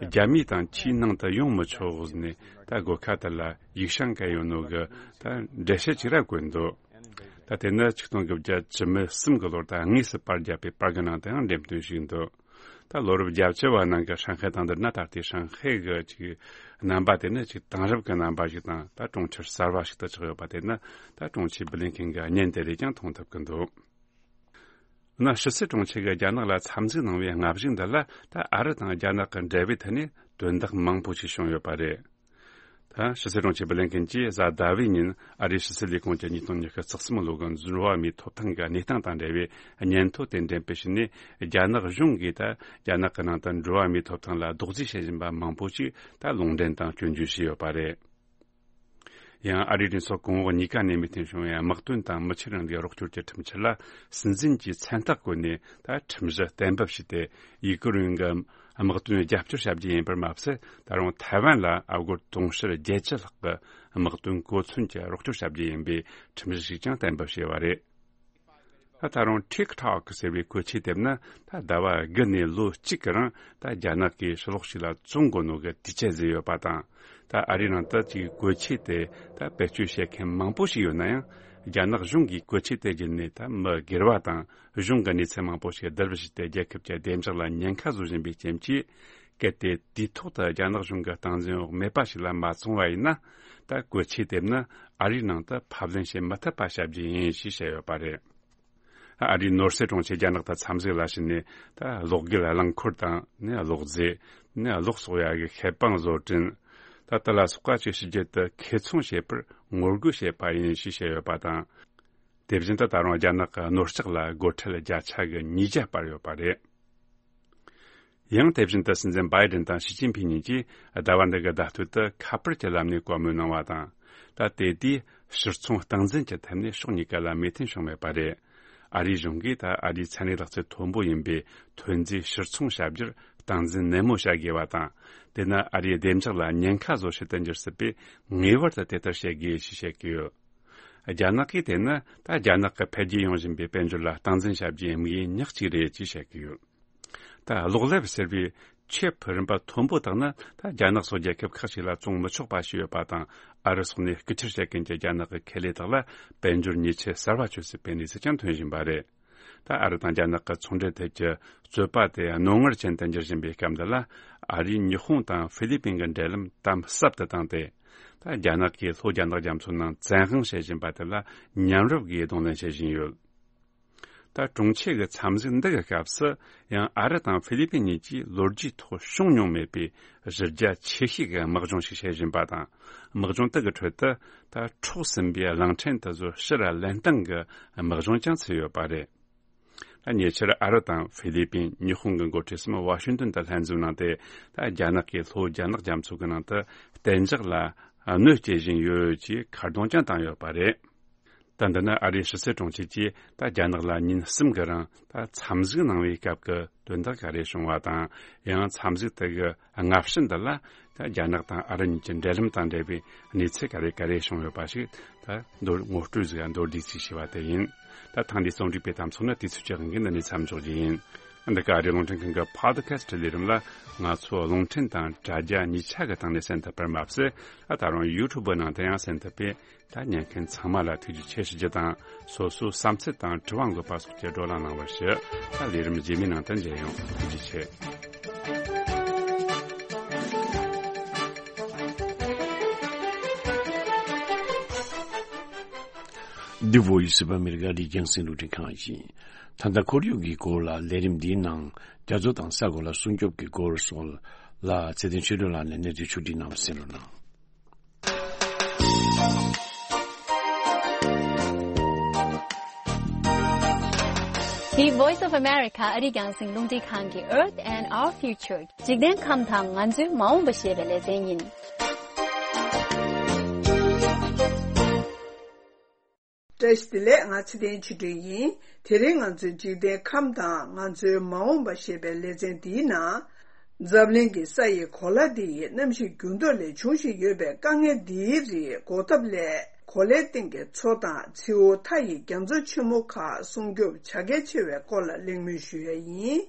རྒྱ་མི་དང་ཆུའི་ནང་དུ་ཡོང་མི་ཆོག་ཟེར་ནས། ད་སྒོ་ཁ་དེ་ལ་ཡིག་ཤང་བཀལ་ཡོད་ནོ་གི་ད་འགྲེལ་བཤད་ཅིག་ར་བཀོད་འདུག་ད་དེ་ནི་ཆིག་སྟོང་དགུ་བརྒྱ་བཅུ་མེད་གསུམ་གི་ལོར་ད་དངོས་སུ་པར་བརྒྱབ་པའི་པར་གྱི་ནང་དུའང་འགྲེམས་སྟོན་ཞིག་འདུག་ད་ལོ་རབས་བརྒྱད་ཅུ་བ་ནང་གི་ཧྲང་ཧའེ་དང་བསྡུར་ན། ད་ལྟའི་ཧྲང་ཧའེ་གི་ཅིག་རྣམ་པ་དེ་ནི་ཅིག་དེང་རབས་ཀྱི་རྣམ་པ་ཞིག་དང་། ད་གྲོང་ཁྱེར་གསར་བ་ཞིག་ཏུ་ཆགས་ཡོད་པ་དེ་ནི་ད་དྲུང་ཆེ་བྷི་ལིན་ཁེན་གྱི་བརྙན་དེ་རེད་ཀྱང་མཐོང་ཐུབ་ཀྱི་འདུག་ན། ཕྱི་སྲིད་དྲུང་ཆེ་གིས་རྒྱ་ནག་ལ་འཚམས་གཟིགས་གནང་བའི་སྔ་གཞུག་འདི་ལ། ད་ཨ་རི་དང་རྒྱ་ནག་གི་འབྲེལ་བའི་ཐད་ནས་དོན་དག་མང་པོ་ཞིག་བྱུང་ཡོད་པ་རེད། ད་ཕྱི་སྲིད་དྲུང་ཆེ་བྷི་ལིན་ཁེན་གྱིས་གཟའ་ཟླ་བའི་ཉིན་ཨ་རིའི་ཕྱི་སྲིད་ལས་ཁུངས་ཀྱི་ཉིས་སྟོང་ཉི་ཤུ་རྩ་གསུམ་ལོ་གི་འགྲོ་བ་མིའི་ཐོབ་ཐང་གི་གནས་སྟངས་དང་འབྲེལ་བའི་སྙན་ཐོ་དེ་འགྲེམས་སྤེལ་བྱས་ནས། རྒྱ་ནག་གཞུང་གིས་ད་རྒྱ་ནག་གི་ནང་དུ་འགྲོ་བ་མིའི་ཐོབ་ཐང་ལ་རྡོག་རྫིས་བྱེད་བཞིན་པ་མང་པོ་ཞིག་ད་ལུང་འདྲེན་དང་སྐྱོན་བརྗོད་བྱས་ཡོད་པ་རེད། ཡང་ཨ་རིའི་གྲོས་ཚོགས་གོང་འོག་གཉིས་ཀ་ནས་མོས་མཐུན་བྱུང་བའི་དམག་དོན་དང་མི་ཆོས་རིང་ལུགས་རོགས་སྐྱོར་གྱི་ཁྲིམས་འཆར་ལ་སྲིད་འཛིན་གྱིས་མཚན་རྟགས་བཀོད་ནས། ད་ཁྲིམས་གཞི་གཏན་འབེབས་བྱས་ཏེ། ཡུ་ཀེ་རེན་གྱི་དམག་དོན་རྒྱབ་སྐྱོར་བྱ་རྒྱུ་ཡིན་པར་མ་ཟད། ད་རུང་ཐའེ་ཝན་ལ་ཨ་སྒོར་དུང་ཕྱུར་བརྒྱད་ཅུ་ལྷག་གི་དམག་དོན་གོ་མཚོན་གྱི་རོགས་སྐྱོར་བྱ་རྒྱུ་ཡིན་པའི་ཁྲིམས་གཞི་ཞིག་ཀྱང་གཏན་འབེབས་བྱས་པ་རེད། ད་ད་རུང་ཊིག་ཊོག་ཟེར་བའི་བཀོལ་ཆས་དེ་ནི། ད་ཟླ་བ་དགུ་ནས་ལོ་གཅིག་གི་རིང་ད་རྒྱ་ནག་གིས་ཕྱི་ལོགས་ཤིག་ལ་བཙོང་དགོས་ནོ་གི་དུས་ཆད་བཟོས་ཡོད་པ་དང་། ད་ཨ་རིའི་ནང་དུ་ཅིག་བཀོལ་ཆས་དེ་ད་བེད་སྤྱོད་བྱེད་མཁན་མང་པོ་ཞིག་ཡོད་ན་ཡང་། རྒྱ་ནག་གཞུང་གིས་བཀོལ་ཆས་དེ་བརྒྱུད་ནས་ད་མི་སྒེར་བ་དང་གཞུང་གི་གནས་ཚུལ་མང་པོ་ཞིག་བསྡུ་རུབ་བྱས་ཏེ། རྒྱལ་ཁབ་ཀྱི་བདེ་འཇགས་ལ་ཉེན་ཁ་བཟོ་བཞིན་པའི་རྐྱེན་གྱིས། གལ་ཏེ་དུས་ཐོག་ཏུ་རྒྱ་ནག་གཞུང་གི་སྟངས་འཛིན་འོག་མེད་པ་ཞིག་ལ་མ་བཙོང་བ་ཡིན་ན། ད་བཀོལ་ཆས་དེ་ནི་ཨ་རིའི་ནང་དུ་ཕབ་ལེན་བྱེད་མི་ཐུབ་པ་བྱ་རྒྱུ་ཡིན་ཞེས་བཤད་ཡོད་པ་རེད། ཨ་རིའི་ནོར་སྲིད་དྲུང་ཆེ་རྒྱ་ནག་ཏུ་འཚམས་གཟིགས་ལ་ཕྱིན་ནས། ད་གློག་སྒུལ་རླངས་འཁོར་དང་ནི་གློག་རྫས་ནི་གློག་གསོག་ཡ་གི་ཤེལ་པང་བཟོ་སྐྲུན། ད་དེ་ལ་སོགས་པ་ཅིག་ཕྱི་རྒྱལ་དུ་ཁེ་ཚོང་བྱེད་པར་ངོ་རྒོལ་བྱས་པ་ཡིན་ཞེས་བཤད་ཡོད་པ་དང་། དེ་བཞིན་དུ་ད་རུང་རྒྱ་ནག་གི་རྣོ་ལྕགས་ལ་སྒོ་ཁྲལ་བརྒྱ་ཆ་གི་ཉིས་བརྒྱ་སྤར་ཡོད་པ་རེད། ཡང་དེ་བཞིན་དུ་སྲིད་འཛིན་བྷའི་ཌེན་དང་ཞི་ཅིན་ཕིང་གཉིས་ཀྱིས་ཟླ་བ་འདི་གི་ཟླ་སྟོད་དུ་ཁ་པར་གྱི་ལམ་ནས་བཀའ་མོལ་གནང་བ་དང་། ད་དེ་དུས་ཕྱིར་ཚོང་སྟངས་འཛིན་གྱི་ཐད་ནས་ཕྱོགས་གཉིས་ཀ་ལ་མོས་མཐུན་བྱུང་མེད་པ་རེད། ཨ་རིའི་གཞུང་གིས་ད་ཨ་རིའི་ཚན་རིག་ལག་རྩལ་མཐོན་པོ་ཡིན་པའི་ཐོན་རྫས་ཕྱིར་ཚོང་བྱ་རྒྱུར་སྟངས་འཛིན་ནན་མོ་བྱ་དགོས་པ་དང་། དེ་ནི་ཨ་རིའི་བདེ་འཇགས་ལ་ཉེན་ཁ་བཟོ་བྱེད་དུ་འགྱུར་སྲིད་པས། ངེས་པར་དུ་དེ་ལྟར་བྱེད་དགོས་ཞེས་བཤད་ཀྱི་ཡོད། རྒྱ་ནག་གིས་དེ་ནི་ད་རྒྱ་ནག་གི་འཕེལ་རྒྱས་ཡོང་བཞིན་པའི་དཔལ་འབྱོར་ལ་སྟངས་འཛིན་བྱ་རྒྱུའི་དམིགས་ཡུལ་ཉག་གཅིག་རེད་ཅེས་བཤད་ཀྱི་ཡོད། ད་གློག་ལེབ་ཟེར་བའི་ཆེབ་རིན་པ་མཐོན་པོ་དག་ནི་ད་རྒྱ་ནག་སོགས་རྒྱལ་ཁབ་ཁག་ཅིག་ལ་བཙོང་མི་ཆོག་པ་ཞིག་ཡོད་པ་དང་། ཨ་རི་སོགས་ནས་སྐུལ་ཁྲིད་བྱེད་མཁན་གྱི་རྒྱ་ནག་གི་ཁེ་ལས་དག་ལ་དཔལ་འབྱོར་ཉེས་ཆད་གསར་བ་གཅོད་སྲིད་པའི་གནས་ཚུལ་ཀྱང་ཐོན་བཞིན་པ་རེད། ད་ཨ་རི་དང་རྒྱ་ནག་གི་ཚོང་འབྲེལ་ཐད་ཀྱི་རྩོད་པ་དེ་རྣོ་ངར་ཅན་དུ་འགྱུར་བཞིན་པའི་སྐབས་འདི་ལ། ཨ་རིས་ཉི་ཧོང་དང་ཧྥི་ལི་པིན་གྱི་འབྲེལ་ལམ་དམ་ཟབ་ཏུ་བཏང་སྟེ། ད་རྒྱ་ནག་གིས་ལྷོ་རྒྱ་ནག་རྒྱ་མཚོའི་ནང་བཙན་དབང་བྱེད་བཞིན་པ་དེ་ལ་མཉམ་རུབ་ཀྱིས་གདོང་ལེན་བྱེད་བཞིན་ཡོད། ད་གྲོང་ཁྱེར་གྱི་འཚམས་གཟིགས་འདི་གི་སྐབས་སུ་ཡང་ཨ་རི་དང་ཧྥི་ལི་པིན་གཉིས་ཀྱིས་ལོ་རྒྱུས་ཐོག་བྱུང་མྱོང་མེད་པའི་གཞི་རྒྱ་ཆེ་ཤོས་ཀྱི་དམག་སྦྱོང་ཞིག་བྱེད་བཞིན་པ་དང་། དམག་སྦྱོང་དེ་གི་ཁྲོད་དུ་ད་འཕྲོག་ཟིན་པའི་གླང་ཕྲན་དེ་ཚོ་ཕྱིར་ལེན་སྟངས་ཀྱི་དམག་སྦྱོང་ཀྱང་བྱས་ཡོད་པ་རེད། ད་ཉེ་ཆར་ཨ་རི་དང་ཧྥི་ལི་པིན། ཉི་ཧོང་གི་འགོ་ཁྲིད་གསུམ་ཝ་ཤིང་ཏོན་དུ་ལྷན་འཛོམས་གནང་སྟེ། ད་རྒྱ་ནག་གིས་ལྷོ་རྒྱ་ནག་རྒྱ་མཚོ་གི་ནང་དུ་གཏན་འཇགས་ལ་གནོད་སྐྱེལ་བཞིན་ཡོད་ཅེས་ཁ་རྡུང་ཀྱང་བཏང་ཡོད་པ་རེད། ད་འདི་ནི་ཨ་རིའི་ཕྱི་སྲིད་དྲུང་ཆེ་གིས་ད་རྒྱ་ནག་ལ་ཉིན་གསུམ་གྱི་རིང་ད་འཚམས་གཟིགས་གནང་བའི་སྐབས་ཀྱི་དོན་དག་ག་རེ་བྱུང་བ་དང་། ཡང་འཚམས་གཟིགས་དེ་གི་སྔ་ཕྱི་འདི་ལ་ད་རྒྱ་ནག་དང་ཨ་རི་གཉིས་ཀྱི་འབྲེལ་ལམ་དང་འབྲེལ་བའི་གནས་ཚུལ་ག་རེ་ག་རེ་བྱུང་ཡོད་པ་ཞིག་ད་མདོར་ངོ་སྤྲོད་ཟིག་མདོར་བསྡུས་ཅིག་བྱས་པ་དེ་ཡིན། ད་ཐེངས་འདིའི་རྩོམ་སྒྲིག་པའི་དམ་ཚིག་ནི་དུས་ཚོད་ཀྱི་དབང་གིས་འདི་ནས་མཚམས་འཇོག་རྒྱུ་ཡིན། འདི་ག་ཨ་རིའི་རླུང་འཕྲིན་ཁང་གི་Podcast ལས་རིམ་ལ་ང་ཚོ་རླུང་འཕྲིན་དང་དྲ་རྒྱ་གཉིས་ཆ་གི་སྟེང་ནས་གསན་ཐུབ་པར་མ་ཟད། ཨ་ད་རུང་YouTube ནང་དུ་ཡང་གསན་ཐུབ་པས། ད་ཉན་མཁན་ཚང་མ་ལ་ཐུགས་རྗེ་ཆེ་ཞུ་རྒྱུ་དང་། སོ་སོའི་བསམ་ཚུལ་དང་དྲི་བ་འགོད་པ་སོགས་ཀྱི་བགྲོ་གླེང་གནང་བར་ཞུ། ད་ལས་རིམ་རྗེས་མའི་ནང་དུ་མཇལ་ཡོང་། ཐུགས་རྗེ་ཆེ། The Voice of America ཨ་རིའི་རྒྱང་སྲིང་རླུང་འཕྲིན་ཁང་ཡིན། ད་ལྟ་ཁོར་ཡུག་གི་སྐོར་ལ་ལས་རིམ་འདིའི་ནང་རྒྱ་མཚོ་དང་ས་གོ་ལ་སྲུང་སྐྱོབ་ཀྱི་སྐོར་སོགས་ལ་ཚེ་བརྟན་ཆོས་སྒྲོན་ལགས་ནས་གནས་ཚུལ་ཕྱོགས་སྒྲིག་གནང་བ་གསན་རོགས་གནང་། The Voice of America ཨ་རིའི་རྒྱང་སྲིང་རླུང་འཕྲིན་ཁང་གི་Earth and Our Future འཇིག་རྟེན་ཁམས་དང་ང་ཚོའི་མ་འོངས་པ་ཞེས་པའི་ལེ་ཚན་ཡིན། བཀྲ་ཤིས་བདེ་ལེགས། ང་ཚེ་བརྟན་ཆོས་སྒྲོན་ཡིན། དེ་རིང་ང་ཚོའི་འཇིག་རྟེན་ཁམས་དང་ང་ཚོའི་མ་འོངས་པ་ཞེས་པའི་ལེ་ཚན་འདིའི་ནང་། འཛམ་གླིང་གི་ས་ཡི་གོ་ལ་འདི་ཡི་གནམ་གཤིས་འགྱུར་ལྡོག་ལས་འབྱུང་བཞིན་ཡོད་པའི་དཀའ་ངལ་འདིའི་རིགས་འགོག་ཐབས་སླད། གོ་ལའི་སྟེང་གི་མཚོ་དང་མཚེའུ་མཐའ་ཡི་རྒྱ་མཚོ་ཆེན་མོ་ཁག་སྲུང་སྐྱོབ་བྱ་གལ་ཆེ་བའི་སྐོར་ལ་གླེང་མོལ་ཞུ་ཡ་ཡིན།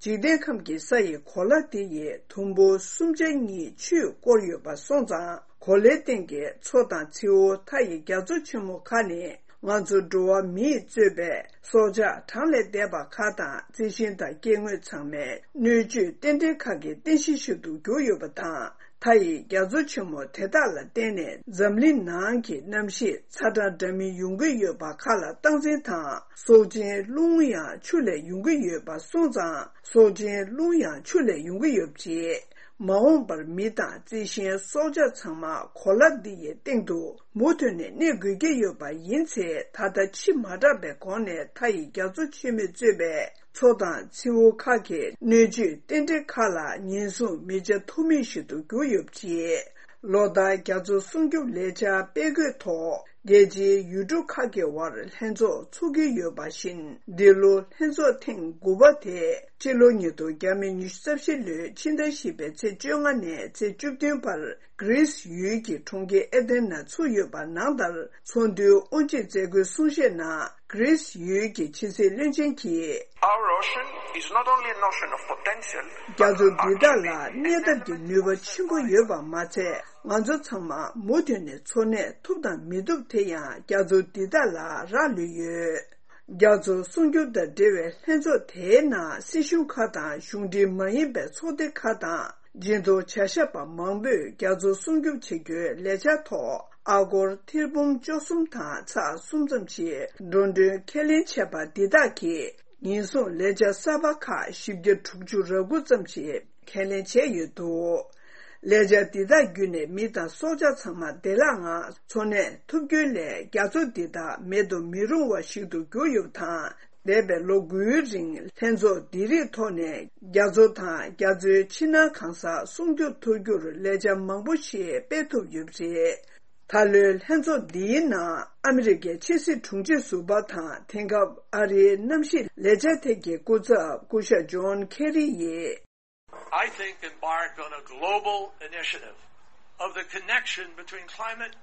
འཇིག་རྟེན་ཁམས་ཀྱི་ས་ཡི་གོ་ལ་དེ་ཡི་དུམ་བུ་གསུམ་ཆ་གཉིས་ཆུས་བསྐོར་ཡོད་པ་སོང་ཙང་། གོ་ལའི་སྟེང་གི་མཚོ་དང་མཚེའུ་མཐའ་ཡི་རྒྱ་མཚོ་ཆེན་མོ་ཁག་ནི། ང་ཚོ་འགྲོ་བ་མིས་གཙོས་པའི་སྲོག་ཆགས་གྲངས་ལས་འདས་པ་ཁག་དང་། རྩི་ཤིང་དང་སྐྱེ་དངོས་ཚང་མའི་སྣོད་བཅུད་རྟེན་འབྲེལ་ཁག་གི་རྟེན་གཞི་ཞིག་ཏུ་གྱུར་ཡོད་པ་དང་། མཐའ་ཡི་རྒྱ་མཚོ་ཆེན་མོ་དེ་དག་ལ་བརྟེན་ནས་འཛམ་གླིང་ནང་གི་གནམ་གཤིས་ཚ་གྲང་འདྲ་མིན་ཡོང་གི་ཡོད་པ་ཁག་ལ་སྟངས་འཛིན་དང་། སྲོག་ཆེན་རླུང་ཡང་ཆུ་ལས་ཡོང་གི་ཡོད་པ་སོང་ཙང་། སྲོག་ཆེན་རླུང་ཡང་ཆུ་ལས་ཡོང་གི་ཡོད་པ་བྱས། མ་འོངས་པར་མི་དང་རྩི་ཤིང་སྲོག་ཆགས་ཚང་མ་གོ་ལ་འདི་ཡི་སྟེང་དུ་མུ་མཐུད་ནས་གནས་དགོས་ཀྱི་ཡོད་པ་ཡིན་ཚེ། ད་ལྟ་ཕྱི་མ་དྲགས་པའི་གོང་ནས་མཐའ་ཡི་རྒྱ་མཚོ་ཆེན་མོས་གཙོས་པའི་མཚོ་དང་མཚེའུ་ཁག་གི་སྣོད་བཅུད་རྟེན་འབྲེལ་ཁག་ལ་ཉེན་སྲུང་མི་བྱ་ཐུབ་མིན་ཞིག་ཏུ་གྱུར་ཡོད་པ་བྱས། ལོ་ལྟར་རྒྱ་མཚོ་སྲུང་སྐྱོབ་ལས་འཆར་སྤེལ་དགོས་ཐོག་རྒྱལ་སྤྱིའི་ཡུལ་གྲུ་ཁག་གི་དབར་ལྷན་ཚོགས་ཚོགས་ཀྱི་ཡོད་པ་བཞིན། འདི་ལོ་ལྷན་ཚོགས་ཐེངས་དགུ་པ་དེ་སྤྱི་ལོ་ཉིས་སྟོང་ཉི་ཤུ་རྩ་བཞི་ལོའི་ཕྱི་ཟླ་བཞི་པའི་ཚེས་བཅོ་ལྔ་ནས་ཚེས་བཅུ་བདུན་བར་གྷི་རིས་ཡུལ་གྱི་གྲོང་ཁྱེར་ཨེ་ཐེན་ན་ཚུགས་ཡོད་པ་ནང་ལྟར། ཚོགས་འདུའི་དབུ་འབྱེད་མཛད་སྒོའི་གསུང་བཤད་ནང་། གྷི་རིས་ཡུལ་གྱི་ཕྱི་སྲིད་བློན་ཆེན་གྱིས། Our ocean is not only an ocean of potential, རྒྱ་མཚོ་འདི་དག་ལ་གནས་ཐབས་ཀྱི་ནུས་པ་ཆེན་པོ་ཡོད་པ་མ་ཚད། ང་ཚོ་ཚང་མ་མུ་མཐུད་ནས་འཚོ་གནས་ཐུབ་དང་མི་ཐུབ་དེ་ཡང་རྒྱ་མཚོ་འདི་དག་ལ་རག་ལུས་ཡོད། རྒྱ་མཚོ་སྲུང་སྐྱོབ་དང་འབྲེལ་བའི་ལྷན་ཚོགས་དེའི་ནང་སྲིད་གཞུང་ཁག་དང་གཞུང་འབྲེལ་མ་ཡིན་པའི་ཚོགས་སྡེ་ཁག་དང་། སྦྱིན་གཏོང་བྱ་ཞབས་པ་མང་པོས་རྒྱ་མཚོ་སྲུང་སྐྱོབ་བྱེད་རྒྱུའི་ལས་འཆར་ཐོག་ཨ་སྒོར་ཐེར་འབུམ་བཅུ་གསུམ་དང་ཚེག་གསུམ་ཙམ་ཞིག་འགྲོ་གྲོན་ཁས་ལེན་བྱས་པ་འདི་དག་གིས། ཉེན་སྲུང་ལས་འཆར་གསར་པ་ཁག་བཞི་བརྒྱ་དྲུག་ཅུ་རེ་དགུ་ཙམ་ཞིག་ཁས་ལེན་བྱས་ཡོད་འདུག་ལས་འཆར་འདི་དག་བརྒྱུད་ནས་མི་དང་སྲོག་ཆགས་ཚང་མ་བདེ་བླག་ངང་འཚོ་གནས་ཐུབ་རྒྱུའི་སླད། རྒྱ་མཚོ་འདི་དག་མེད་དུ་མི་རུང་བ་ཞིག་ཏུ་གྱུར་ཡོད་པ་དང་། འདས་པའི་ལོ་དགུའི་རིང་ལྷན་ཚོགས་འདི་རིགས་ཐོག་ནས་རྒྱ་མཚོ་དང་རྒྱ་མཚོའི་ཕྱི་ནང་གང་ས་སྲུང་སྐྱོབ་ཐུབ་རྒྱུར་ལས་འཆར་མང་པོ་ཞིག་སྤེལ་ཐུབ་ཡོད་པ་རེད། ད་ལོའི་ལྷན་ཚོགས་འདིའི་ནང་ཨ་མི་རི་ཀའི་ཕྱི་སྲིད་དྲུང་ཆེ་ཟུར་པ་དང་། དེང་སྐབས་ཨ་རིའི་གནམ་གཤིས་ལས་འཆར་ཐད་ཀྱི་སྐུ་ཚབ་སྐུ་ཞབས་ཇོན་ཁེ་རི་ཡིས། I think embarked on a global initiative of the connection between climate,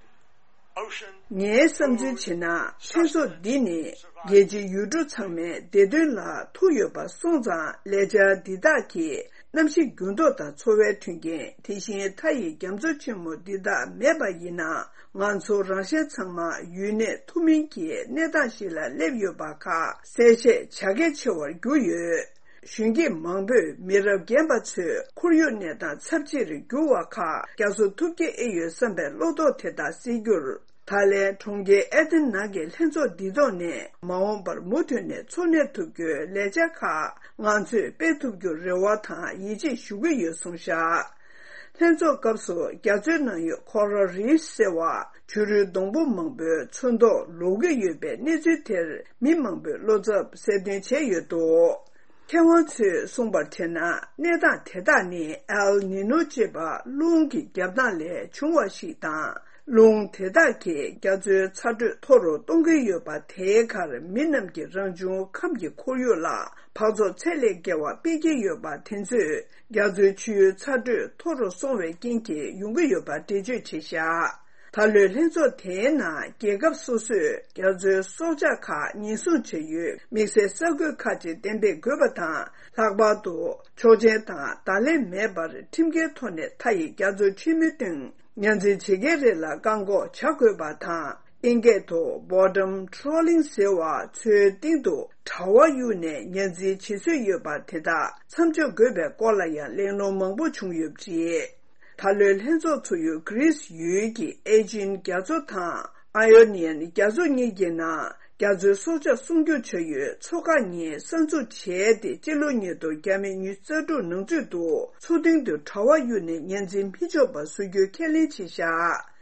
ocean, ངའི་བསམ་ཚུལ་བྱས་ན། ལྷན་ཚོགས་འདི་ནི་རྒྱལ་སྤྱིའི་ཡུལ་གྲུ་ཚང་མའི་བདེ་དོན་ལ་ཐུག་ཡོད་པ་སོང་ཙང་། ལས་འཆར་འདི་དག་གིས་གནམ་གཤིས་འགྱུར་ལྡོག་དང་འཚོ་བའི་མཐུན་རྐྱེན། དེ་བཞིན་མཐའ་ཡི་རྒྱ་མཚོ་ཆེན་མོ་འདི་དག་མེད་པ་ཡིན་ན། ང་ཚོ་རང་གཞན་ཚང་མ་ཡུན་གནས་ཐུབ་མིན་གྱི་གནས་སྟངས་ཤིག་ལ་སླེབས་ཡོད་པ་ཁག་གསལ་བཤད་བྱ་གལ་ཆེ་བར་གྱུར་ཡོད། གཞོན་སྐྱེས་མང་པོས་མི་རབས་རྒན་པ་ཚོས་ཁོར་ཡུག་གནས་སྟངས་ཚབས་ཆེར་འགྱུར་བ་ཁག་བསྐྱར་གསོ་ཐུབ་ཀྱི་ཨེ་ཡོད་བསམ་པའི་བློ་དོགས་དེ་དག་སེལ་རྒྱུར། ད་ལན་གྲོང་ཁྱེར་ཨེ་ཐན་ནང་གི་ལྷན་ཚོགས་འདིའི་ཐོག་ནས་མ་འོངས་པར་མུ་མཐུད་ནས་འཚོ་གནས་ཐུབ་རྒྱུའི་ལས་འཆར་ཁག་ང་ཚོས་སྤེལ་ཐུབ་རྒྱུར་རེ་བ་དང་ཡིད་ཆེས་ཞུ་གི་ཡོད་གསུངས་བཞག་ལྷན་ཚོགས་སྐབས་སུ་རྒྱ་མཚོའི་ནང་ཡོད་ཁོ་རལ་རིཕ་ཟེར་བ་བྱུ་རུའི་སྡོང་པོ་མང་པོའི་ཚོན་མདོག་ལོག་གི་ཡོད་པའི་གནས་ཚུལ་དེར་མི་མང་པོས་བློ་འཚབ་གསལ་སྟོན་བྱས་ཡོད་འདུག་མཁས་དབང་ཚོས་གསུངས་པར་བྱས་ན། གནས་སྟངས་དེ་དག་ནི་ཨེལ་ནི་ནོ་ཅེས་པ་རླུང་གི་རྒྱབ་སྟངས་ལས་བྱུང་བ་ཞིག་དང་། རླུང་དེ་དག་གིས་རྒྱ་མཚོའི་ཚ་དྲོད་མཐོ་རུ་གཏོང་གི་ཡོད་པ། དེའི་ཁར་མི་རྣམས་ཀྱིས་རང་བྱུང་ཁམས་ཀྱི་ཁོར་ཡུག་ལ་འཕག་ཚོགས་ཚད་ལས་བརྒལ་བ་སྤེལ་གྱི་ཡོད་པ་དེ་ཚོས་རྒྱ་མཚོའི་ཆུའི་ཚ་དྲོད་མཐོ་རུ་སོང་བའི་རྐྱེན་གྱིས་ཡོང་གི་ཡོད་པ་འགྲེལ་བརྗོད་བྱས་བཞག་ད་ལོའི་ལྷན་ཚོགས་དེའི་ནང་རྒྱལ་ཁབ་སོ་སོས་རྒྱ་མཚོའི་སྲོག་ཆགས་ཁག་ཉེན་སྲུང་བྱ་ཡུལ་དམིགས་བསལ་ས་ཁུལ་ཁག་ཅིག་གཏན་འབེབས་དགོས་པ་དང་། ལྷག་པར་དུ་ཆོག་མཆན་དང་བརྡ་ལན་མེད་པར་ཁྲིམས་འགལ་ཐོག་ནས་མཐའ་ཡི་རྒྱ་མཚོ་ཆེན་མོའི་སྟེང་ཉ་འཛིན་བྱེད་མཁན་རེ་ལ་བཀག་འགོག་བྱ་དགོས་པ་དང་། ཨིན་སྐད་དུ་bottom trawling ཟེར་བ་མཚོའི་སྟེང་དུ་དྲ་བ་གཡུགས་ནས་ཉ་འཛིན་བྱེད་སྲོལ་ཡོད་པ་དེ་དག་མཚམས་འཇོག་དགོས་པའི་སྐོར་ལ་ཡང་གླེང་སློང་མང་པོ་བྱུང་ཡོད་པ་རེད། ད་ལོའི་ལྷན་ཚོགས་ཚུགས་ཡུལ་གྷི་རིས་ཡུལ་གྱི་ཨེ་ཇིན་རྒྱ་མཚོ་དང་ཨ་ཡོ་ནི་ཡན་རྒྱ་མཚོ་གཉིས་ཀྱི་ནང་རྒྱ་མཚོའི་སྲོག་ཆགས་སྲུང་སྐྱོབ་བྱ་ཡུལ་མཚོ་ཁག་གཉིས་གསར་འཛུགས་བྱས་ཏེ། སྤྱི་ལོ་ཉིས་སྟོང་ཉི་ཤུ་རྩ་དྲུག་ནང་ཚུད་དུ་མཚོ་གཏིང་དུ་དྲ་བ་གཡུགས་ནས་ཉ་འཛིན་མི་ཆོག་པ་བཟོ་རྒྱུའི་ཁས་ལེན་བྱས་བཞག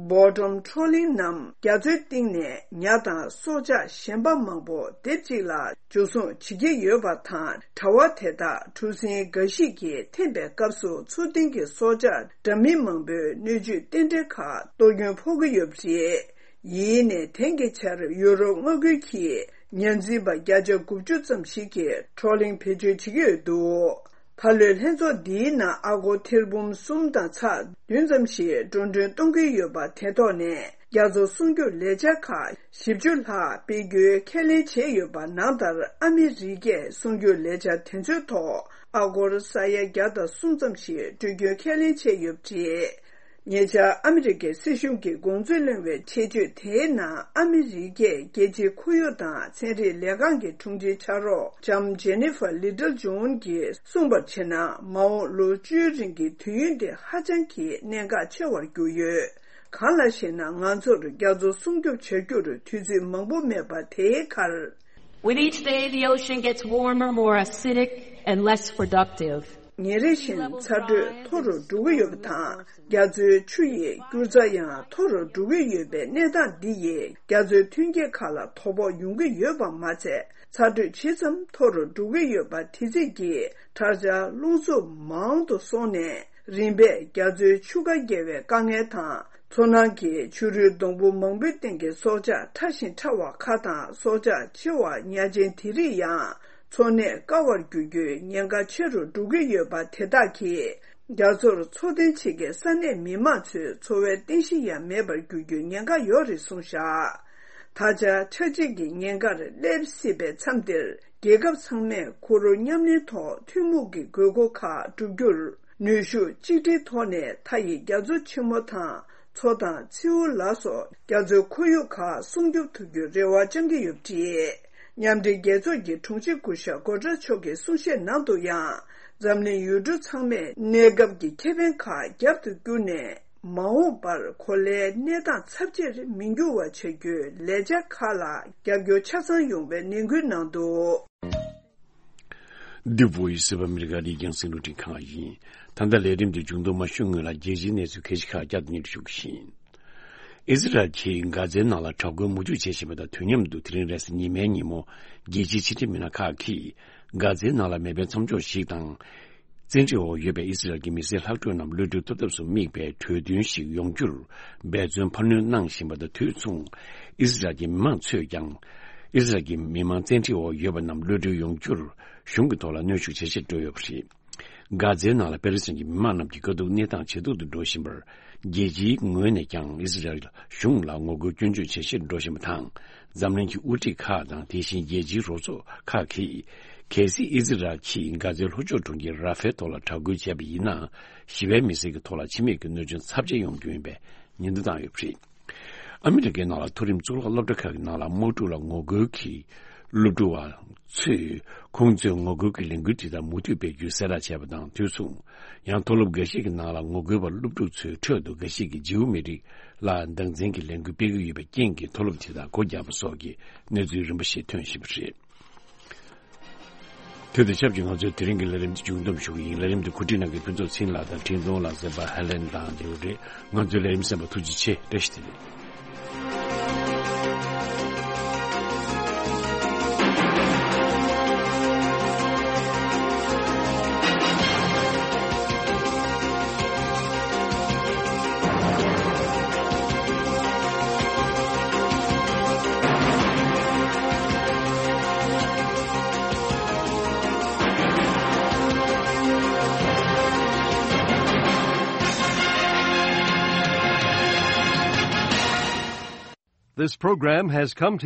bottom trawling ནམ་རྒྱ་མཚོའི་གཏིང་ནས་ཉ་དང་སྲོག་ཆགས་གཞན་པ་མང་པོ་སྡེབ་གཅིག་ལ་འཇུ་བཟུང་བྱེད་ཀྱི་ཡོད་པ་དང་། དྲ་བ་དེ་དག་གྲུ་གཟིངས་འགའ་ཞིག་གིས་འཐེན་པའི་སྐབས་སུ་མཚོ་གཏིང་གི་སྲོག་ཆགས་འདྲ་མིན་མང་པོའི་སྣོད་བཅུད་རྟེན་འབྲེལ་ཁག་གཏོར་སྐྱོན་ཕོག་གི་ཡོད་པ་རེད། ཡིན་ནའི་དེང་གི་ཆར་ཡུ་རོབ་མངའ་ཁུལ་གྱི་ཉ་འཛིན་པ་བརྒྱ་ཆ་དགུ་བཅུ་ཙམ་ཞིག་གིས་ཊོ་ལིང་བེད་སྤྱོད་བྱེད་ཀྱི་ཡོད་འདུག་ད་ལོའི་ལྷན་ཚོགས་འདིའི་ནང་ཨ་སྒོར་ཐེར་འབུམ་གསུམ་དང་ཚེག་བདུན་ཙམ་ཞིག་འགྲོ་གྲོན་གཏོང་གི་ཡོད་པ་དེ་ཐོག་ནས། རྒྱ་མཚོ་སྲུང་སྐྱོབ་ལས་འཆར་ཁག་བཞི་བཅུ་ལྷག་སྤེལ་རྒྱུའི་ཁས་ལེན་བྱས་ཡོད་པ་ནང་ལྟར། ཨ་མི་རི་ཀས་སྲུང་སྐྱོབ་ལས་འཆར་དེ་ཚོའི་ཐོག་ཨ་སྒོར་ས་ཡ་བརྒྱ་དང་གསུམ་ཙམ་ཞིག་སྤྲོད་རྒྱུའི་ཁས་ལེན་བྱས་ཡོད་པ་རེད། ཉེ་ཆར་ཨ་མི་རི་ཀའི་སྲིད་གཞུང་གི་དགོངས་ཚུལ་གླེང་བའི་ཆེད་བརྗོད་དེའི་ནང་། ཨ་མི་རི་ཀས་རྒྱལ་སྤྱིའི་ཁོར་ཡུག་དང་ཚན་རིག་ལས་ཁང་གི་དྲུང་ཆེ་ཕྱག་རོགས་ལྕམ་ཇེ་ནི་ཧྥར་ལི་ཏལ་ཇོན་གྱིས་གསུངས་པར་བྱས་ན། མ་འོངས་ལོ་བཅུའི་རིང་གི་དུས་ཡུན་དེ་ཧ་ཅང་གི་གནད་འགག་ཆེ་བར་གྱུར་ཡོད། གང་ལགས་ཤེ་ན། ང་ཚོར་རྒྱ་མཚོ་སྲུང་སྐྱོབ་བྱ་རྒྱུར་དུས་ཚོད་མང་པོ་མེད་པ་དེའི་ཁར། With each day, the ocean gets warmer, more acidic, and less productive. ཉིན་རེ་བཞིན་ཚ་དྲོད་མཐོ་རུ་འགྲོ་གི་ཡོད་པ་དང་། རྒྱ་མཚོའི་ཆུ་ཡི་སྐྱུར་རྩ་ཡང་མཐོ་རུ་འགྲོ་གི་ཡོད་པའི་གནས་སྟངས་འདི་ཡིས་རྒྱ་མཚོའི་ཐོན་སྐྱེད་ཁག་ལ་དོ་ཕོག་ཡོང་གི་ཡོད་པ་མ་ཚད། ཚ་དྲོད་ཇི་ཙམ་མཐོ་རུ་འགྲོ་གི་ཡོད་པ་དེ་ཙམ་གྱིས་དྲག་ཆར་རླུང་འཚུབ་མང་དུ་སོང་ནས། རིམ་པས་རྒྱ་མཚོའི་ཆུ་ཁ་བརྒལ་བའི་དཀའ་ངལ་དང་། མཚོ་ནང་གི་བྱུ་རུའི་སྡོང་པོ་མང་པོའི་སྟེང་གི་སྲོག་ཆགས་ཕྲ་ཞིང་ཕྲ་བ་ཁག་དང་། སྲོག་ཆགས་ཆེ་བ་ཉ་ཆེན་དེ་རིགས་ཡང་འཚོ་གནས་དཀའ་བར་འགྱུར་རྒྱུའི་ཉེན་ཁ་ཆེ་རུ་འགྲོ་གི་ཡོད་པ་དེ་དག་གིས། རྒྱ་མཚོར་འཚོ་རྟེན་བྱེད་མཁན་ས་གནས་མི་མང་ཚོའི་འཚོ་བའི་རྟེན་གཞི་ཡང་མེད་པར་འགྱུར་རྒྱུའི་ཉེན་ཁ་ཡོད་རེད་གསུངས་བཞག་ད་ཆ་ཆར་རྗེས་ཀྱི་ཉེན་ཁར་སླེབས་སྲིད་པའི་མཚམས་འདིར། རྒྱལ་ཁབ་ཚང་མས་གུ་རུ་མཉམ་ལེན་ཐོག་ཐུན་མོང་གི་དགོས་མཁོ་ཁག་བསྒྲུབ་རྒྱུར། ནུས་ཤུགས་གཅིག་སྒྲིལ་ཐོག་ནས་མཐའ་ཡི་རྒྱ་མཚོ་ཆེན་མོ་དང་། མཚོ་དང་མཚེའུ་ལ་སོགས་རྒྱ་མཚོའི་ཁོར་ཡུག་ཁག་སྲུང་སྐྱོབ་ཐུབ་རྒྱུའི་རེ་བ་བཅང་གི་ཡོད་པ་རེད། མཉམ་འབྲེལ་རྒྱལ་ཚོགས་ཀྱི་དྲུང་ཆེ་སྐུ་ཞབས་སྒོ་ཊེ་རེས་མཆོག་གིས་གསུང་བཤད་ནང་དུ་ཡང་། འཛམ་གླིང་ཡུལ་གྲུ་ཚང་མས་གནས་སྐབས་ཀྱི་ཁེ་ཕན་ཁག་རྒྱབ་ཏུ་བསྐྱུར་ནས། མ་འོངས་པར་གོ་ལའི་གནས་སྟངས་ཚབས་ཆེར་མི་འགྱུར་བ་བྱ་རྒྱུའི་ལས་འཆར་ཁག་ལ་རྒྱབ་སྐྱོར་ཆ་ཚང་ཡོང་བའི་ནན་སྐུལ་གནང་འདུག The Voice of America ནས་རྒྱང་སྲིང་རླུང་འཕྲིན་ཁང་ཡིན། ད་ལྟ་ལས་རིམ་འདི་མཇུག་བསྡོམས་མ་ཞུ་སྔོན་ལ་རྒྱལ་སྤྱིའི་གནས་ཚུལ་ཁ་ཤས་ཁག་བསྐྱར་དུ་སྙན་སྒྲོན་ཞུ་གི་ཡིན། ཨི་ཟི་རལ་གྱིས་གྷ་ཛའི་ནང་ལ་དྲག་རྒོལ་མུ་མཐུད་བྱེད་བཞིན་པ་དང་། དུས་མཉམ་དུ་དེ་རིང་རེས་གཟའ་ཉི་མའི་ཉིན་མོ་རྒྱལ་སྤྱིའི་ཕྱི་འབྲེལ་མི་སྣ་ཁག་གིས་གྷ་ཛའི་ནང་ལ་མེ་འཕེན་མཚམས་འཇོག་ཞིག་དང་། བཙན་ཁྲིད་འོག་ཡོད་པའི་ཨི་ཟི་རལ་གྱི་མི་སེར་ལྷག་འཕྲོས་རྣམས་གློད་གྲོལ་ཐུབ་ཐབས་སུ་དམིགས་པའི་གྲོས་མཐུན་ཞིག་ཡོང་རྒྱུར་འབད་བརྩོན་འཕར་སྣོན་གནང་བཞིན་པ་དང་། དུས་མཚུངས་ཨི་ཟི་རལ་གྱི་མི་མང་ཚོས་ཀྱང་ཨི་ཟི་རལ་གྱི་མི་མང་བཙན་ཁྲིད་འོག་ཡོད་པ་རྣམས་གློད་གྲོལ་ཡོང་རྒྱུར་གཞུང་གི་ཐོག་ལ་གནོན་ཤུགས་ཇེ་ཆེར་འགྲོ་ཡོད་པ་རེད། གྷ་ཛའི་ནང་ལ་པེ་ལེ་སི་ཐན་གྱི་མི་མང་རྣམས་ཀྱི་དཀའ་སྡུག་གནས་སྟངས་ཇེ་སྡུག་ཏུ་འགྲོ་བཞིན་པར། རྒྱལ་སྤྱིའི་ངོས་ནས་ཀྱང་ཨི་ཟི་རལ་གཞུང་ལ་ངོ་རྒོལ་སྐྱོན་བརྗོད་ཇེ་ཆེར་འགྲོ་བཞིན་པ་དང་། འཛམ་གླིང་གི་དབུ་ཁྲིད་ཁག་དང་། དེ་བཞིན་རྒྱལ་སྤྱིའི་རོགས་ཚོགས་ཁག་གིས། གལ་སྲིད་ཨི་ཟི་རལ་གྱིས་གྷ་ཛའི་ལྷོ་ཕྱོགས་གྲོང་ཁྱེར་ར་ཧྥའི་ཐོག་ལ་དྲག་རྒོལ་བྱས་པ་ཡིན་ན། ཞི་བའི་མི་སེར་གྱི་ཐོག་ལ་འཆི་རྨས་ཀྱི་གནོད་སྐྱོན་ཚབས་ཆེ་ཡོང་རྒྱུ་ཡིན་པའི་ཉེན་བརྡ་བཏང་ཡོད་པ་རེད། ཨ་མི་རི་ཀའི་ནང་ལ་མཐོ་རིམ་གཙུག་ལག་སློབ་གྲྭ་ཁག་གི་ནང་ལ་དམག་འཁྲུག་ལ་ངོ་རྒོལ་གྱིས་སློབ་ཕྲུག་པ་ཚོས་ཁོང་ཚོའི་ངོ་རྒོལ་གྱི་ལས་འགུལ་དེ་དག་མུ་མཐུད་སྤེལ་རྒྱུའི་གསལ་བསྒྲགས་བྱས་པ་དང་། དུས་མཚུངས་ཡང་མཐོ་སློབ་འགའ་ཤས་ཀྱི་ནང་ལ་ངོ་རྒོལ་པ་སློབ་ཕྲུག་ཚོའི་ཁྲོད་དུ་འགའ་ཤས་ཀྱིས་ཇིའུ་མི་རིགས་ ལ་སྟངས་འཛིན་གྱི་ལས་འགུལ་སྤེལ་གྱི་ཡོད་པའི་རྐྱེན་གྱིས། མཐོ་སློབ་དེ་དག་སྒོ་བརྒྱབ་པ་སོགས་ཀྱི་གནས་ཚུལ་རིམ་པ་ཞིག་ཐོན་བཞིན་པ་རེད། དེ་དང་ཆབས་ཅིག་ང་ཚོས་དེ་རིང་གི་ལས་རིམ་འདི་མཇུག་བསྡོམས་ཞུ་གི་ཡིན། ལས་རིམ་འདི་གོ་སྒྲིག་གནང་མཁན་ཕུན་ཚོགས་ཚེ་རིང་ལགས་དང་འཕྲིན་གཏོང་ལགས། གསན་པ་ཧེ་ལེན་དང་ལིའུ་རེད། ང་ཚོའི་ལས་རིམ་གསན་པར་ཐུགས་རྗེ་ཆེ། བཀྲ་ཤིས་བདེ་ལེགས། This program has come to